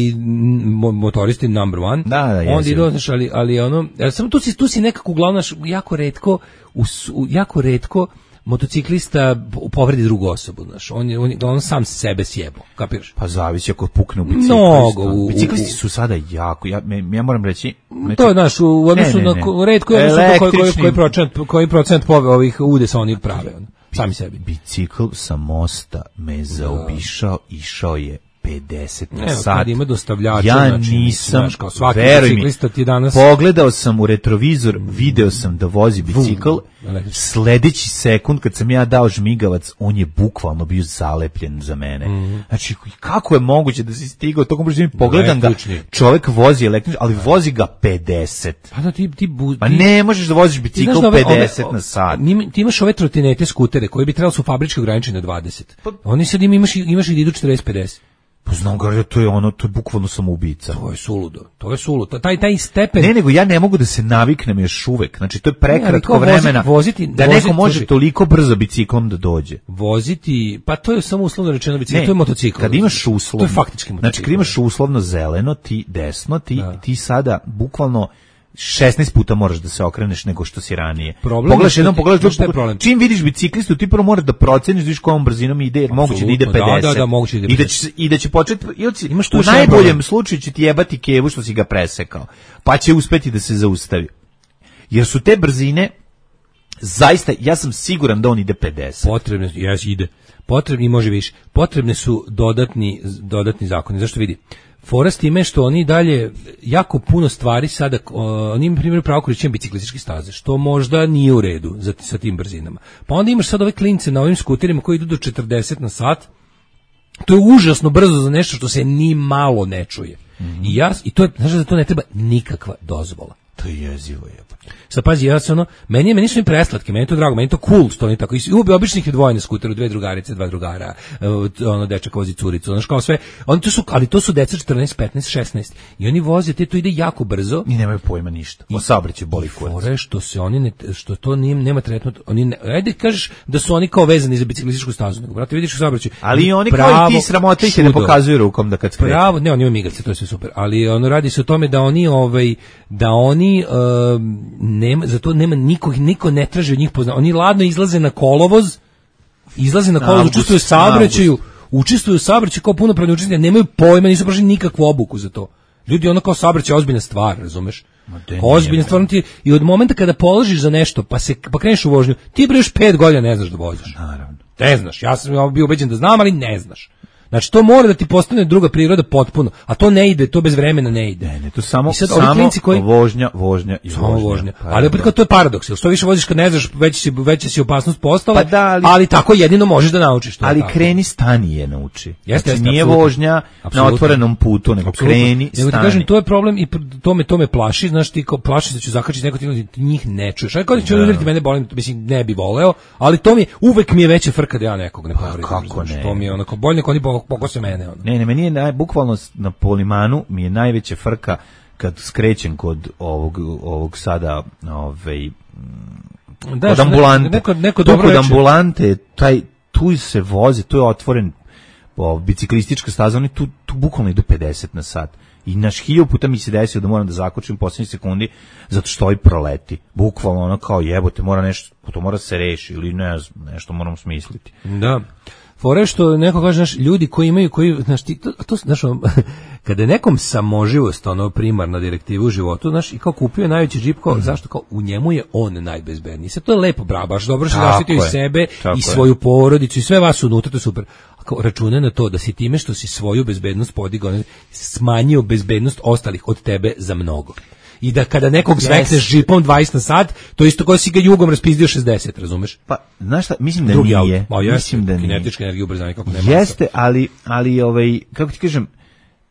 motoristi number one. Da, da, je. Onda ide, znaš, ali, ali ono, samo tu si, tu si nekako uglavnom, jako retko, us, jako retko motociklista povredi drugu osobu, znaš, on je, on, on sam sebe sjebo, kapiraš? Pa zavisi ako pukne u biciklistu. Mnogo. U, biciklisti su sada jako, ja, ja moram reći... Znači, to je, znaš, u odnosu ne, ne, ne. na retko je odnosu na koji, koji, koji procent, koji procent pove ovih udesa oni prave, ono, sami sebi. Bicikl sa mosta me zaobišao, išao je pedeset na Evo, sat. Ima dostavljača, ja znači, nisam, znaš, kao svaki biciklista ti danas... pogledao sam u retrovizor, video sam da vozi bicikl, sledeći sekund kad sam ja dao žmigavac, on je bukvalno bio zalepljen za mene. Mm. Znači, kako je moguće da si stigao, tokom brzo pogledam ga, čovjek vozi električni, ali vozi ga pedeset. Pa da, ti, ti, bu, pa ne možeš da voziš bicikl da pedeset ove, ove, na sat. Ti imaš ove trotinete, skutere, koji bi trebali su fabrički ograničeni na dvadeset. Pa, oni sad imaš, imaš i da idu četrdeset pedeset. Pa znam ga, to je ono, to je bukvalno samoubica. To je suludo, to je suludo. Taj, taj stepen... Ne, nego ja ne mogu da se naviknem još uvek. Znači, to je prekratko ne, vremena voziti, da voziti, neko može služi, toliko brzo biciklom da dođe. Voziti, pa to je samo uslovno rečeno bicikl, to je motocikl. Kad imaš uslovno... To je faktički motocikl. Znači, kad imaš uslovno zeleno, ti desno, ti, ti sada bukvalno šesnaest puta moraš da se okreneš nego što si ranije. Pogledaš jednom, pogledaš drugo. Čim vidiš biciklistu, ti prvo moraš da proceniš da vidiš kojom brzinom ide, jer moguće da ide pedeset. Da, da, da, moguće da ide pedeset. I da će, i da će početi, imaš u najboljem slučaju će ti jebati kevu što si ga presekao, pa će uspeti da se zaustavi. Jer su te brzine, zaista, ja sam siguran da on ide pedeset. Potrebne, jes ide. Potrebni, može više. Potrebne su dodatni, dodatni zakoni. Zašto vidi? Fora s time što oni dalje jako puno stvari sada, oni imaju primjer pravo korišćenja biciklističke staze, što možda nije u redu za, sa tim brzinama. Pa onda imaš sad ove klince na ovim skuterima koji idu do četrdeset na sat, to je užasno brzo za nešto što se ni malo ne čuje. Mm-hmm. I, ja, i to je, znaš da to ne treba nikakva dozvola. To je jezivo je. Sad pazi, ja sam ono, meni je, meni su mi preslatke, meni je to drago, meni je to cool što oni tako, i običnih je dvoje na skuteru, dve drugarice, dva drugara, ono, dečak vozi curicu, ono, kao sve, oni to su, ali to su deca četrnaest, petnaest, šesnaest, i oni voze, te to ide jako brzo. I nemaju pojma ništa, o saobraćaju boli kurac. Fore što se oni, ne, što to nije, nema tretman, oni, ne, ajde kažeš da su oni kao vezani za biciklističku stazu, nego, brate, vidiš u saobraćaju. Ali oni kao i ti sramote ih ne pokazuju rukom da kad skreću. Pravo, ne, oni imaju migavce, to je sve super, ali ono, radi se o tome da oni, ovaj, da oni, uh, nema, zato nema nikog, niko ne traži od njih poznavanja. Oni ladno izlaze na kolovoz, izlaze na kolovoz, učestvuju u saobraćaju, učestvuju u saobraćaju kao punopravni učesnici, nemaju pojma, nisu prošli nikakvu obuku za to. Ljudi, ono kao saobraćaj je ozbiljna stvar, razumeš? Ozbiljna stvar, ti, i od momenta kada položiš za nešto, pa se pa kreneš u vožnju, ti bre još pet godina ne znaš da voziš. Naravno. Ne znaš, ja sam bio ubeđen da znam, ali ne znaš. Znači, to mora da ti postane druga priroda potpuno, a to ne ide, to bez vremena ne ide. Ne, ne, to samo, samo koji, vožnja, vožnja i samo vožnja. vožnja. Pa, ali opet kao to je paradoks, jer što više voziš kad ne znaš, veća si, veća si opasnost postala, pa da, ali, ali tako jedino možeš da naučiš. To ali tako. Kreni, stani je nauči. Jeste, znači, nije absolutno. Vožnja absolutno. Na otvorenom putu, nego absolutno. Kreni, stani. Nego ti kažem, to je problem i to me, to me plaši, znaš ti, kao, plaši se da ću zakačiti neko ti njih ne čuješ. Ajde, kada ću udariti mene bolim, mislim, ne bi voleo, ali to mi, uvek mi je veća frka da ja nekog ne povredim. Kako ne? To mi je onako bolje nego oni pokose mene. Ne, ne, meni je naj, bukvalno na Polimanu mi je najveća frka kad skrećem kod ovog, ovog sada ovaj, da, kod ambulante. Neko, neko tu kod ambulante, taj, tu se vozi, tu je otvoren o, biciklistička staza, oni tu, tu bukvalno idu pedeset na sat. I naš hilju puta mi se desio da moram da zakočim u posljednjih sekundi zato što ovaj proleti. Bukvalno ono kao jebote, mora nešto, to mora se reši ili ne znam, nešto moramo smisliti. Da. Fore što neko kaže, znaš, ljudi koji imaju, koji, znaš, ti, to, to, znaš, kada je nekom samoživost, ono, primarna direktiva u životu, znaš, i kao kupio je najveći džip, kao, mm. zašto, kao, u njemu je on najbezbedniji. Sve to je lepo, bravo, baš dobro što zaštitio i sebe, i svoju je. porodicu, i sve vas unutra, to je super. A kao, računa na to da si time što si svoju bezbednost podigao, smanjio bezbednost ostalih od tebe za mnogo. I da kada nekog zvekneš džipom dvadeset na sat, to isto kao si ga jugom raspizdio šezdeset, razumeš? Pa, znaš šta, mislim da Drugi nije. Auto. O, mislim da nije. Kinetička energija ubrzanja, kako nema. Jeste, ali, ali ovaj, kako ti kažem,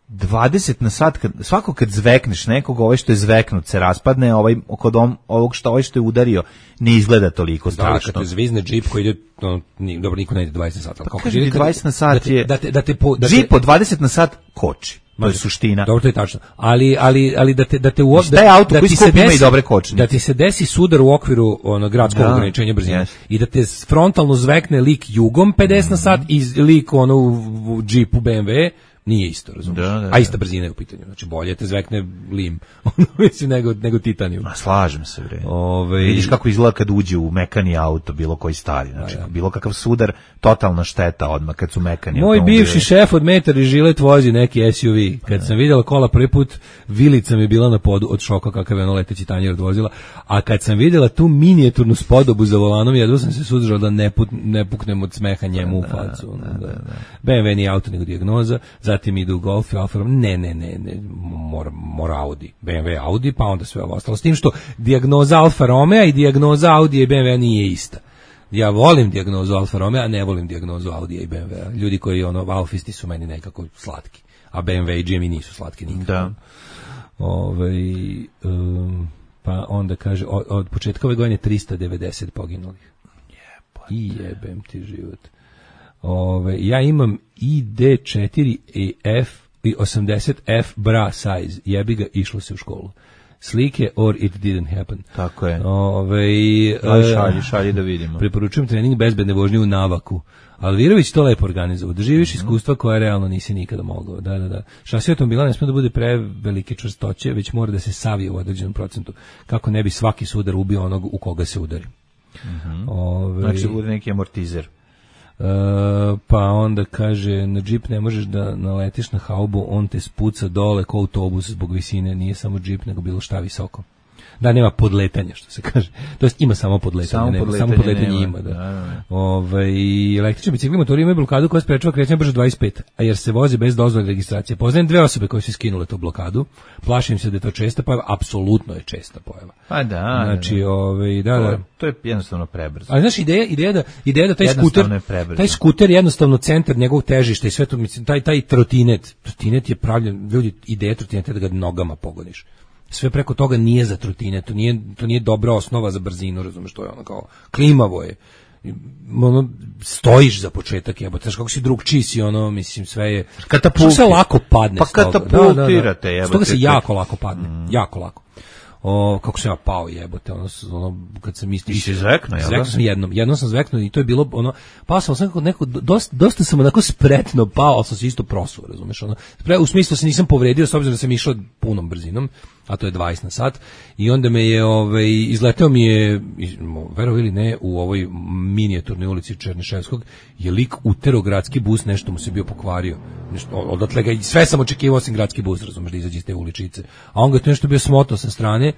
dvadeset na sat, kad, svako kad zvekneš nekog, ovaj što je zveknut se raspadne, ovaj, kod on, ovog što, ovaj što je udario, ne izgleda toliko strašno. Da, kad te zvizne džip koji ide, no, ni, dobro, niko ne ide dvadeset na sat. Pa kaži, dvadeset na sat da te, je, da te, da te po, da džip od dvadeset na sat koči. To je suština. Dobro, to je tačno. Ali ali ali da te da te u da, auto da ti se desi i dobre kočnice. Da ti se desi sudar u okviru onog gradskog da, ograničenja brzine yes. i da te frontalno zvekne lik jugom pedeset mm-hmm. na sat i lik ono u, u džipu B M W, nije isto, razumiješ? Da, da, da. A ista brzina je u pitanju. Znači bolje te zvekne lim, mislim nego nego titanijum. A slažem se, bre. Ove... Vidiš kako izgleda kad uđe u mekani auto, bilo koji stari, znači da, bilo kakav sudar, totalna šteta odmah kad su mekani. Moj bivši šef od Metar i Žilet vozi neki S U V. Kad da. sam vidjela kola prvi put, vilica mi je bila na podu od šoka kakav je ono leteći tanjer odvozila, a kad sam vidjela tu minijaturnu spodobu za volanom, jedva sam se suzdržao da ne, put, ne puknem od smeha njemu da, u facu. Da, da, da, da. B M W nije auto nego dijagnoza. Zatim idu Golf i Alfa Romeo, ne, ne, ne, ne, mora, mora Audi, B M W Audi, pa onda sve ovo ostalo. S tim što dijagnoza Alfa Romeo i dijagnoza Audi i B M W nije ista. Ja volim dijagnozu Alfa Romeo, a ne volim dijagnozu Audi i B M W. Ljudi koji, ono, alfisti su meni nekako slatki, a B M W i G M I nisu slatki nikako. Da. Ove, um, pa onda kaže, od, od početka ove godine tristo devedeset poginulih. Jebote. I jebem ti život. Ove, ja imam I D četiri i F i osamdeset F bra size. Jebi ga, išlo se u školu. Slike or it didn't happen. Tako je. Ove, Aj, šalji, šalji da vidimo. Preporučujem trening bezbedne vožnje u Navaku. Alvirović to lepo organizovao. Doživiš mm-hmm. iskustva koje realno nisi nikada mogao. Da, da, da. Šasija automobila ne smije da bude prevelike čvrstoće, već mora da se savije u određenom procentu. Kako ne bi svaki sudar ubio onog u koga se udari. Mm-hmm. Ove, znači bude neki amortizer. Uh, pa onda kaže, na džip ne možeš da naletiš na haubu, on te spuca dole ko autobus zbog visine, nije samo džip nego bilo šta visoko. Da, nema podletanja, što se kaže. To jest ima samo podletanje, samo nema, podletanje, samo podletanje nema. ima, da. da, da. Ove, električni bicikli motori imaju blokadu koja sprečava kretanje brže dvadeset pet, a jer se vozi bez dozvole registracije. Poznajem dve osobe koje su skinule tu blokadu. Plašim se da je to česta pojava, apsolutno je česta pojava. Pa da. Znači, ove, da, da. To je jednostavno prebrzo. Ali znaš, ideja, ideja da ideja da taj skuter, taj skuter jednostavno centar njegovog težišta i sve to, mislim, taj taj trotinet, trotinet je pravljen, ljudi, ideja trotineta da ga nogama pogoniš. Sve preko toga nije za trotine, to nije, to nije dobra osnova za brzinu, razumeš, to je ono kao klimavo je. Ono, stojiš za početak, jebote, znaš kako si drugčiji si, ono, mislim, sve je... Katapulti. Što se lako padne. Pa katapultirate, jebote. Stoga se jako lako padne, mm. jako lako. O, kako sam ja pao, jebote, ono, ono kad sam mislio... I si zvekno, jel? Zvekno sam jednom, jednom sam zveknuo i to je bilo, ono, pao sam sam neko, dosta, dosta sam onako spretno pao, ali sam se isto prosuo, razumeš, ono, u smislu se nisam povredio, s obzirom da sam išao punom brzinom, a to je dvadeset na sat, i onda me je, ovaj, izleteo mi je, verovo ili ne, u ovoj minijaturnoj ulici Černiševskog, je lik utero gradski bus, nešto mu se bio pokvario, nešto, odatle ga, sve sam očekivao osim gradski bus, razumeš, da izađe iz te uličice, a on ga to nešto bio smotao sa strane,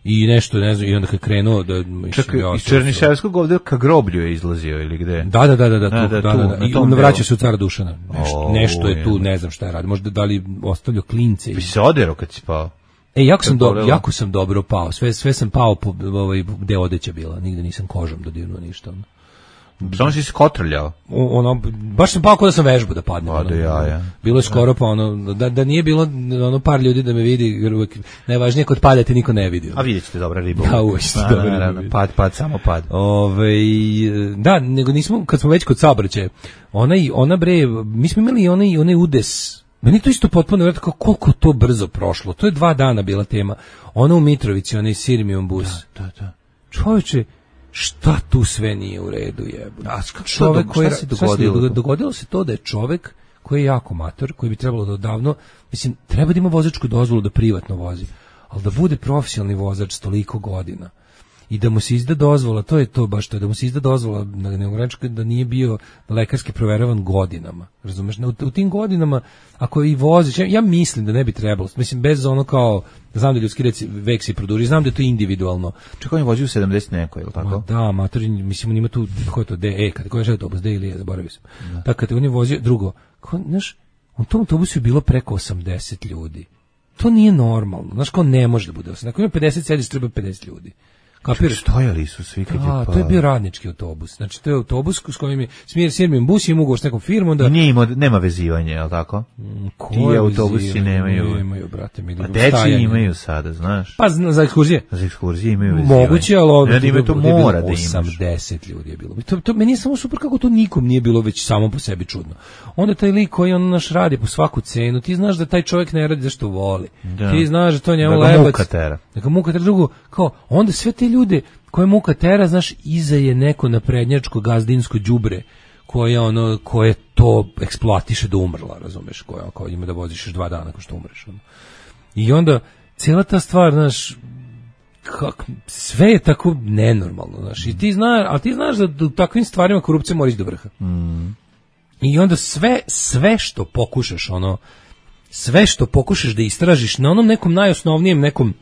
i nešto, ne znam, i onda kad krenuo da... Čekaj, iz Černiševskog ovdje ka groblju je izlazio ili gde? Da, da, da, da, da, tu, da, da, da, da, da. I onda vraća se u Cara Dušana. Nešto, o, nešto je tu, ne znam šta je radio, možda da li ostavljao klince. Bi se oderao kad si pao? E, jako sam, do, jako sam dobro pao, sve, sve sam pao po, ovaj, gde odeća bila, nigde nisam kožom dodirnuo ništa. Samo si se kotrljao. Ono, baš sam pao kao da sam vežbu da padnem. Ono, ja, ja. Bilo je skoro pa ono, da, da nije bilo ono par ljudi da me vidi, jer uvijek najvažnije kod pada te niko ne vidi. A vidjet ćete dobra riba. Da, uvijek ćete dobra riba. Pad, pad, samo pad. Ove, da, nego nismo, kad smo već kod saobraćaja, ona, ona bre, mi smo imali onaj, onaj udes. Meni to isto potpuno vjerojatno kao koliko to brzo prošlo. To je dva dana bila tema. Ona u Mitrovici, onaj Sirmium bus. Da, da, da. Čovječe, šta tu sve nije u redu, jebote? A čovjek koji, šta se dogodilo? Dogodilo se to da je čovjek koji je jako mator, koji bi trebalo da odavno, mislim, treba da ima vozačku dozvolu da privatno vozi, ali da bude profesionalni vozač s toliko godina i da mu se izda dozvola, to je to baš to, da mu se izda dozvola, da ne ogranička, da nije bio lekarski proveravan godinama, razumeš? U, u tim godinama, ako i voziš, ja, ja mislim da ne bi trebalo, mislim, bez ono kao, znam da ljudski reci, vek se produži, znam da je to individualno. Čekaj, on je vozio u sedamdeset neko, je li tako? Ma da, matori, mislim, on ima tu, ko je to, D, E, kada, ko je autobus, D ili E, zaboravio sam. Da. Tako, kada on je vozio, drugo, ko, znaš, u tom autobusu je bilo preko osamdeset ljudi. To nije normalno, znaš, kao ne može da bude osamdeset, ako ima pedeset sediš, treba pedeset ljudi. Kapiraš? Stojali su svi kad je pa. To je bio radnički autobus. Znači to je autobus s kojim je smjer Sirmium bus, ima ugovor s nekom firmom da nije ima, nema vezivanja, je l' tako? Mm, ti autobusi nemaju. Nemaju, brate, mi. Pa deci imaju sada, znaš. Pa za ekskurzije. Za ekskurzije imaju vezivanje. Moguće, ali ovdje ima to mora da imaš. osamdeset ljudi je bilo. To, to meni je samo super kako to nikom nije bilo već samo po sebi čudno. Onda taj lik koji on naš radi po svaku cenu, ti znaš da taj čovjek ne radi zašto voli. Da. Ti znaš da to njemu da lebac. Muka tera. Neka muka tera drugo. Kao, onda sve te ljude koje muka tera, znaš, iza je neko naprednjačko gazdinsko đubre koje ono koje to eksploatiše do umrla, razumeš, koje kao ima da voziš još dva dana nakon što umreš. Ono. I onda cijela ta stvar, znaš, kak, sve je tako nenormalno, znaš, i ti znaš, ali ti znaš da u takvim stvarima korupcija mora ići do vrha. Mm. I onda sve, sve što pokušaš, ono, sve što pokušaš da istražiš na onom nekom najosnovnijem nekom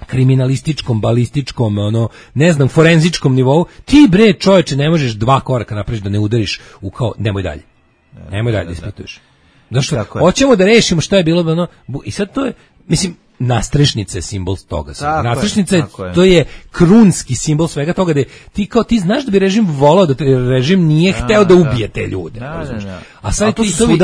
kriminalističkom, balističkom, ono, ne znam, forenzičkom nivou, ti bre čoveče ne možeš dva koraka napraviš da ne udariš u kao, nemoj dalje. Nemoj dalje da ispituješ. Zašto? Hoćemo da rešimo šta je bilo, ono, i sad to je, mislim, nastrešnica je simbol toga. Nastrešnica je, to je krunski simbol svega toga da je, ti kao ti znaš da bi režim volao da te, režim nije da, hteo da ubije te ljude. Da, da, da. A sad to, ti, to, bi, i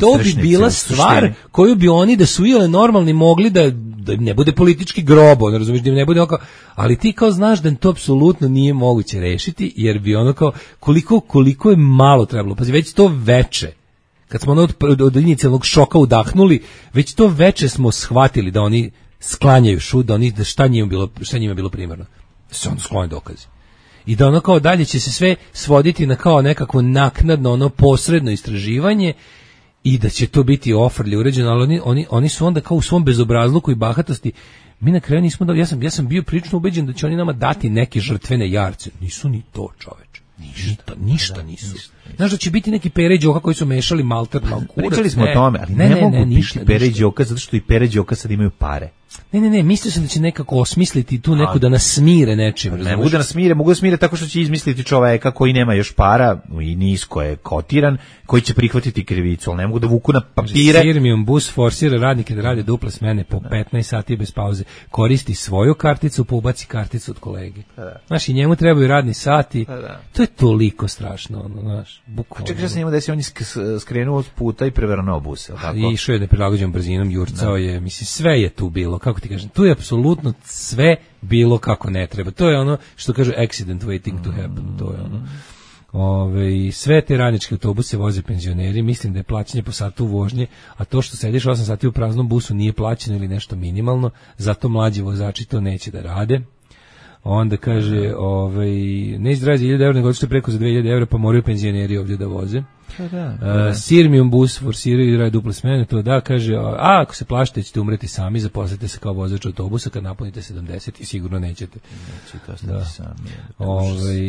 to bi bila stvar koju bi oni da su ile normalni mogli da, da ne bude politički grobo, ne razumiješ, da ne bude oko, ali ti kao znaš da to apsolutno nije moguće rešiti, jer bi ono kao koliko, koliko je malo trebalo, pazi, već to veče, kad smo ono od, od inicijalnog šoka udahnuli, već to veče smo shvatili da oni sklanjaju šut, da oni, da šta njima bilo, šta njima bilo primarno. Da se ono sklone dokazi. I da ono kao dalje će se sve svoditi na kao nekakvo naknadno, ono posredno istraživanje i da će to biti ofrlje uređeno, ali oni, oni, oni su onda kao u svom bezobrazluku i bahatosti, mi na kraju nismo, da, ja sam, ja sam bio prilično ubeđen da će oni nama dati neke žrtvene jarce. Nisu ni to, čoveče. Ništa, ništa nisu. Znaš da će biti neki Pere i Đoka koji su mešali malter na kurac. Pričali smo ne, o tome, ali ne, ne, ne mogu ne, ništa, biti Pere i Đoka zato što i Pere i Đoka sad imaju pare. Ne, ne, ne, mislio sam da će nekako osmisliti tu neku da nas smire nečim. Ne mogu da nas smire, mogu da smire tako što će izmisliti čoveka koji nema još para i nisko je kotiran, koji će prihvatiti krivicu, ali ne mogu da vuku na papire. Sirmium bus forsira radnike da rade duple smene po petnaest sati bez pauze. Koristi svoju karticu, pa ubaci karticu od kolege. Znaš, i njemu trebaju radni sati. To je toliko strašno, ono, znaš, bukvalno. Čekaj, što se njemu desi, on je skrenuo od puta i prevrnuo bus, je li tako? I išao je neprilagođenom brzinom, jurcao je, mislim, sve je tu bilo, kako ti kažem, tu je apsolutno sve bilo kako ne treba. To je ono što kažu accident waiting to happen, to je ono. Ove, sve te radničke autobuse voze penzioneri, mislim da je plaćanje po satu vožnje, a to što sediš osam sati u praznom busu nije plaćeno ili nešto minimalno, zato mlađi vozači to neće da rade. Onda kaže, ovaj, ne izdravlja za hiljadu evra, nego što je preko za dve hiljade evra, pa moraju penzioneri ovdje da voze. Da, da. Uh, Sirmium bus forsiraju i rade duple smene, to da, kaže, a ako se plašite ćete umreti sami, zaposlite se kao vozač autobusa, kad napunite sedamdeset i sigurno nećete. Nećete ostati da. sami. Ovaj,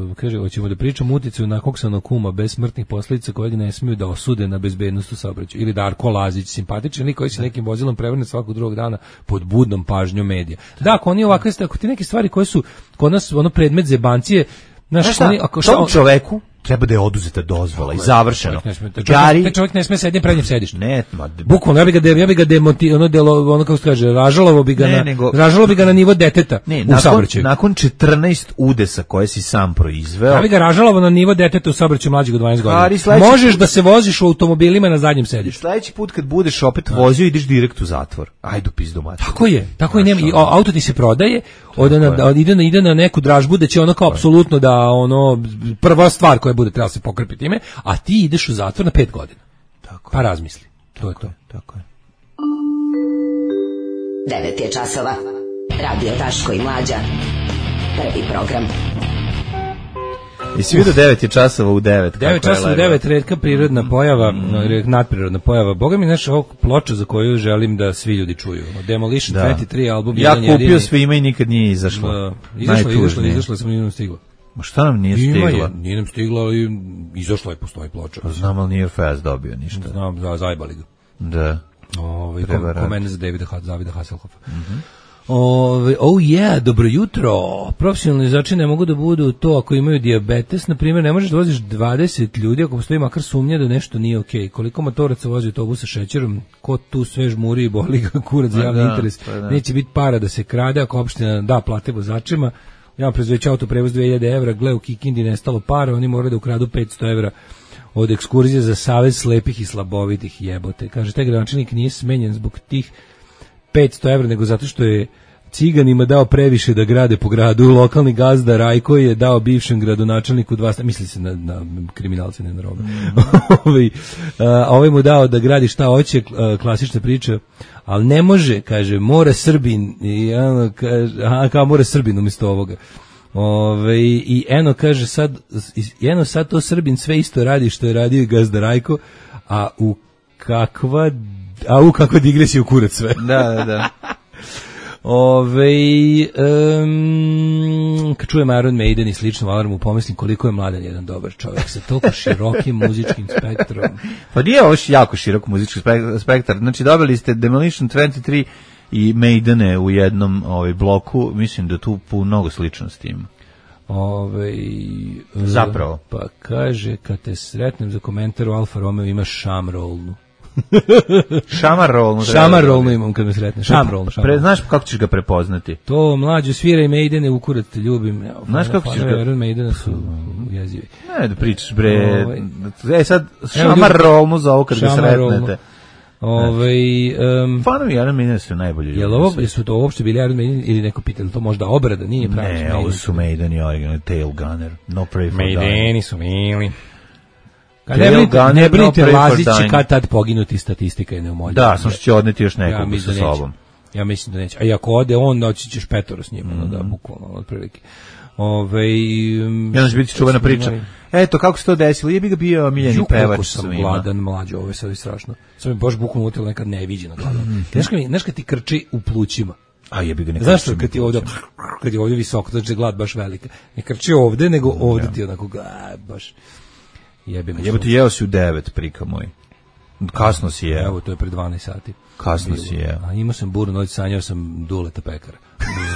uh, kaže, hoćemo da pričamo uticaju na koksanog kuma bez smrtnih posljedica kojeg ne smiju da osude na bezbednost u saobraćaju. Ili Darko Lazić, simpatičan lik koji se nekim vozilom prevrne svakog drugog dana pod budnom pažnjom medija. Da, ako oni ovakve, ako ti neke stvari koje su kod nas ono predmet zebancije, znaš, šta, oni, ako šta, tom čoveku treba da je oduzeta dozvola i završeno. Gari, taj čovjek ne sme sedeti na prednjem sedištu. Ne, bukvalno ja bih ga ja bih ga demonti, ono delo, ono kako se kaže, ražalovo bi ga ne, na nego, ražalovo bi ga na nivo deteta. Ne, u nakon, nakon četrnaest udesa koje si sam proizveo. Ja bih ga ražalovo na nivo deteta u saobraćaju mlađeg od dvanaest godina. Možeš put, da se voziš u automobilima na zadnjem sedištu. Sledeći put kad budeš opet vozio ideš direkt u zatvor. Ajde pizdu mater. Tako je, tako je, nema, i auto ti se prodaje, ode na, od, ide na ide na neku dražbu da će ono kao apsolutno da ono prva stvar koja bude trebala se pokrpiti ime, a ti ideš u zatvor na pet godina. Tako. Pa razmisli. To tako je to. Je, tako je. devet je časova. Radio Daško i Mlađa. Prvi program. I svi do devet je časova u devet. devet časova u devet, retka prirodna pojava, mm. nadprirodna pojava. Boga mi naša ovog ploča za koju želim da svi ljudi čuju. Demolition da. dvadeset tri album. Ja kupio jedini. Sve ima i nikad nije izašlo. Da. Izašlo, izašlo, izašlo, samo nije nam stiglo. Ma šta nam nije stiglo? Je, nije nam stiglo, ali izašlo je, postoji ploča. Pa znam, ali nije Fast dobio ništa. Znam, za, zajbali ga. Da. Ove, kom, komene za Davida, Davida Hasselhoffa. Mm-hmm. Ove, oh yeah, dobro jutro. Profesionalni vozači ne mogu da budu to ako imaju dijabetes. Na primjer, ne možeš da voziš dvadeset ljudi ako postoji makar sumnja da nešto nije okej. Okay. Koliko motoraca vozi autobus sa šećerom, ko tu sve žmuri i boli ga kurac za javni da, interes. Da. Neće biti para da se krade ako opština da plate vozačima. Ja prezveći autoprevoz dve hiljade evra, gle u Kikindi nestalo para, oni moraju da ukradu petsto evra od ekskurzije za savez slepih i slabovitih, jebote. Kaže, taj gradonačelnik nije smenjen zbog tih petsto evra, nego zato što je ciganima dao previše da grade po gradu. Lokalni gazda Rajko je dao bivšem gradonačelniku dva, misli se na, na kriminalce, ne na robe. ovaj, ovaj mu dao da gradi šta hoće, klasična priča, ali ne može, kaže, mora Srbin, i ono, kaže, aha, kao mora Srbin umjesto ovoga. Ove, i eno kaže sad eno sad to Srbin sve isto radi što je radio i gazda Rajko, a u kakva a u kakva digresija u kurac sve. Da, da, da. Ove, um, kad čujem Iron Maiden i slično alarmu, pomislim koliko je mladan jedan dobar čovjek sa toliko širokim muzičkim spektrom. Pa nije ovo jako širok muzički spektar. Znači dobili ste Demolition dvadeset tri i Maidene u jednom ovaj bloku, mislim da tu mnogo sličnosti ima. Ove, zapravo. Pa kaže, kad te sretnem za komentar u Alfa Romeo ima šamrolnu. Šamarolnu. Šamarolnu imam kad me sretne. Šamrolnu. Pre, znaš kako ćeš ga prepoznati? To mlađu svira i Maidene u kurac te ljubim. Evo, znaš kako ćeš ga... Maidena su jezivi. Ne, da pričaš bre. E sad, šamarolnu za ovo kad ga sretnete. Ovaj um, fanovi Iron Maidena su najbolji ljudi. Jel ovo su to uopšte bili Iron Maiden ili neko pitalo to možda obrada, nije pravi. Ne, ovo su Maiden i originalni Tail Gunner. No Pray for Maideni su bili. Kad ne brinite, ne brinite, Lazić će kad tad poginuti, statistika je neumoljiva. Da, sam što će odneti još nekog ja sa sobom. Ja mislim da neće. A i ako ode on, doći ćeš petoro s njim, mm. da, bukvalno, otprilike. Ove, um, ja će biti čuvena priča. Eto, kako se to desilo? Je bi ga bio miljeni pevač. Kako sam gladan, mlađo, ovo je sve strašno. Sam mi baš bukvalno utilo nekad neviđeno gladan. Znaš kad, znaš kad ti krči u plućima? A jebi ga nekad. Znaš što kad ti ovdje, kad je ovdje visoko, znači glad baš velika. Ne krči ovdje, nego ovdje ja. Ti onako, a, baš... Jebe me. Jebe ti jeo si u devet, prika moj. Kasno si jeo. Evo, to je pre dvanaest sati. Kasno bilo. Si jeo. A imao sam burnu noć, sanjao sam Duleta pekara.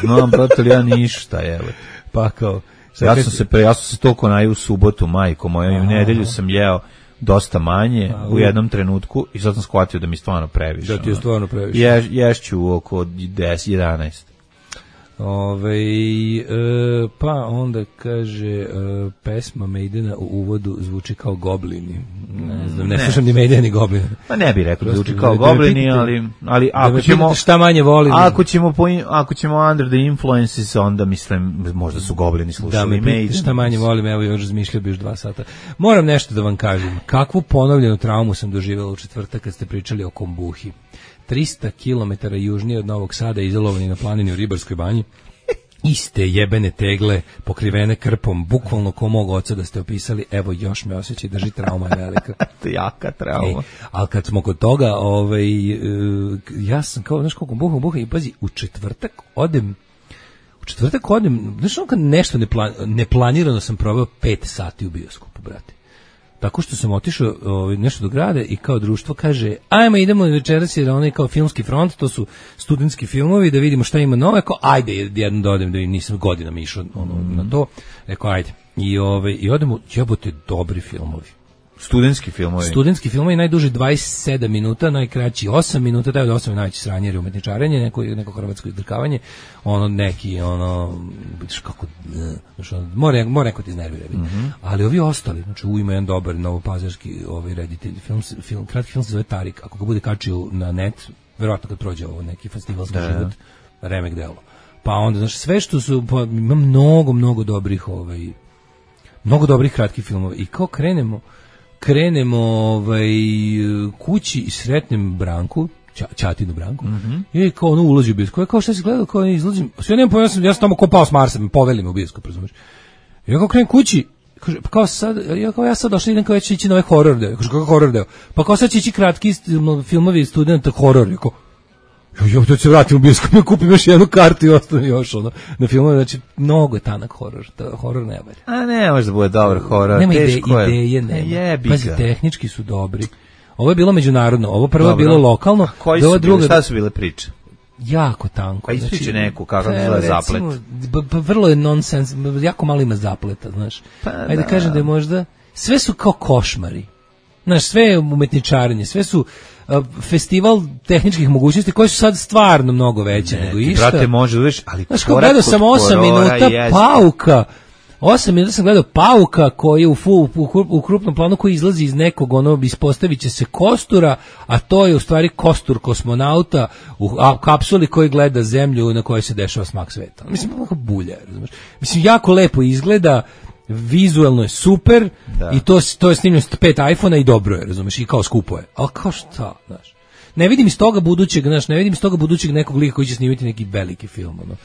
Znam, brate, ja ništa, evo. Pa kao... Ja sam se pre, ja sam se toliko najeo u subotu, majko moja, i u nedelju sam jeo dosta manje a, u jednom trenutku i sad sam shvatio da mi stvarno previše. Da ti je stvarno previše. Ješ, ješću oko deset jedanaest. Ove, e, pa onda kaže e, pesma Maidena u uvodu zvuči kao Goblini. Ne znam, ne, ne slušam ni Maidena ni Goblina. Pa ne bih rekao da zvuči kao Goblini, ali, ali ako ćemo šta manje volim. Ako ćemo po, ako ćemo under the influences, onda mislim možda su Goblini slušali da, Maiden. Šta manje volim, evo još razmišljao bi još dva sata. Moram nešto da vam kažem. Kakvu ponovljenu traumu sam doživjela u četvrtak kad ste pričali o kombuhi. trista kilometara južnije od Novog Sada, izolovani na planini u Ribarskoj banji, iste jebene tegle pokrivene krpom, bukvalno ko mog oca da ste opisali, evo još me osjeća i drži, trauma je velika. To je jaka trauma. E, ali kad smo kod toga, ovaj, uh, ja sam kao, znaš koliko buham, buham i pazi, u četvrtak odem, u četvrtak odem, znaš ono kad nešto neplan, neplanirano sam proveo pet sati u bioskopu, brate. Tako što sam otišao ovaj, nešto do grada i kao društvo kaže, ajmo idemo večeras jer onaj kao filmski front, to su studentski filmovi, da vidimo šta ima nove, kao ajde jedno da odem, da nisam godinama išao ono, mm. na to, rekao ajde. I, ovaj, i odemo, jebote, dobri filmovi. Studentski filmovi. Studentski filmovi, najduži dvadeset sedam minuta, najkraći osam minuta, daju da osam je najveći sranje jer umetničarenje, neko, neko hrvatsko izdrkavanje, ono neki, ono, kako, znači, mora, mora neko ti iznervira. Mm-hmm. Ali ovi ostali, znači u ima jedan dobar novopazarski ovaj reditelj, film, film, kratki film se zove Tarik, ako ga bude kačio na net, verovatno kad prođe ovo neki festivalski da. Život, remek delo. Pa onda, znači, sve što su, pa, ima mnogo, mnogo dobrih, ovaj, mnogo dobrih kratkih filmova i kao krenemo, krenemo ovaj, kući i sretnem Branku, ča, Ćatinu Branku, mm-hmm. i kao ono ulazi u bioskop. Ja kao šta si gledao, kao izlazim, sve nemam pojma, ja sam, ja sam tamo kopao s Marsa, me poveli me u bioskop, razumiješ. Ja kao krenem kući, kaže, pa kao sad, ja, kao ja sad došla idem kao ja ću ići na ovaj horor deo. Kaže, kako horor deo? Pa kao sad će ići kratki filmovi studenta horor. Ja kao, jo, to se vratim u bioskop, ja kupim još jednu kartu i ostane još ono na filmove, znači mnogo je tanak horor, to horor ne valja. A ne, može da bude dobar horor, nema teško ide, je. Ideje nema. Jebi Pazi, ga. tehnički su dobri. Ovo je bilo međunarodno, ovo prvo je Dobro. bilo lokalno. A koji do su druga, bili, šta su bile priče? jako tanko. Pa ispriči znači, neku, kako pa, zove recimo, zaplet. b- b- vrlo je nonsens, jako malo ima zapleta, znaš. Pa Ajde da. kažem da je možda, sve su kao košmari. Znaš, sve je umetničarenje, sve su uh, festival tehničkih mogućnosti koji su sad stvarno mnogo veće nego Ti, išta. brate, može da vidiš, ali Znaš, kao korak gledao kod sam osam horora minuta jeste. pauka. osam minuta sam gledao pauka koji je u, fu, u, u krupnom planu koji izlazi iz nekog, ono, ispostavit će se kostura, a to je u stvari kostur kosmonauta u a, kapsuli koji gleda zemlju na kojoj se dešava smak sveta. Mislim, kako bulja, razumiješ? Mislim, jako lepo izgleda, vizuelno je super Da. i to, to je snimljeno s pet iPhona i dobro je, razumiješ, i kao skupo je. Ali kao šta, znaš? Ne vidim iz toga budućeg, znaš, ne vidim iz toga budućeg nekog lika koji će snimiti neki veliki film, ono.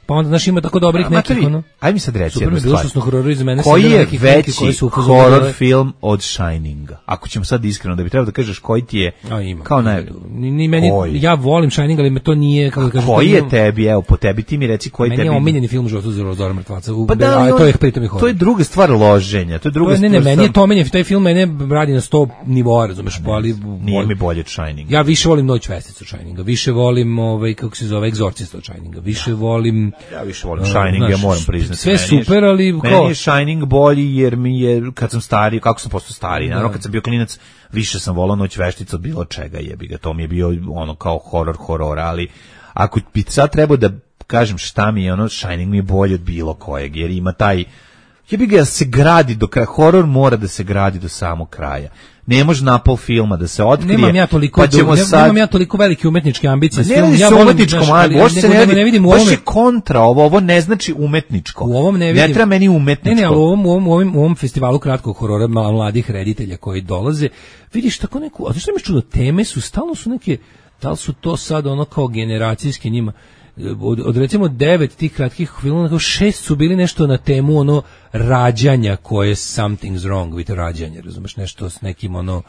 Pa onda, znaš, ima tako dobrih A, nekih, matori, ono. aj mi sad reci Super jednu mi je bilo stvar. što smo horori za mene Koji sedeli je neki klinki koji veći su upozorili horor ove- film od Shininga? Ako ćemo sad iskreno, da bi trebalo da kažeš koji ti je A ima. kao naj... Ni, ni meni, Koji? ja volim Shining, ali me to nije, kako da kažem, Koji to je nije- tebi, evo, po tebi, ti mi reci koji meni tebi... je omiljeni film u životu za Zora mrtvaca. U, Pa da, a ali to je on- pritom i horor. to je druga stvar loženja, to je druga To je, ne, ne, stvar... meni je to omiljeni, taj film mene radi na sto nivoa, razumeš, pa ali... Nije mi bolje od Shininga. Ja više volim Noć vesticu od Shininga, više volim, ovaj, kako se zove, Egzorcista od Shininga, više volim... Ja više volim Uh, Shining, znaš, ja moram priznati. sve Meni je- super, ali meni kao- je Shining bolji jer mi je, kad sam stariji, kako sam postao stariji, naravno kad sam bio klinac, više sam volao Noć veštica od bilo čega, jebi ga, to mi je bio ono kao horor horora, ali ako bi sad trebao da kažem šta mi je, ono, Shining mi je bolji od bilo kojeg, jer ima taj, jebi ga, se gradi do kraja, horor mora da se gradi do samog kraja. Ne može na pol filma da se otkrije. Nemam ja toliko, pa ćemo ne, sad... nemam ja toliko velike umetničke ambicije. s Ne filmom. radi ja se volim, umetničko, znaš, ma, ali- baš se nego ne da radi, ne vidim u baš ovome- je kontra, ovo, ovo ne znači umetničko. U ovom ne vidim. Ne treba meni umetničko. Ne, ne, ali u ovom, u ovom, u ovom, u ovom festivalu kratkog horora mla- mladih reditelja koji dolaze, vidiš tako neku, a to što mi je čudo, teme su, stalno su neke, da li su to sad ono kao generacijske njima, od, od recimo devet tih kratkih filmova, onako šest su bili nešto na temu ono rađanja koje je something's wrong with rađanje, razumeš, nešto s nekim ono,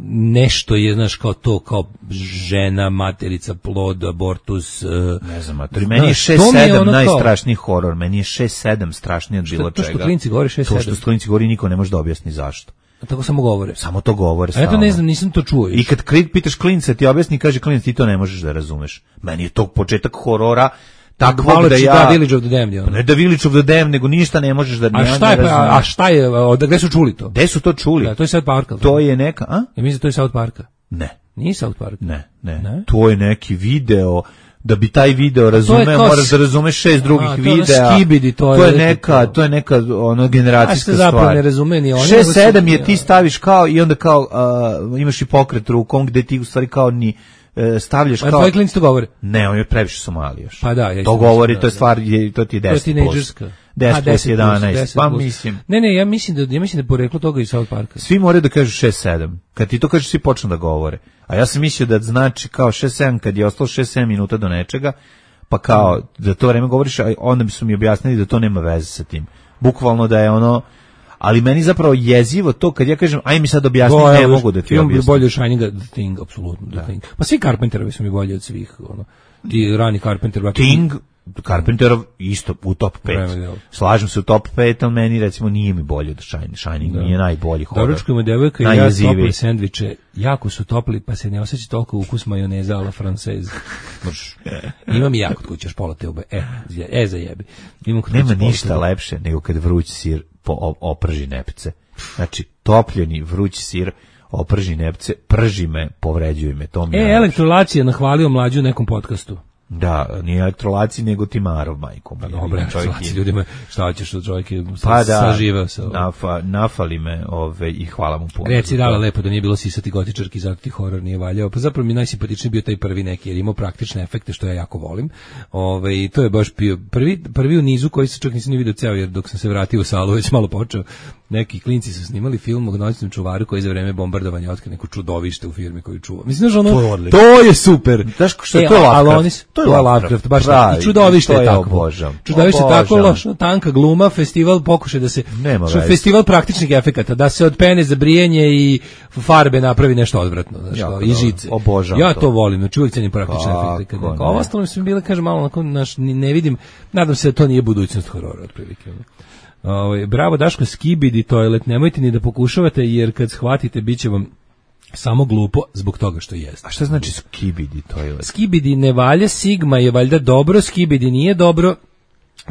nešto je, znaš, kao to, kao žena, materica, plod, abortus. Uh, Ne znam, matori, meni je šest sedam najstrašniji horor, meni je šest sedam strašniji od bilo to čega. što klinci govore šest To sedam. što klinci govori niko ne može da objasni zašto. Tako samo govore. Samo to govore A ja to stalno. ne znam, nisam to čuo. I kad kli- pitaš klinca ti objasni, kaže klinac ti to ne možeš da razumeš. Meni je to početak horora takvog da ja... Da, Village of the Damned. je ono. Ne da Village of the Damned, nego ništa ne možeš da A ne šta je, razumeš. a, a šta je, od gde su čuli to? Gde su to čuli? Da, to je South Parka. To je neka, a? Ja mislim da to je South Parka. Ne, Nije South Park. ne, ne, Ne? To je neki video, da bi taj video razumeo, kao moraš s- da razumeš šest drugih A, to je ono videa. skibidi, to je to je neki neka, to. to je neka ono generacijska A što zapravo stvar. ne razume ni oni, nego šest su- sedam je ti staviš kao i onda kao uh, imaš i pokret rukom gde ti u stvari kao ni uh, stavljaš A kao tvoji klinci to govore. ne, on je previše Somali još. Pa da, ja isto to mislim, govori, da, to je da. stvar, je, to ti je To je deset plus. tinejdžerska. A, deset plus jedanaest, deset pa plus. mislim. Ne, ne, ja mislim da ja mislim da je poreklo toga iz South Parka. Svi moraju da kažu šest sedam. Kad ti to kažeš, svi počnu da govore. A ja sam mislio da znači kao šest sedam kad je ostalo šest sedam minuta do nečega, pa kao za to vreme govoriš, a onda su mi objasnili da to nema veze sa tim. Bukvalno da je ono, ali meni zapravo jezivo to kad ja kažem, aj mi sad objasni, To, ne evo, mogu da ti film je objasnim. bolje od Shininga, The Thing, apsolutno, The Thing. Pa svi Carpenterovi su mi bolji od svih, ono. Ti rani Carpenter, brate. Thing, Carpenterov isto u top pet. Vreme, jel? Slažem se u top pet, ali meni recimo nije mi bolje od Shining. Shining mi je najbolji horor. Doručkujemo devojka i ja Najjeziviji. topli sendviče. Jako su topli, pa se ne osjeća toliko ukus majoneza a la francez. Imam i ja kod kuće još pola te ube. E, e za jebi. Imam kod Nema kuće pola ništa te ube. lepše nego kad vruć sir po o- oprži nepce. Znači, topljeni vruć sir oprži nepce, prži me, povređuje me. To mi je E, najlepše. Elektrolac je nahvalio mlađu u nekom podcastu. Da, nije elektrolaci, nego Timarov, majko. Pa moja. dobro, Čovjek Elektrolac je- ljudima, šta hoćeš od čovjeka, Pa da, saživeo se. ovo. nafa, nafali me ove, i hvala mu puno. Reci za dala to. lepo da nije bilo sisati gotičarki, zato ti horor nije valjao. Pa zapravo mi je najsimpatičniji bio taj prvi neki, jer imao praktične efekte, što ja jako volim. Ove, i to je baš bio prvi, prvi u nizu koji se čak nisam ni vidio ceo, jer dok sam se vratio u salu već malo počeo. neki klinci su snimali film o noćnom čuvaru koji za vreme bombardovanja otkrio neko čudovište u firmi koju čuva. Mislim da ono, to je, to je super. Znaš što je to Lovecraft? To je Lovecraft, baš pravi, i čudovište je tako. Obožam. Čudovište je tako loša, tanka gluma, festival pokušaj da se što festival praktičnih efekata, da se od pene za brijanje i farbe napravi nešto odvratno, znači ja, i žice. Obožam ja to. to volim, znači uvijek cenim praktične efekte. Ovo ostalo mi bile kaže malo onako naš ne vidim. Nadam se da to nije budućnost horora otprilike. Ovaj bravo Daško, skibidi toilet, nemojte ni da pokušavate jer kad shvatite biće vam samo glupo zbog toga što jeste. A šta znači skibidi toilet? Skibidi ne valja, sigma je valjda dobro, skibidi nije dobro.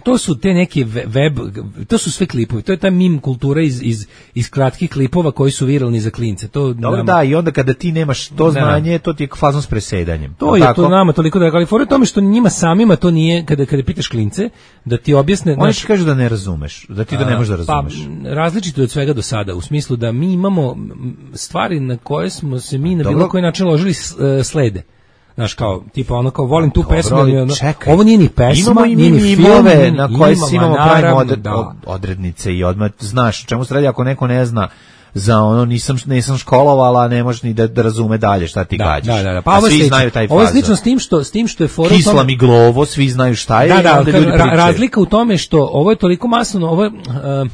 To su te neke web, to su sve klipovi, to je ta meme kultura iz, iz, iz kratkih klipova koji su viralni za klince. To dobro, nama, da, i onda kada ti nemaš to znanje, ne, to ti je fazon s presedanjem. To je tako? To nama toliko da, ali fora tome što njima samima to nije, kada, kada pitaš klince, da ti objasne... Oni ti kažu da ne razumeš, da ti to ne možeš da razumeš. Pa, različito je od svega do sada, u smislu da mi imamo stvari na koje smo se mi na bilo koji način ložili slede. Znaš, kao, tipa ono kao, volim tu dobro, pesmu, ono, ovo nije ni pesma, imamo nije ni film, na koje imamo, imamo pravimo odred, da. odrednice i odmah, znaš, čemu se radi ako neko ne zna za ono, nisam, nisam školovala, ne možeš ni da, da razume dalje šta ti da, gađaš. Da, da, da. Pa ovo svi znaju taj fazon. Ovo je slično s tim što, s tim što je fora... Kisla mi glovo, svi znaju šta je. Da, da, onda ljudi ra, razlika u tome što ovo je toliko masno, ovo je... Uh,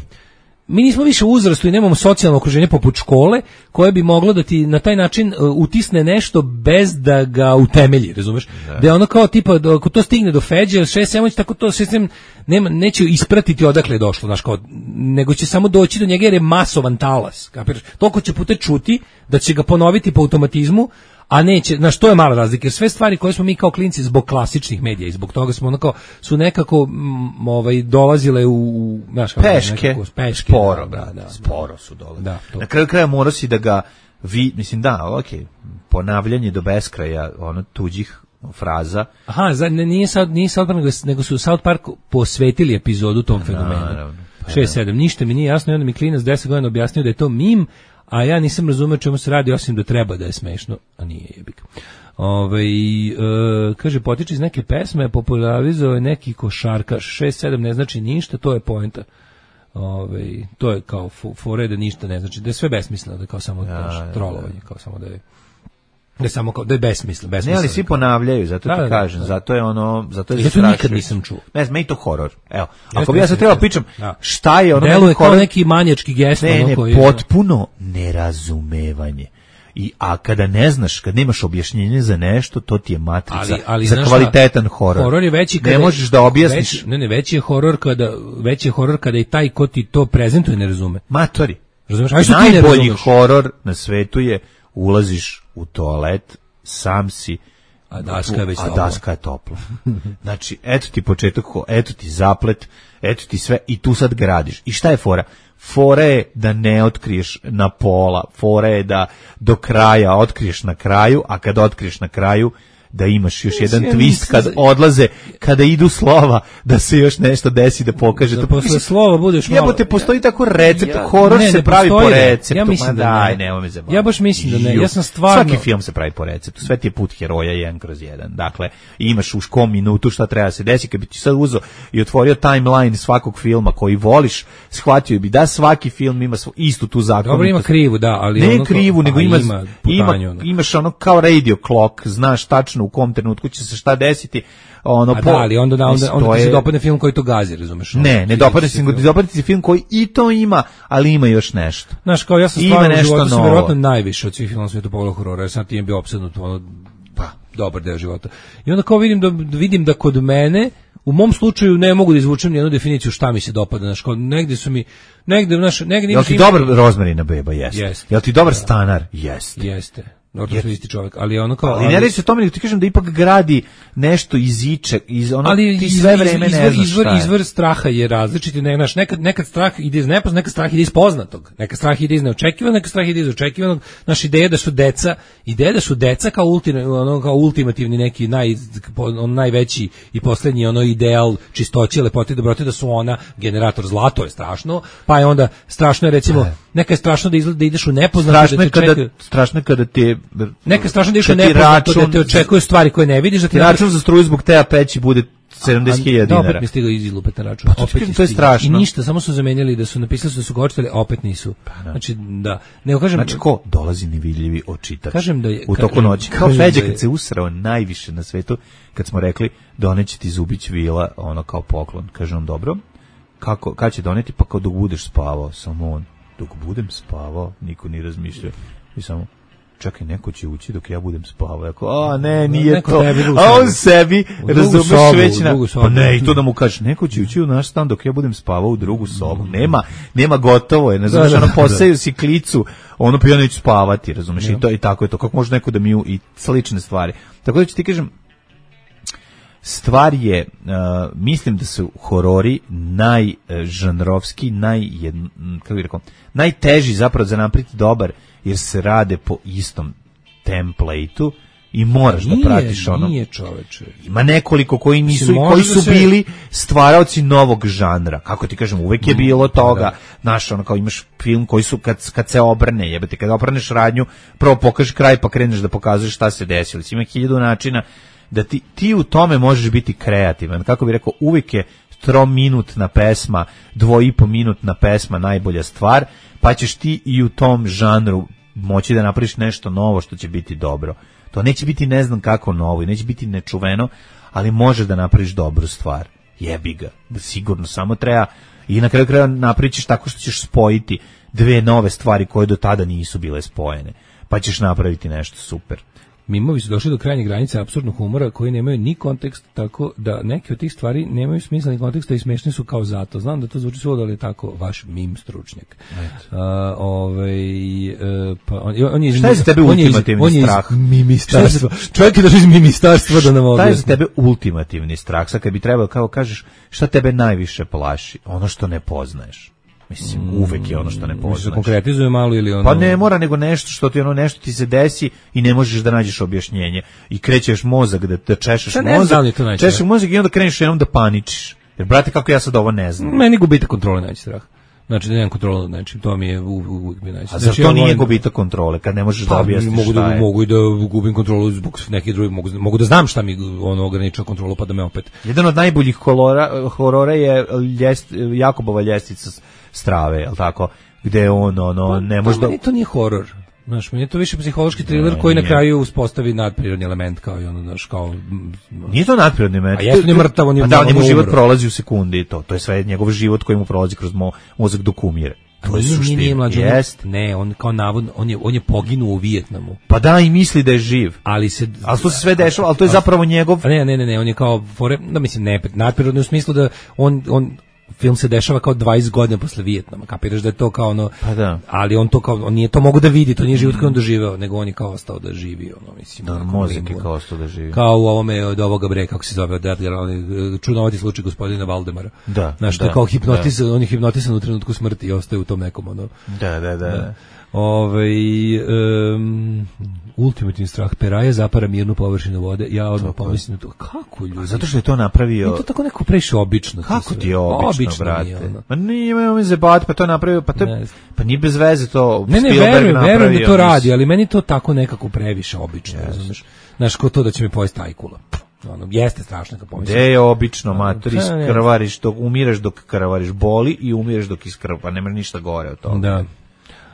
mi nismo više u uzrastu i nemamo socijalno okruženje poput škole koje bi moglo da ti na taj način uh, utisne nešto bez da ga utemelji, razumeš? Da, da je ono kao tipa, da, ako to stigne do Feđe, šest sedam, tako to šest sedam nema, neće ispratiti odakle je došlo, znaš, kao, nego će samo doći do njega jer je masovan talas, kapiraš? Toliko će puta čuti da će ga ponoviti po automatizmu, a neće, znaš, to je mala razlika, jer sve stvari koje smo mi kao klinci zbog klasičnih medija i zbog toga smo onako, su nekako m, ovaj, dolazile u, znaš, peške, nekako, peške, sporo, da, da, da, sporo su dolazile. Da, na kraju kraja mora si da ga, vi, mislim, da, okej, okay, ponavljanje do beskraja, ono, tuđih fraza. Aha, za, ne, nije, South, nije South Park, nego su South Park posvetili epizodu tom fenomenu. Pa šest sedam, ništa mi nije jasno i onda mi klinac deset godina objasnio da je to mim, a ja nisam razumeo čemu se radi, osim da treba da je smešno, a nije jebik. Ove, e, kaže, potiče iz neke pesme, popularizao je neki košarkaš, šest sedam ne znači ništa, to je poenta. Ove, to je kao fore da ništa ne znači, da je sve besmisleno, da je kao samo ja, trolovanje, kao samo da je da je samo kao, da je besmisleno, besmisleno. Ne, ali svi ponavljaju, zato da, ti da, kažem, da. zato je ono, zato je zato nikad nisam čuo. Ne znam, meni to horor. Evo, ako bi ja sad trebao pričam, da. šta je ono deluje kao neki manjački gest, ne, ono ne, koji potpuno nerazumevanje. I a kada ne znaš, kad nemaš objašnjenje za nešto, to ti je matrica ali, ali, za kvalitetan horor. Horor je veći kada ne možeš da objasniš. Već, ne, ne, veći je horor kada veći je horor kada i taj ko ti to prezentuje ne razume. Matori. Razumeš? Najbolji horor na svetu je ulaziš u toalet, sam si, a daska je već a daska je topla. Znači, eto ti početak, eto ti zaplet, eto ti sve i tu sad gradiš. I šta je fora? Fora je da ne otkriješ na pola, fora je da do kraja otkriješ na kraju, a kad otkriješ na kraju da imaš još jedan ja, twist kad odlaze, kada idu slova, da se još nešto desi da pokaže. Da posle slova budeš malo... Jebote, postoji tako recept, ja, horor ne, se pravi po receptu. Ja mislim da daj, ne. Nemoj me zabaviti. Ja baš mislim da ne, ja sam stvarno... Svaki film se pravi po receptu, sve ti je put heroja jedan kroz jedan. Dakle, imaš u kom minutu šta treba se desi, kad bi ti sad uzeo i otvorio timeline svakog filma koji voliš, shvatio bi da svaki film ima istu tu zakonitost. Dobro, ima krivu, da, ali... Ne ono krivu, nego ima, ima, ima, imaš ono kao radio clock, znaš tačno u kom trenutku će se šta desiti. Ono, a po, da, ali onda, onda, onda, onda ti se dopadne film koji to gazi, razumeš? Ne, ne dopadne se, nego dopadne se film koji i to ima, ali ima još nešto. Znaš, kao ja sam stvarno u životu sam vjerojatno najviše od svih filmova svijetu pogledao horora, jer sam tim bio opsednut, ono, pa, dobar deo života. I onda kao vidim da, vidim da kod mene, u mom slučaju ne mogu da izvučem nijednu definiciju šta mi se dopada, znaš, kao negde su mi, negde, znaš, negde... Jel ti ima... dobar Rozmarina beba? Jeste. Jest. Jel ti dobar da. Stanar? Jeste. Jeste. Ortopedisti čovjek, ali ono kao... Ali, ali ne reći se tome, nego ti kažem da ipak gradi nešto iz ičeg, iz ono, ali ti sve vreme izvor, ne znaš izvor, šta je. Izvor straha je različiti, ne, znaš, nekad, nekad strah ide iz nepoznatog, nekad strah ide iz poznatog, nekad strah ide iz neočekivanog, nekad strah ide iz očekivanog, naša ideja da su deca, ideja da su deca kao, ultim, ono, kao ultimativni neki naj, on, najveći i poslednji ono ideal čistoće, lepote i dobrote, da su ona generator zla, to je strašno, pa je onda strašno je recimo, neka je strašno da, izgleda, da ideš u nepoznato, strašno je kada, čeka, strašno kada te... Neka strašno da ideš u nepoznato, da te očekuju stvari koje ne vidiš, da ti račun za struju zbog teja peći bude sedamdeset hiljada dinara. Da, opet mi stigao iz lupe na račun. Pa, opet to je strašno. I ništa, samo su zamenjali da su napisali da su ga očitali, a opet nisu. Pa, znači, da. Nego kažem, znači, ko dolazi nevidljivi očitač kažem da je, u toku noći. Kao Feđa kad se usrao najviše na svetu, kad smo rekli doneće ti Zubić vila, ono kao poklon. Kaže on, dobro, kako, kad će doneti, pa kao dok budeš spavao. Samo on, dok budem spavao, niko ni razmišljao. I samo, čekaj, neko će ući dok ja budem spavao. Jako, a ne, nije neko to. A on sebi, razumeš već na... Pa ne, i to da mu kažeš, neko će ući u naš stan dok ja budem spavao u drugu sobu. Nema, nema gotovo je, ne znaš, ono, posaju si klicu, ono, pa ja neću spavati, razumeš, i to i tako je to. Kako može neko da mi u... i slične stvari. Tako da ću ti kažem, stvar je, uh, mislim da su horori najžanrovski, naj, kako bih rekao, najteži zapravo za napriti dobar, jer se rade po istom templateu i moraš nije, da pratiš ono. Nije, čoveče. Ima nekoliko koji nisu, koji su se... bili stvaraoci novog žanra. Kako ti kažem, uvek je bilo toga. Da. Znaš, ono, kao imaš film koji su, kad, kad se obrne, jebate, kad obrneš radnju, prvo pokažeš kraj pa kreneš da pokazuješ šta se desilo. Ima hiljadu načina da ti, ti u tome možeš biti kreativan. Kako bih rekao, uvijek je trominutna pesma, dvo i po minutna pesma najbolja stvar, pa ćeš ti i u tom žanru moći da napraviš nešto novo što će biti dobro. To neće biti ne znam kako novo i neće biti nečuveno, ali možeš da napraviš dobru stvar. Jebi ga. Sigurno, samo treba i na kraju kraja napraviš tako što ćeš spojiti dve nove stvari koje do tada nisu bile spojene. Pa ćeš napraviti nešto super. Mimovi su došli do krajnje granice apsurdnog humora koji nemaju ni kontekst, tako da neke od tih stvari nemaju smisla ni konteksta i smešni su kao zato. Znam da to zvuči svuda, ali je tako vaš mim stručnjak. Uh, ovaj, uh, pa on, on je, šta je za tebe ultimativni on je iz, strah? On je iz mimitarstva. Čovjek je došao iz mimitarstva da nam objasni. Šta je za tebe ultimativni strah? Sad kad bi trebalo, kao kažeš, šta tebe najviše plaši? Ono što ne poznaješ. Mislim, uvek je ono što ne poznaš. Se konkretizuje malo ili ono... Pa ne mora, nego nešto što ti ono nešto ti se desi i ne možeš da nađeš objašnjenje. I krećeš mozak da, da češeš šta mozak, češeš mozak i onda kreneš jednom da paničiš. Jer, brate, kako ja sad ovo ne znam. Meni gubitak kontrole najveći strah. Znači da nemam kontrolu, znači to mi je uvijek bi najveći. A zar to nije gubitak kontrole kad ne možeš pa, da objasniš mogu šta da, je? Mogu i da gubim kontrolu zbog nekih drugih, mogu, mogu da znam šta mi ono ograničava kontrolu pa da me opet... Jedan od najboljih horora, horora je ljest, Jakobova ljestvica strave, je li tako? Gde on, ono, ne može da... Meni to nije horor. Znaš, meni je to više psihološki thriller ne, koji nije. Na kraju uspostavi nadprirodni element kao i ono, znaš, kao... Nije to nadprirodni element. A jesno nije mrtav, on je... A da, njemu život prolazi u sekundi i to. To je sve njegov život koji mu prolazi kroz mo, mozak dok umire. To je suština. Jest. Ne, on kao navodno, on je, on je poginuo u Vijetnamu. Pa da, i misli da je živ. Ali se... Ali to se sve dešava, ali to je zapravo njegov... Ne, ne, ne, ne, on je kao... Fore, da, mislim, ne, nadprirodni u smislu da on... on film se dešava kao dvadeset godina posle Vijetnama, kapiraš da je to kao ono, pa da. Ali on to kao, on nije to mogu da vidi, to nije život koji on doživeo, nego on je kao ostao da živi, ono, mislim. Da, mozak je kao ostao da živi. Kao u ovome od ovoga bre, kako se zove, od Edgara, čudnovati slučaj gospodina Valdemara. Da. Znaš, da, to kao hipnotisan, da. On je hipnotisan u trenutku smrti i ostaje u tom nekom, ono. Da, da, da. da. Ove, um, ultimativni strah, peraje zapara mirnu površinu vode, ja odmah pomislim to, kako ljudi? Zato što je to napravio... I to tako neko previše obično. Kako ti je obično, obično brate? Nije, ono. Ma nije me zebati, pa to je napravio, pa, to je, pa nije bez veze to ne, ne, Spielberg verujem, napravio. Ne, ne, verujem da to radi, ali meni to tako nekako previše obično, yes. Znaš, znaš, ko to da će mi pojesti tajkula. Ono, jeste strašno kad pomislim. Gde je obično, mater, iskrvariš, dok, umireš dok krvariš, boli i umireš dok iskrva, pa nema ništa gore od toga. Da.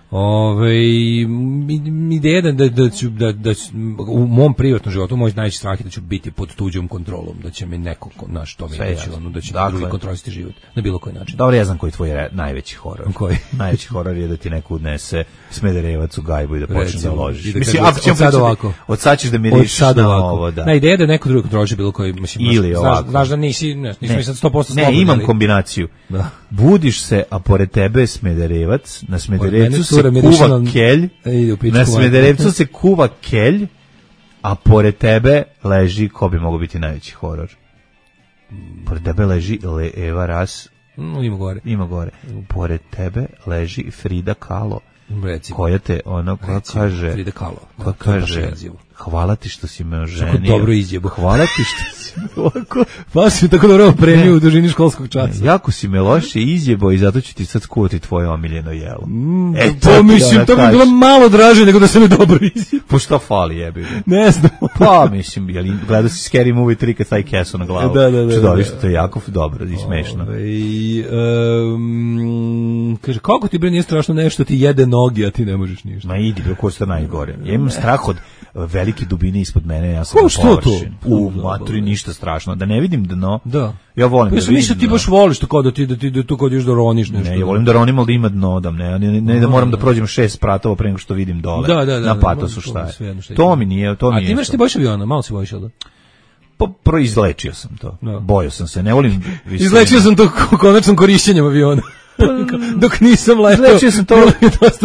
Ove, ideja da, da, da, ću, da, da ću, u mom privatnom životu moj najveći strah je da ću biti pod tuđom kontrolom, da će mi neko, naš, to mi reći, ono, da će dakle, drugi kontrolisati život na bilo koji način. Dobro, ja znam koji je tvoj re, najveći horor. Koji? Najveći horor je da ti neko udnese Smederevac u gajbu i da počne da ložiš. Da mislim, ako ćemo sad ovako. Od sad ćeš da miriš na ovo, da. Na ideja da neko drugi kontroliše bilo koji, mislim, ili znaš, ovako. Znaš da nisi, ne, nisi mi sad sto posto slobodni. Ne, imam kombinaciju. Da. Budiš se, a pored tebe je Smederevac, na Smederevcu se kuva kelj, na Smederevcu se kuva kelj, a pored tebe leži, ko bi mogao biti najveći horor? Pored tebe leži Le Eva Ras. No, ima gore. Ima gore. Pored tebe leži Frida Kahlo. Recimo. Koja te, ono, koja Recimo, kaže... Frida Kahlo. Koja kaže... Hvala ti što si me oženio. Tako dobro izjebo. Hvala ti što si me ovako... Pa si tako dobro premiju u dužini školskog časa. Jako si me loše izjebo i zato ću ti sad skuvati tvoje omiljeno jelo. Mm, e, to mislim, to bi bilo malo draže nego da se mi dobro izjebo. Po što fali jebi? Ne znam. Pa mislim, jel, gledao si Scary Movie tri kad taj kesu na glavu. Da, da, da. Čudovište, to je jako dobro i smešno. Ove, um, kaže, kako ti bre nije strašno nešto ti jede noge, a ti ne možeš ništa? Ma idi, bre, ko što najgore. Ja imam strah od velike dubine ispod mene, ja sam na površini. U maturi ništa strašno, da ne vidim dno. Da. Ja volim pa da vidim. Mislim ti baš voliš to kao da ti da ti da tu kad još da roniš nešto. Ne, ja volim da ronim, ali da ima dno, da ne, ne, ne da moram da prođem šest spratova pre nego što vidim dole. Da, da, da, na patosu šta je. To mi nije, to mi nije. A ti imaš ti bojiš aviona, malo se bojiš, da? Pa proizlečio sam to. No. Bojao sam se, ne volim visinu. Izlečio sam to konačnom korišćenjem aviona. Dok nisam letao. Izlečio sam to.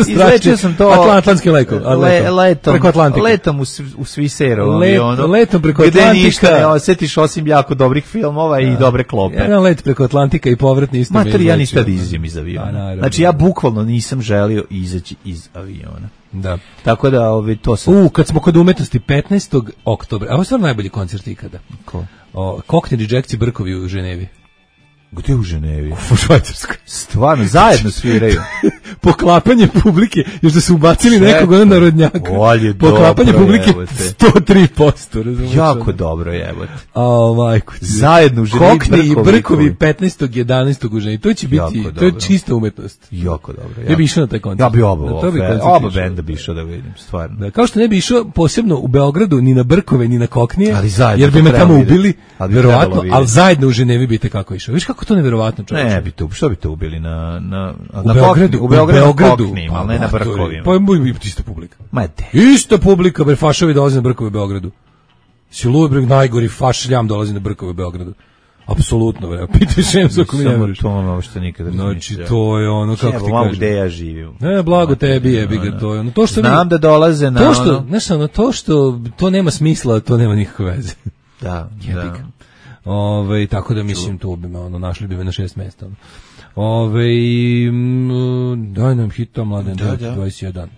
Izlečio sam to. Atlantski lekov. Le, letom. Preko Atlantika. Letom u, u Sviseru. Let, ono, letom preko Atlantika. Gde ništa ne osjetiš osim jako dobrih filmova da. I dobre klope. Jedan let preko Atlantika i povratni isto. Mater, ja nisam da izađem iz aviona. Znači ja bukvalno nisam želio izaći iz aviona. Da. Tako da ovi to sam... U, kad smo kod umetnosti petnaestog oktobra. A ovo je stvarno najbolji koncert ikada. Ko? O, Cockney Rejectsi Brkovi u Ženevi. Gde u Ženevi? U Švajcarskoj. Stvarno, zajedno sviraju. Poklapanje publike, još da su ubacili Čekaj. nekog ono narodnjaka. Poklapanje dobro, publike jebote. sto tri posto. Razumiješ? Jako dobro, jebote. A majko. Zajedno u Ženevi. Cockney i Brkovi petnaestog jedanaestog u Ženevi. To će biti, to je čista umetnost. Jako dobro. Jako. Ja bi išao na taj koncert. Ja bi oba, da, bi oba benda bi išao da vidim, stvarno. Da, kao što ne bi išao posebno u Beogradu, ni na Brkove, ni na Koknije, ali zajedno, jer bi me tamo ubili, ali verovatno, ali zajedno u Ženevi bi te kako išao. Viš kako to neverovatno čovječe. Ne, bi to, što bi to ubili na na u na Beogradu, u Beogradu, u Beogradu Koknijima, ali ne na Brkovima. Pa bi ista publika. Ma de. Ista publika, bre, fašovi dolaze na Brkove u Beogradu. Silubreg najgori fašljam dolazi na Brkove u Beogradu. Apsolutno, bre. Pitaj Šemsa ako mi ne veriš. To ono što nikad ne znam. Znači, to je ono, kako ti kažem. Gde ja živim. Ne, blago tebi jebi ga, to je ono. To što znam da dolaze na to što, ono... Znaš, ono, to što to nema smisla, to nema nikakve veze. Da, da. Ove, tako da mislim, to bi me, ono, našli bi me na šest mesta. Ono. Ove, daj nam hita, Mladen, da, da. dvadeset jedan.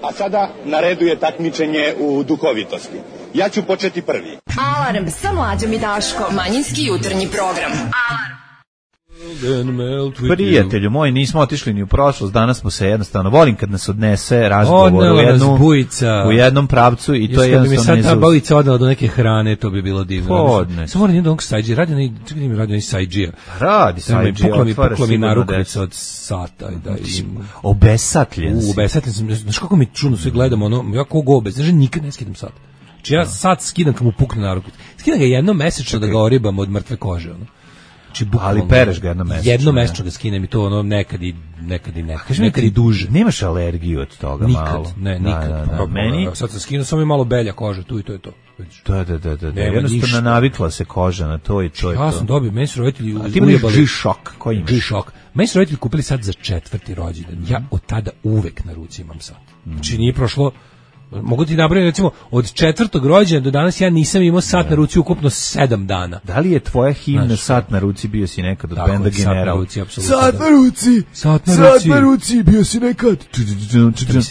A sada na redu je takmičenje u duhovitosti. Ja ću početi prvi. Alarm sa Mlađom i Daškom. Manjinski jutarnji program. Alarm. Prijatelju moji, nismo otišli ni u prošlost, danas smo se jednostavno, volim kad nas odnese razgovor u, jednu, u jednom pravcu i to je jednostavno nezavisno. Kad bi mi sad ta bujica odala do neke hrane, to bi bilo divno. Podne. Samo moram jednog onog sajđija, radi onaj, čekaj mi radi onaj sajđija. Radi sajđija, otvara se mi na rukvica od sata. Da, obesatljen si. Obesatljen sam, znaš kako mi čudno sve gledamo, ono, ja kogo obez, znaš, nikad ne skidam sat. Znači ja sat skidam kad mu pukne na rukvicu. Skidam ga jednom mesečno da ga oribam od mrtve kože, ono. Ali pereš ga jedno mesečno. Jedno mesečno ga skinem i to ono nekad i nekad i nekad, nekad i duže. Nemaš alergiju od toga nikad, malo? Ne, nikad. Da, da, da. Meni sad se skinu samo je malo belja koža, tu i to je to. Da, da, da, da. Jednostavno navikla se koža na to i to je to. Ja sam dobio, meni su roditelji ujebali. A ti imaš G-Shock, koji imaš? G-Shock. Meni su roditelji kupili sad za četvrti rođendan. Ja od tada uvek na ruci imam sad. Znači nije prošlo. Mogu ti nabrojiti, recimo, od četvrtog rođena do danas ja nisam imao sat da. na ruci ukupno sedam dana. Da li je tvoja himna Znaš, sat na ruci bio si nekad od tako, benda General? Sat na ruci, apsolutno. Sat na ruci! Sat na sat ruci! na ruci, bio si nekad!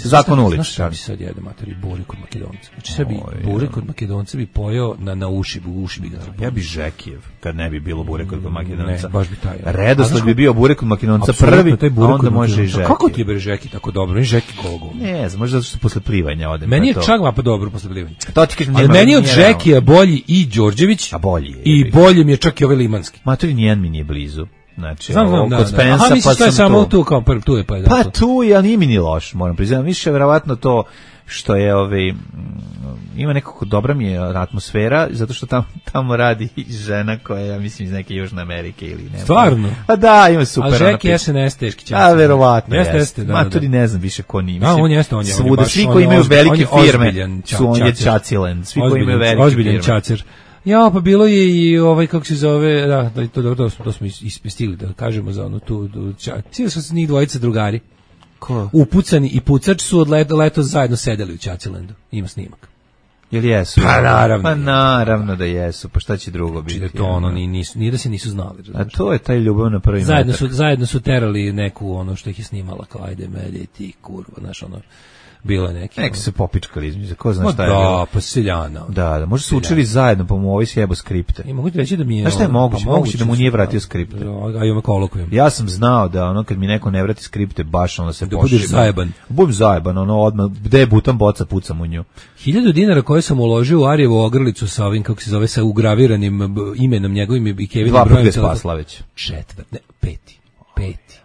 Zakon ulič. Znaš šta bi sad jede, materi, bure kod Makedonca? Znači sad bi bure kod Makedonca bi pojeo na, na uši, u uši bi ga napojio. Ja bi Žekijev, kad ne bi bilo bure kod Makedonca. Ne, baš bi taj. Redosled bi bio bure kod Makedonca prvi, a onda može i Žeki. Kako ti je bre Žeki tako dobro? Žeki kologo. Ne, znam, možda zato što posle plivanja odem. Meni je čak dobro posle plivanja. To ti kažem, ali meni od Žekija bolji i Đorđević, a bolji je, i bolje mi je čak i ovaj Limanski. Matori nijedan mi nije blizu. Znači, znam, znam, kod da, Spensa, Aha, misliš, pa to je samo tu, kao prvi, tu je pa je. Pa tu je, ali nije mi ni loš, moram priznati. Više verovatno to što je, ovaj, ima nekako dobra mi je atmosfera, zato što tamo, tamo radi žena koja je, ja mislim, iz neke Južne Amerike ili ne. Stvarno? A da, ima super. A Žeki S N S teški čas. A verovatno jeste. Jeste, da. Matori ne znam više ko nije. A on jeste, on je. Svuda, svi koji imaju velike firme su on je Čacilen. Svi koji imaju velike firme. Ozbiljan Čacer. Ja, pa bilo je i ovaj, kako se zove, da, da to dobro, to smo ispistigli, da kažemo za ono tu, cijeli su se njih dvojica drugari. Ko? Upucani i pucač su od leto, leto zajedno sedeli u Čacilendu. Ima snimak. Jel jesu? Pa naravno. Pa naravno da jesu, pa šta će drugo biti? Znači da to ono, ni, nisu, nije da se nisu znali. A to je taj ljubav na prvi zajedno metak. Su, zajedno su terali neku ono što ih je snimala, kao ajde mede ti kurva, znaš ono. bilo neki. Neki se popičkali između, ko zna Ma šta je da, bilo. pa seljana. Da, da, možda su učili zajedno, pa mu ovaj sjebo skripte. I mogu ti reći da mi je... Znaš šta je moguće? Pa Moguće da mu nije su, vratio skripte. A i ome kolokujem. Ja sam znao da ono kad mi neko ne vrati skripte, baš onda se da pošibam. budeš zajeban. Budem zajeban, ono odmah, gde je butan boca, pucam u nju. Hiljadu dinara koje sam uložio u Arijevu ogrlicu sa ovim, kako se zove, sa ugraviranim imenom njegovim i Kevinom Dva brojem. Dva put spasla već. Četvrt, ne, peti, peti.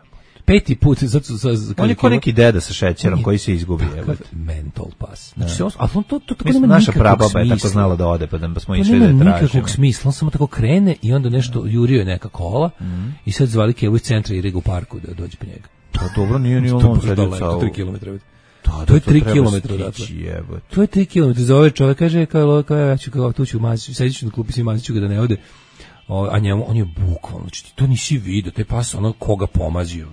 Peti put, zato su... On je ko neki deda sa šećerom je, koji se izgubi. Mental pass. Znači, se, ali on to, to tako Mislim, nema naša nikakvog prababa smisla. je tako znala da ode, pa da smo to išli da je nema tražimo. nikakvog smisla, on samo tako krene i onda nešto jurio je neka kola mm. i sad zvali Kevu iz centra i Riga u parku da dođe po njega. To dobro, nije ni on sedio sa... To tri kilometra. Da, to je to tri treba kilometra stići, odatle. To je tri kilometra. Za ove čovjek kaže, kao, kao ja ću, kao tu ću maziću, sedit ću na klupi, svi maziću ga da ne ode. O, a njemu, on je bukvalno, znači, to nisi vidio, taj pas, ono, koga pomazio.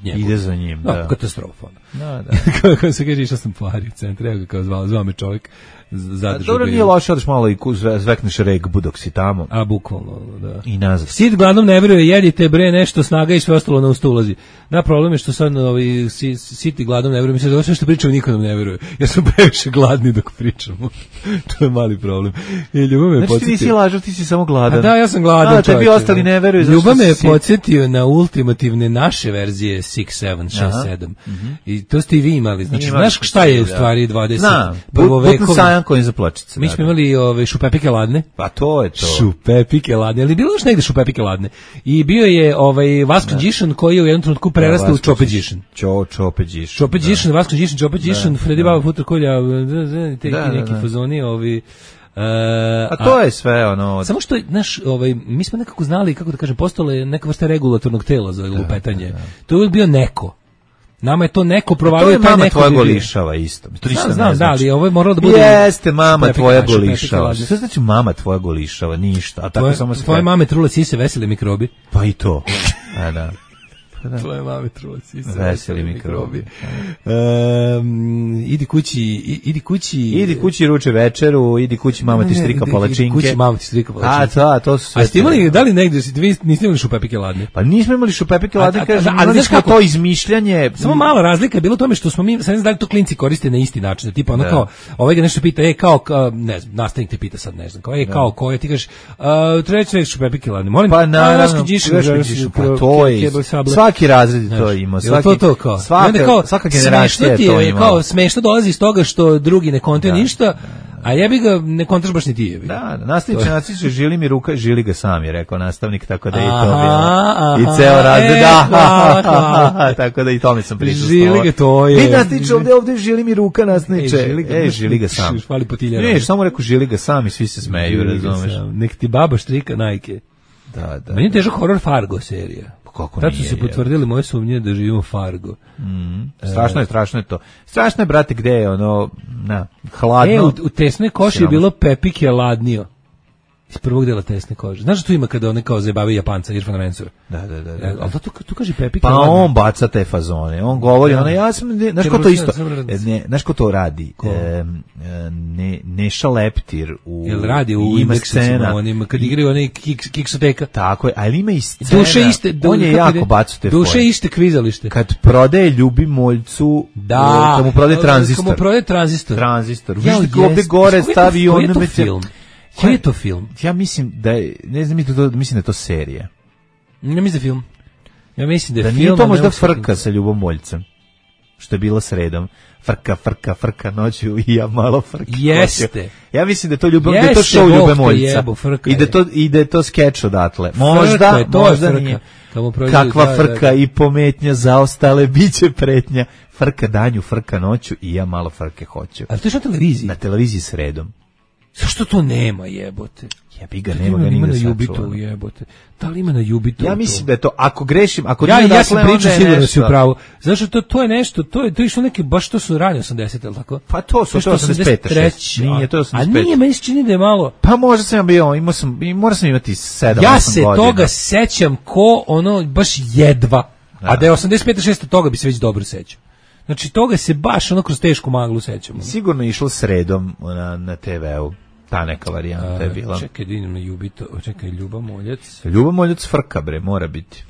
Njegov. Ide za njim, da. Da, katastrofa. Da, da. Kako se kaže, išao sam po Ari u centru, evo ga kao zvao, zvao me čovjek, zadržao. Dobro, nije loše, odeš malo i zvekneš regbu dok si tamo. A, bukvalno, da. I nazad. Sid gladnom ne veruje, jedite bre nešto, snaga i sve ostalo na usta ulazi. Da, problem je što sad ovi, sit i gladnom ne veruje, mislim da sve što pričamo niko nam ne veruje, jer smo previše gladni dok pričamo. To je mali problem. I Ljubav me znači podsjetio... ti nisi lažao, ti si samo gladan. A da, ja sam gladan. A, tebi ostali ne veruju. Ljubav me je podsjetio na ultimativne naše verzije šest, sedam, šest, sedam. Mm-hmm. I to ste i vi imali. Znači, znaš šta je u stvari dvadeset prvovekovne? Butno sajan kojim za pločice. Mi smo imali ove šupepike ladne. Pa to je to. Šupepike ladne. Ali bilo još negde šupepike ladne. I bio je ovaj Vasko Đišan koji je u jednom trenutku prerastao u Čope Đišan. Čo, Čope Đišan. Čope Đišan, Vasko Đišan, Čope Đišan, Fredi Baba Futra Kolja, te neki fazoni, ovi... Uh, a to je sve ono... Samo što, znaš, ovaj, mi smo nekako znali, kako da kažem, postalo je neka vrsta regulatornog tela za lupetanje. Da, da, da. To je uvijek bio neko. Nama je to neko provalio, taj neko... To je mama tvoja golišava isto. To znam, znam, da, ali ovo je moralo da bude... Jeste, mama tvoja golišava. Što znači mama tvoja golišava? Ništa. A tako tvoje, samo tvoje mame trule sise, veseli mikrobi. Pa i to. A da. Da. Tvoje mame trule sise, veseli mikrobi. Um, idi kući, idi kući... Idi kući ruče večeru, idi kući mama ti strika palačinke. Idi kući mama ti strika palačinke. A, to, to su sve... A ste imali, da li negdje, vi niste imali šupepike ladne? Pa nismo imali šupepike ladne, kažem, ali smo to izmišljanje... Samo mala razlika je bilo u tome što smo mi, sad ne znam da li to klinci koriste na isti način, tipa ono kao, ovaj ga nešto pita, e, kao, ne znam, nastavnik te pita sad, ne znam, kao, e, kao, ko je, ti kažeš, treći šupepike ladne, molim, pa naravno, pa to je, svaki razred to ima, svaki, to, to, kao. Svaka, kao, svaka generacija je to ima. Kao smešno dolazi iz toga što drugi ne kontaju ništa, a jebi ga ne kontraš baš ni ti jebi. Da, da, nastavnik će nacići, žili mi ruka, žili ga sam, je rekao nastavnik, tako da je i to bilo. I ceo razred, e, da, tako da i tome sam pričao. Žili ga to je. Vi nastavniče, ovde, ovde žili mi ruka, nastavniče. E, žili ga sam. Švali potilja. Ne, samo rekao žili ga sam i svi se smeju, razumeš. Nek ti baba štrika najke. Da, da. Meni je težak horor Fargo serija. Kako tad su se potvrdili moje sumnje da živimo Fargo. Mm. Strašno je, strašno je to. Strašno je, brate, gde je ono, na, hladno. E, u, u tesnoj koši je bilo Pepike ladnio. Iz prvog dela tesne kože. Znaš da tu ima kada one kao zajebavaju Japanca, Irfana Mensura? Da, da, da. da. E, ali to tu, tu kaže Pepike pa ladnio. On baca te fazone. On govori, da. Ono, ja sam, ne, znaš ko to isto? Ne, znaš ko to radi? E, ne, Neša Leptir u... Jel radi u indeksicima, onim, kad igraju onaj kiks, kiksoteka. Tako je, ali ima i scena. Duše iste, du, on je jako bacu te duše iste kvizalište. Kad prodaje Ljubimoljcu, da, kad mu prodaje tranzistor. Kad mu prodaje tranzistor. Tranzistor. Viš da ovde gore stavi on... Koji je to film? Koji je to film? Ja mislim da je, ne znam, mislim da je to serija. Ne mislim da je film. Ja mislim da je da film. Nije to možda frka sa Ljubomoljcem, što je bilo sredom. Frka, frka, frka noću i ja malo frka. Jeste. Noću. Ja mislim da je to Ljubom, da je to show Ljubomoljca. I da to i da je to skeč odatle. Možda, frka, to možda frka. nije. Prođe, kakva da, frka da, da. I pometnja zaostale, biće pretnja. Frka danju, frka noću i ja malo frke hoću. A to je što na televiziji? Na televiziji sredom. Zašto to nema, jebote? Jebi ga, nema ga nigde na Jubitu, jebote. Da li ima na Jubitu? Ja mislim da je to, ako grešim, ako ja, nije ja sam dakle, pričao sigurno da si u pravu. Zašto to, to je nešto, to je, to je išlo neke, baš to su rani osamdesete, ali tako? Pa to su, to je osamdeset pet. Nije, to je osamdeset pet. A nije, meni se čini da je malo... Pa možda sam bio, imao sam, morao sam imati sedam, ja osam godina. Ja se toga sećam ko, ono, baš jedva. Da. A da je osamdeset pet šest toga bi se već dobro sećao. Znači, toga se baš ono kroz tešku maglu sećamo. Sigurno je išlo sredom na, na te veu. Ta neka varijanta je bila. Čekaj, da idem na Jubito, čekaj, Ljuba Moljac. Ljuba Moljac frka, bre, mora biti.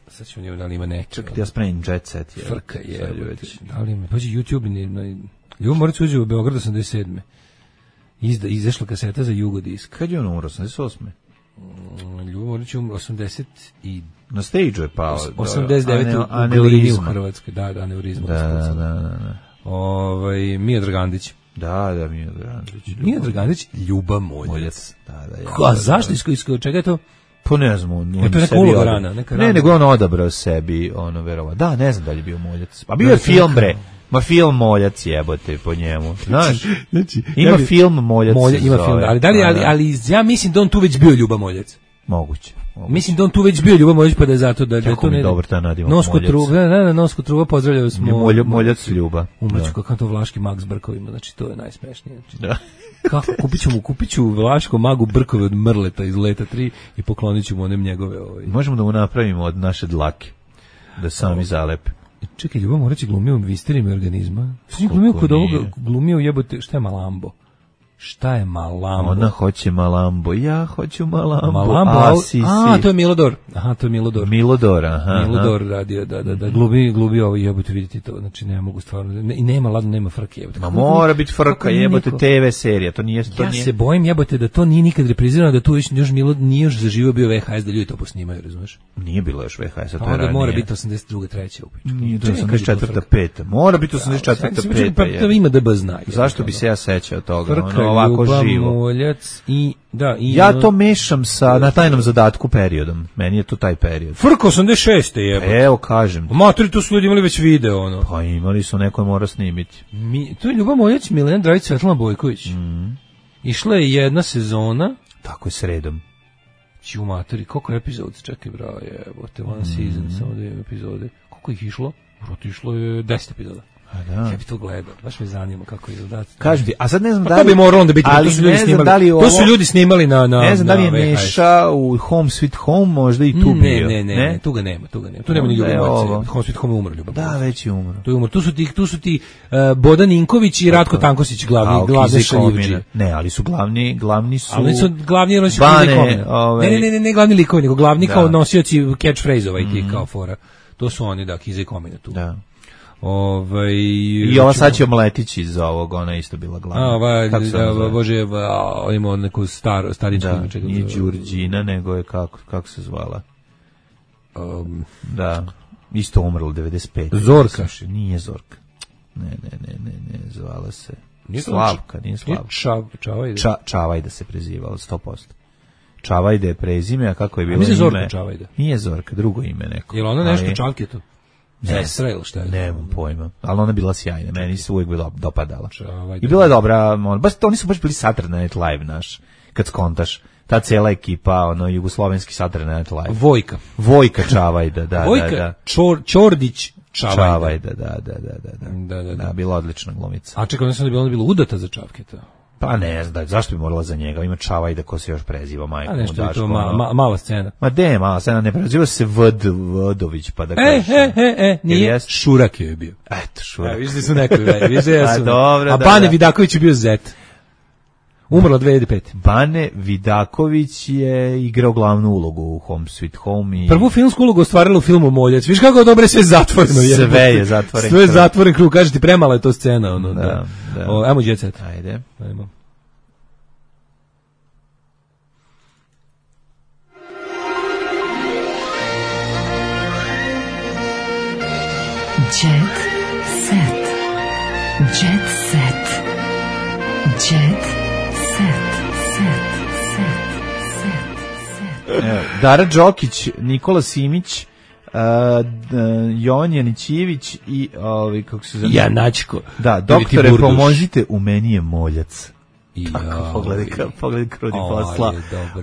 Sad ćemo njemu, da li ima neka. Čekaj, ja spremim Jet Set. Je. Frka je, da li ima, pađi YouTube, ne, Ljubo Morac uđe u Beograd osamdeset sedme. Izda, izašla kaseta za Jugodisk. Kad je on umro, osamdeset osme? Ljubo Morac je umro osamdeset i na stage je pao. osamdeset devete u Glini u Hrvatskoj. Da, da, aneurizma. Da, da, da, da. Ovaj Mija Dragandić. Da, da, Mija Dragandić. Mija Dragandić, Ljuba Moljac. Da, da, ja. A zašto isko čega je to? Pa ne znam, on, je to neka uloga rana, neka rana. Ne, nego on odabrao sebi, ono, verovatno. Da, ne znam da li je bio Moljac. Pa bio je film, bre. Ma film Moljac jebote po njemu. Znaš? Znači, ima ja bi, film Moljac. Molja, ima film, ali da li, ali, ali ja mislim da on tu već bio Ljuba Moljac. Moguće. Moguće. Mislim da on tu već bio Ljuba Moljac, pa da je zato da, da je to ne. Dobar ta nadimak Nosku truba, da, da, Nosku truba, pozdravljaju smo. Molj, Moljac Ljuba. Umreću kako to vlaški mag s brkovima, znači to je najsmešnije. Znači. Da. Kako kupiću mu, kupiću vlaško magu brkove od Mrleta iz Leta tri i poklonit ću mu onem njegove. Ovaj. Možemo da mu napravimo od naše dlake, da sami zalepe. Čekaj, Ljuba Morac je glumio u Visterima organizma. Što je glumio kod ovoga, glumio jebote, šta je Malambo? Šta je Malambo? Ona hoće Malambo, ja hoću Malambo. Malambo, a, si, a, to je Milodor. Aha, to je Milodor. Milodor, aha. Milodor radio, da, da, da, glumi, glumi ovo, jebote, vidite to, znači ne mogu stvarno, ne, i nema, ladno, nema frke, jebote. Ma mora biti frka, jebote, te ve serija, to nije... To ja nije... se bojim, jebote, da to nije nikad reprizirano, da tu još Milod nije još zaživio bio ve ha es, da ljudi to posnimaju, razumeš? Nije bilo još ve ha es, to je ranije. Onda mora biti osamdeset druga treća u pičku. Nije, to je osamdeset četvrta peta Mora biti osamdeset četvrta peta Pa ima da b zna. Zašto bi se ja sećao toga, ono ovako živo. Moljac i da i ja to mešam sa na tajnom zadatku periodom. Meni je to taj period. Frko osamdeset šeste jebote. Evo kažem. Matori, tu su ljudi imali već video ono. Pa imali su, neko je mora snimiti. Mi, to je Ljuba Moljac, Milena Dragić, Svetlana Bojković. Mm. Išla je jedna sezona. Tako je sredom. Ću matori, koliko je epizod? Čekaj bravo, jebote, one mm. season, samo dvije epizode. Koliko ih išlo? Vrlo išlo je deset epizoda. Da. Ja bi to gledao, baš me zanima kako izgleda. Kaži ti, a sad ne znam pa da li... To bi moralo onda biti, ali to su ljudi snimali, da li ovo, to su ljudi snimali na, na ne znam na da li je Neša u Home Sweet Home možda i tu ne, bio. Ne, ne, ne, ne, tu ga nema, tu ga nema. Tu nema ni Ljuba Moljac. Home Sweet Home je umro Ljuba Moljac. Da, već je umro. Tu je umro. Tu su ti, tu su ti uh, Bodan Ninković i Ratko Tankosić glavni, glavni šaljivđi. Ne, ali su glavni, glavni su... Ali su glavni nosioci Bane, ove... Ne, ne, ne, ne, glavni likovi, nego glavni da. Kao nosioci catchphrase-ova i ti mm. kao fora. To su oni, da, Kiza i Komina tu. Da. Ovaj i ova sad će omletići iz ovog, ona isto bila glavna. A, ova, da, bože, ima neku staru, staričku ime. Da, nije Đurđina, nego je, kako, kako se zvala? Um, da, isto umrla devedeset pete Zorka. Sluši, nije Zorka. Ne, ne, ne, ne, ne, zvala se nije Slavka, nije Slavka. Nije Čav, Čavajda. Ča, Čavajda se prezivala, sto posto Čavajda je prezime, a kako je bilo ime? Zorka Čavajda. Nije Zorka, drugo ime neko. Je li ona nešto ali... Čavke to? Sestra ili šta je? Nemam pojma, ali ona je bila sjajna, meni se uvijek bila dopadala. I bila je dobra, on, baš, oni su baš bili Saturday Night Live naš, kad skontaš. Ta cijela ekipa, ono, jugoslovenski Saturday Night Live. Vojka. Vojka Čavajda, da, Vojka, da, da. Čor, Čordić Čavajda. Čavajda, da, da, da, da, da, da, da. da bila odlična glumica. A čekaj, ona sam da bila, ona bila udata za Čavketa. Pa ne znam, zašto bi morala za njega? Ima Čavajda ko se još preziva, majko. A nešto je to ma, ma, mala scena. Ma de, mala scena, ne preziva se Vd, Vdović, pa da e, kažeš. E, e, e, nije, Šurak je bio. Eto, Šurak. Ja, višli su neko, višli ja sam. A, dobro, a da, Bane da. Vidaković je bio Zet. Umrla dve hiljade pete Bane Vidaković je igrao glavnu ulogu u Home Sweet Home. I... Prvu filmsku ulogu ostvarila u filmu Moljac. Viš kako je dobro, sve je zatvoreno. Sve je zatvoren. Sve je zatvoren krug. Kaže ti, premala je to scena. Ono, da, da. da. O, ajmo Jet Set. Ajde. Ajmo. Jet Set. Jet Set. Jet Set. Set. Set. Set. Dara Đokić, Nikola Simić, uh, Jovan Janićijević i ovaj kako se zove Janačko. Da, doktore, pomozite, u meni je Moljac. I kako pogledaj, pogledaj krudi posla.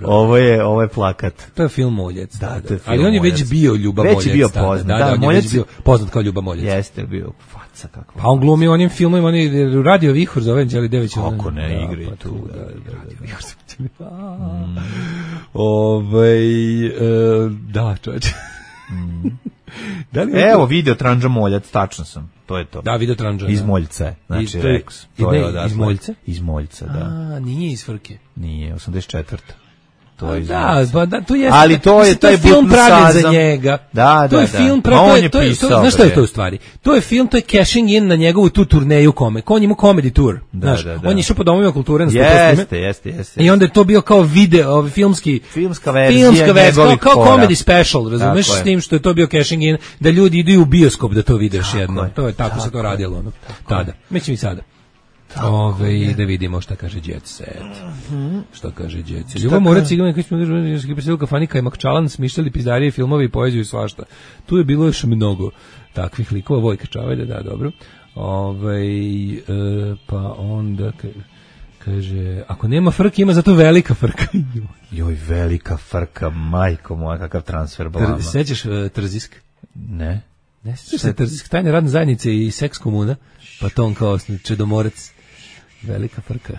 Ovo je, ovo je plakat. To je film Moljac. Da, da, da. Ali on je već bio Ljuba Moljac. Već je bio poznat. Da, da, da, Moljac je bio poznat kao Ljuba Moljac. Jeste bio faca kakva. Pa on glumi onim filmovima, oni Radio Vihor zove Đeli Dević. Kako ne igri pa tu. Da, da, Radio Vihor. Ovaj, da, čovječe. Da li evo video Tranđa Moljac, tačno sam. To je to. Da, video Tranđa. Iz Moljca, znači to je, Rex. To ne, je odatle. Iz Moljca? Iz Moljca, da. A, nije iz Frke. Nije, osamdeset četvrta to je da, ba, da, to je ali to je taj film pravljen za njega. Da, to da, je da. film pravljen, to je to, to, znaš šta je to u stvari? To je film, to je cashing in na njegovu tu turneju kome. On ima comedy tour, da, znaš. Da, da. On je išao po domovima kulture na sto Jeste, jeste, jeste. I onda je to bio kao video, filmski filmska verzija, filmska verzija, kao, kao comedy special, razumeš, s tim što je to bio cashing in, da ljudi idu u bioskop da to vide još jednom. To je tako, tako se to radilo, ono. Tada. Mislim i sada. Ove, da vidimo šta kaže Jet Set. Šta kaže Jet Set. Ljubav Morac, Cigan, koji smo gledali preselil kafani, Kajmak Čalan, smišljali pizdarije, filmove i poeziju i svašta. Tu je bilo još mnogo takvih likova. Vojka Čavelja, da, dobro. Ove, e, pa onda kaže, ako nema frke, ima zato velika frka. Joj, velika frka, majko moja, kakav transfer blama. Sećaš uh, Trzisk? Ne. Ne sećaš se Trzisk, tajne radne zajednice i seks komuna, pa to on kao Čedomorac. Velika frka.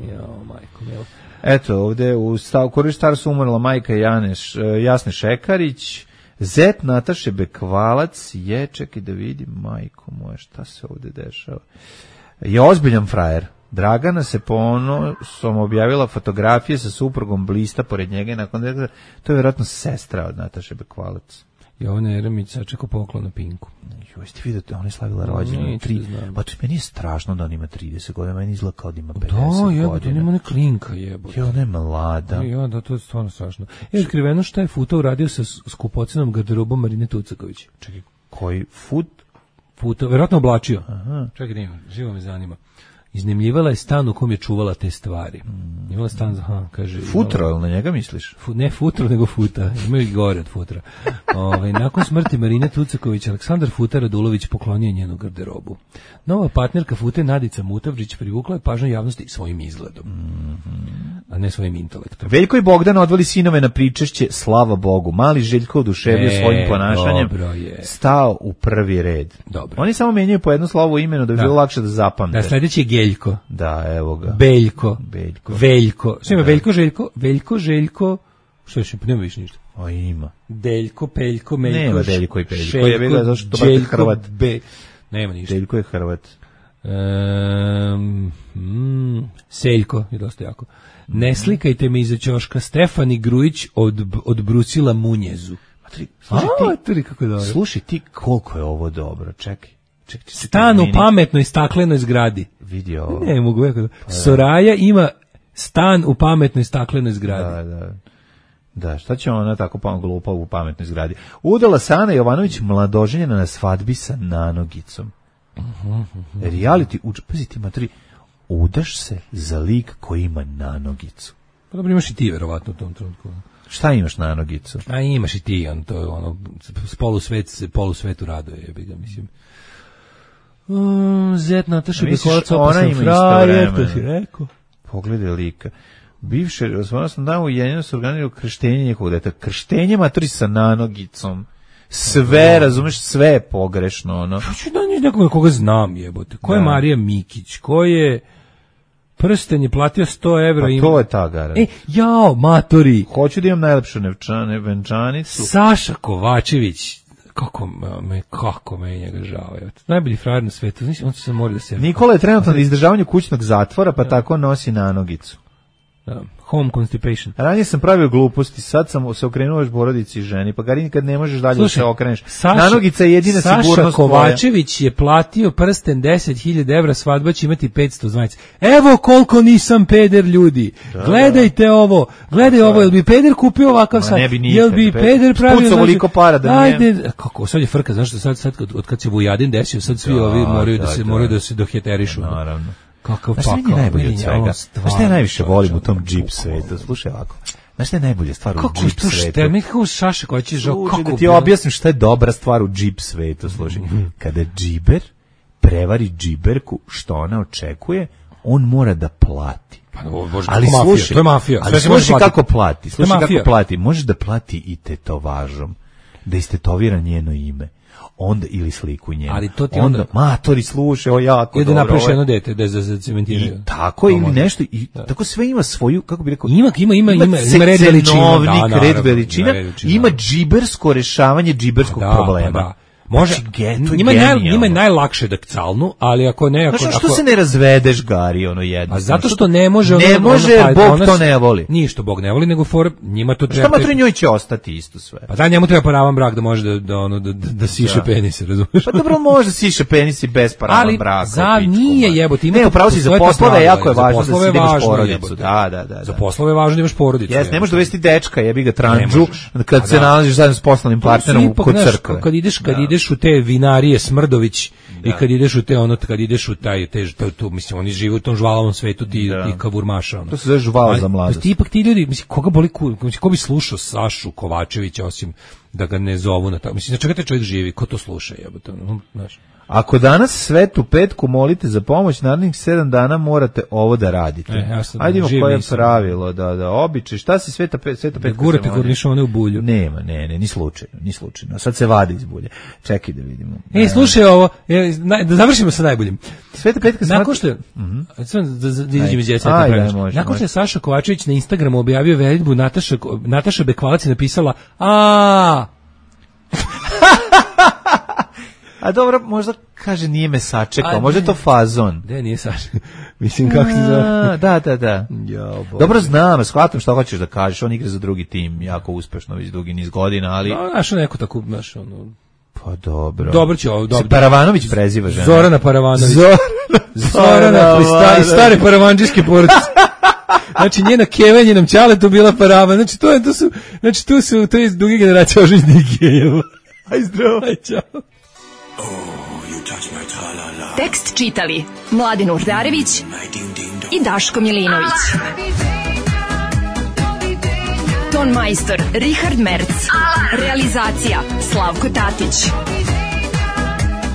Jao, majko, milo. Eto, ovde u stav, Koriš Starsu umrla majka Janeš, Jasne Šekarić, zet Nataše Bekvalac je, čekaj da vidim, majko moja, šta se ovde dešava. Je ozbiljan frajer. Dragana se ponosom objavila fotografije sa suprugom blista pored njega i nakon toga, to je vjerojatno sestra od Nataše Bekvalac. Jovana Jeremić sačekao poklon na Pinku. Joj, ste vidio, ona je slavila rođendan. Pa to meni je strašno da on ima trideset godina, meni izgleda kao da ima pedeset godina. Da, jebote, on ima ne klinka, jebote. Jo, ona je mlada. Ja, da, to je stvarno strašno. Je otkriveno šta je Futa uradio sa skupocenom garderobom Marine Tucaković. Čekaj, koji Fut? Futa, verovatno oblačio. Aha. Čekaj, nema, živo me zanima. Iznemljivala je stan u kom je čuvala te stvari. Mm. Imala stan, aha, kaže... Futro, ili na njega misliš? Fu, ne futro, nego Futa. Imaju i gore od Futra. Ove, nakon smrti Marine Tucaković, Aleksandar Futa Radulović poklonio njenu garderobu. Nova partnerka Fute, Nadica Mutavrić, privukla je pažnju javnosti svojim izgledom, mm-hmm. a ne svojim intelektom. Veljko i Bogdan odveli sinove na pričešće, slava Bogu. Mali Željko oduševio e, svojim ponašanjem, stao u prvi red. Dobro. Oni samo menjaju po jedno slovo u imenu da bi da. bilo lakše da zapamte. Da, sledeći je Geljko. Da, evo ga. Beljko. Beljko. Veljko. Što ima, Veljko, Željko? Veljko, Željko. Što još, nema više ništa. O, ima. Deljko, Peljko, Meljko. Nema Deljko i Peljko. Šeljko, je bila zašto to je Hrvat. Be... Nema ništa. Deljko je Hrvat. Um, mm, Seljko je dosta jako. Ne slikajte me iza ćoška. Stefani Grujić od, odbrusila munjezu. Matri, slušaj A, ti, matri, kako dobro. Slušaj ti koliko je ovo dobro. Čekaj. Čekaj, stan u pametnoj staklenoj zgradi. Vidi ovo. Ne mogu. Ja, pa Soraja ima stan u pametnoj staklenoj zgradi. Da, da. Da, šta će ona tako pa glupa u pametnoj zgradi? Udala Sana Jovanović mladoženjena na svadbi sa nanogicom. Uh-huh, uh-huh. Reality, uč, pazi ti matri, udaš se za lik koji ima nanogicu. Pa dobro, imaš i ti verovatno u tom trenutku. Šta imaš nanogicu? A imaš i ti, on, to je ono, polusvet, polusvetu raduje, jebi ga, mislim. Um, Zet Nataša Bekvalac, opasan frajer, to si rekao. Pogledaj lika. Bivše, osnovno sam dao ujedinjeno se organizirao krštenje njegovog deta. Krštenje matri sa nanogicom. Sve, razumeš, sve je pogrešno, ono. Hoću da niš nekoga koga znam, jebote. Ko je da. Marija Mikić? Ko je... Prsten je platio sto evra. Pa ima... to je ta gara. E, jao, matori. Hoću da imam najlepšu nevčane, venčanicu. Saša Kovačević. Kako me, kako me njega žao. Najbolji frajer na svetu. On se mora da se... Nikola je trenutno na izdržavanju kućnog zatvora, pa da. Tako nosi nanogicu. Da. Home constipation. Ranije sam pravio gluposti, sad sam se okrenuo još porodici i ženi, pa Garini kad ne možeš dalje Slušaj, da se okreneš. Saša, nanogica je jedina Saša sigurnost tvoja. Saša Kovačević je platio prsten deset hiljada evra, svadba će imati petsto zvanice. Evo koliko nisam peder, ljudi. Da, gledajte da. Ovo, gledaj da. Ovo, jel bi peder kupio ovakav sad? Ne bi nikad. Jel bi peder pravio? Spucao voliko para da ajde, ne. Kako, sad je frka, znaš što sad, sad od, od kad se Vujadin desio, sad svi da, ovi moraju da, da se, da. moraju da se doheterišu. Naravno. Kakav pakao. Znaš šta je najbolje od svega? Znaš šta ja najviše volim u tom džip svetu? Slušaj ovako. Znaš šta je najbolja stvar kako u džip svetu? Kako što? Mi kako Saša koji će žao, kako da ti objasnim šta je dobra stvar u džip svetu, slušaj. Kada džiber prevari džiberku što ona očekuje, on mora da plati. Pa, bože, ali slušaj, to je mafija. Ali slušaj kako plati. Slušaj kako plati. Možeš da plati i tetovažom. Da istetovira njeno ime. Onda ili sliku njenu. Ali to ti onda, onda matori slušaj, o jako dobro. Da napraviš jedno dete da za cementiraju. Tako ili nešto i da. Tako sve ima svoju, kako bi rekao, ima ima ima ima, ima red veličina, da, red veličina, ima džibersko rešavanje džiberskog da, problema. Pa da. Može, njima je, naj, njima je najlakše da calnu, ali ako ne... Ako, znači, što ako, se ne razvedeš, Gari, ono jedno? A zato što ne može... Ne ono, može, ono, Bog ono, to ne voli. Nije što Bog ne voli, nego for, njima to treba... Šta matri njoj će ostati isto sve? Pa da, njemu treba paravan brak da može da, da, ono, da, da, da siše da. penise, razumiješ? Pa dobro, može siše penisi bez paravan braka. Ali za nije jebote. Ne, upravo si za poslove, jako je važno da si imaš porodicu. Da, da, da. Za poslove je važno da imaš porodicu. Jes, ne možeš dovesti dečka, jebi ga tranđu, kad se nalaziš zajedno s poslovnim partnerom kod crkve. Kad ideš, kad ideš u te vinarije Smrdović i kad ideš u te ono kad ideš u taj te tu mislim oni žive u tom žvalavom svetu ti ti kavurmaša ono. To se zove žvala za mladost. Ti ipak ti ljudi mislim koga boli mislim ko bi slušao Sašu Kovačevića osim da ga ne zovu na tako mislim čega taj čovjek živi ko to sluša jebote ono znaš. Ako danas svetu petku molite za pomoć, narednih sedam dana morate ovo da radite. E, ajde ima koje pravilo, da, da, običaj. Šta se sveta, sveta petka da gurate kornišone u bulju? Nema, ne, ne, ni slučajno, ni slučajno. Sad se vadi iz bulje. Čekaj da vidimo. Ej, slušaj ovo, da završimo sa najboljim. Sveta petka se... Nakon što je... Mm-hmm. Da, da, da izađem iz djeceta. Nakon što je Saša Kovačević na Instagramu objavio veljbu, Nataša, Nataša Bekvalac je napisala a A dobro, možda kaže nije me sačekao, možda je to fazon. Ne, nije Saša. Mislim kako se zove. Da, da, da. Jo, dobro znam, shvatam što hoćeš da kažeš, on igra za drugi tim, jako uspešno već dugi niz godina, ali... No, znaš, neko tako, znaš, ono... Pa dobro. Dobro će ovo, dobro. Se Paravanović preziva žena. Zorana Paravanović. Zorana, Zorana iz stare paravanđiske porodice. Znači njena kevenje nam ćale tu bila Paravan. Znači to je to su, znači tu su to je duge generacije oženjenih gejeva. Aj zdravo, aj čao. Tekst čitali Mladin Urdarević i Daško Milinović. Ton majstor Richard Merc. Realizacija Slavko Tatić.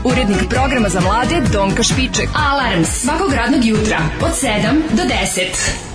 Urednik programa za mlade Donka Špiček. Alarms svakog radnog jutra od sedam do deset.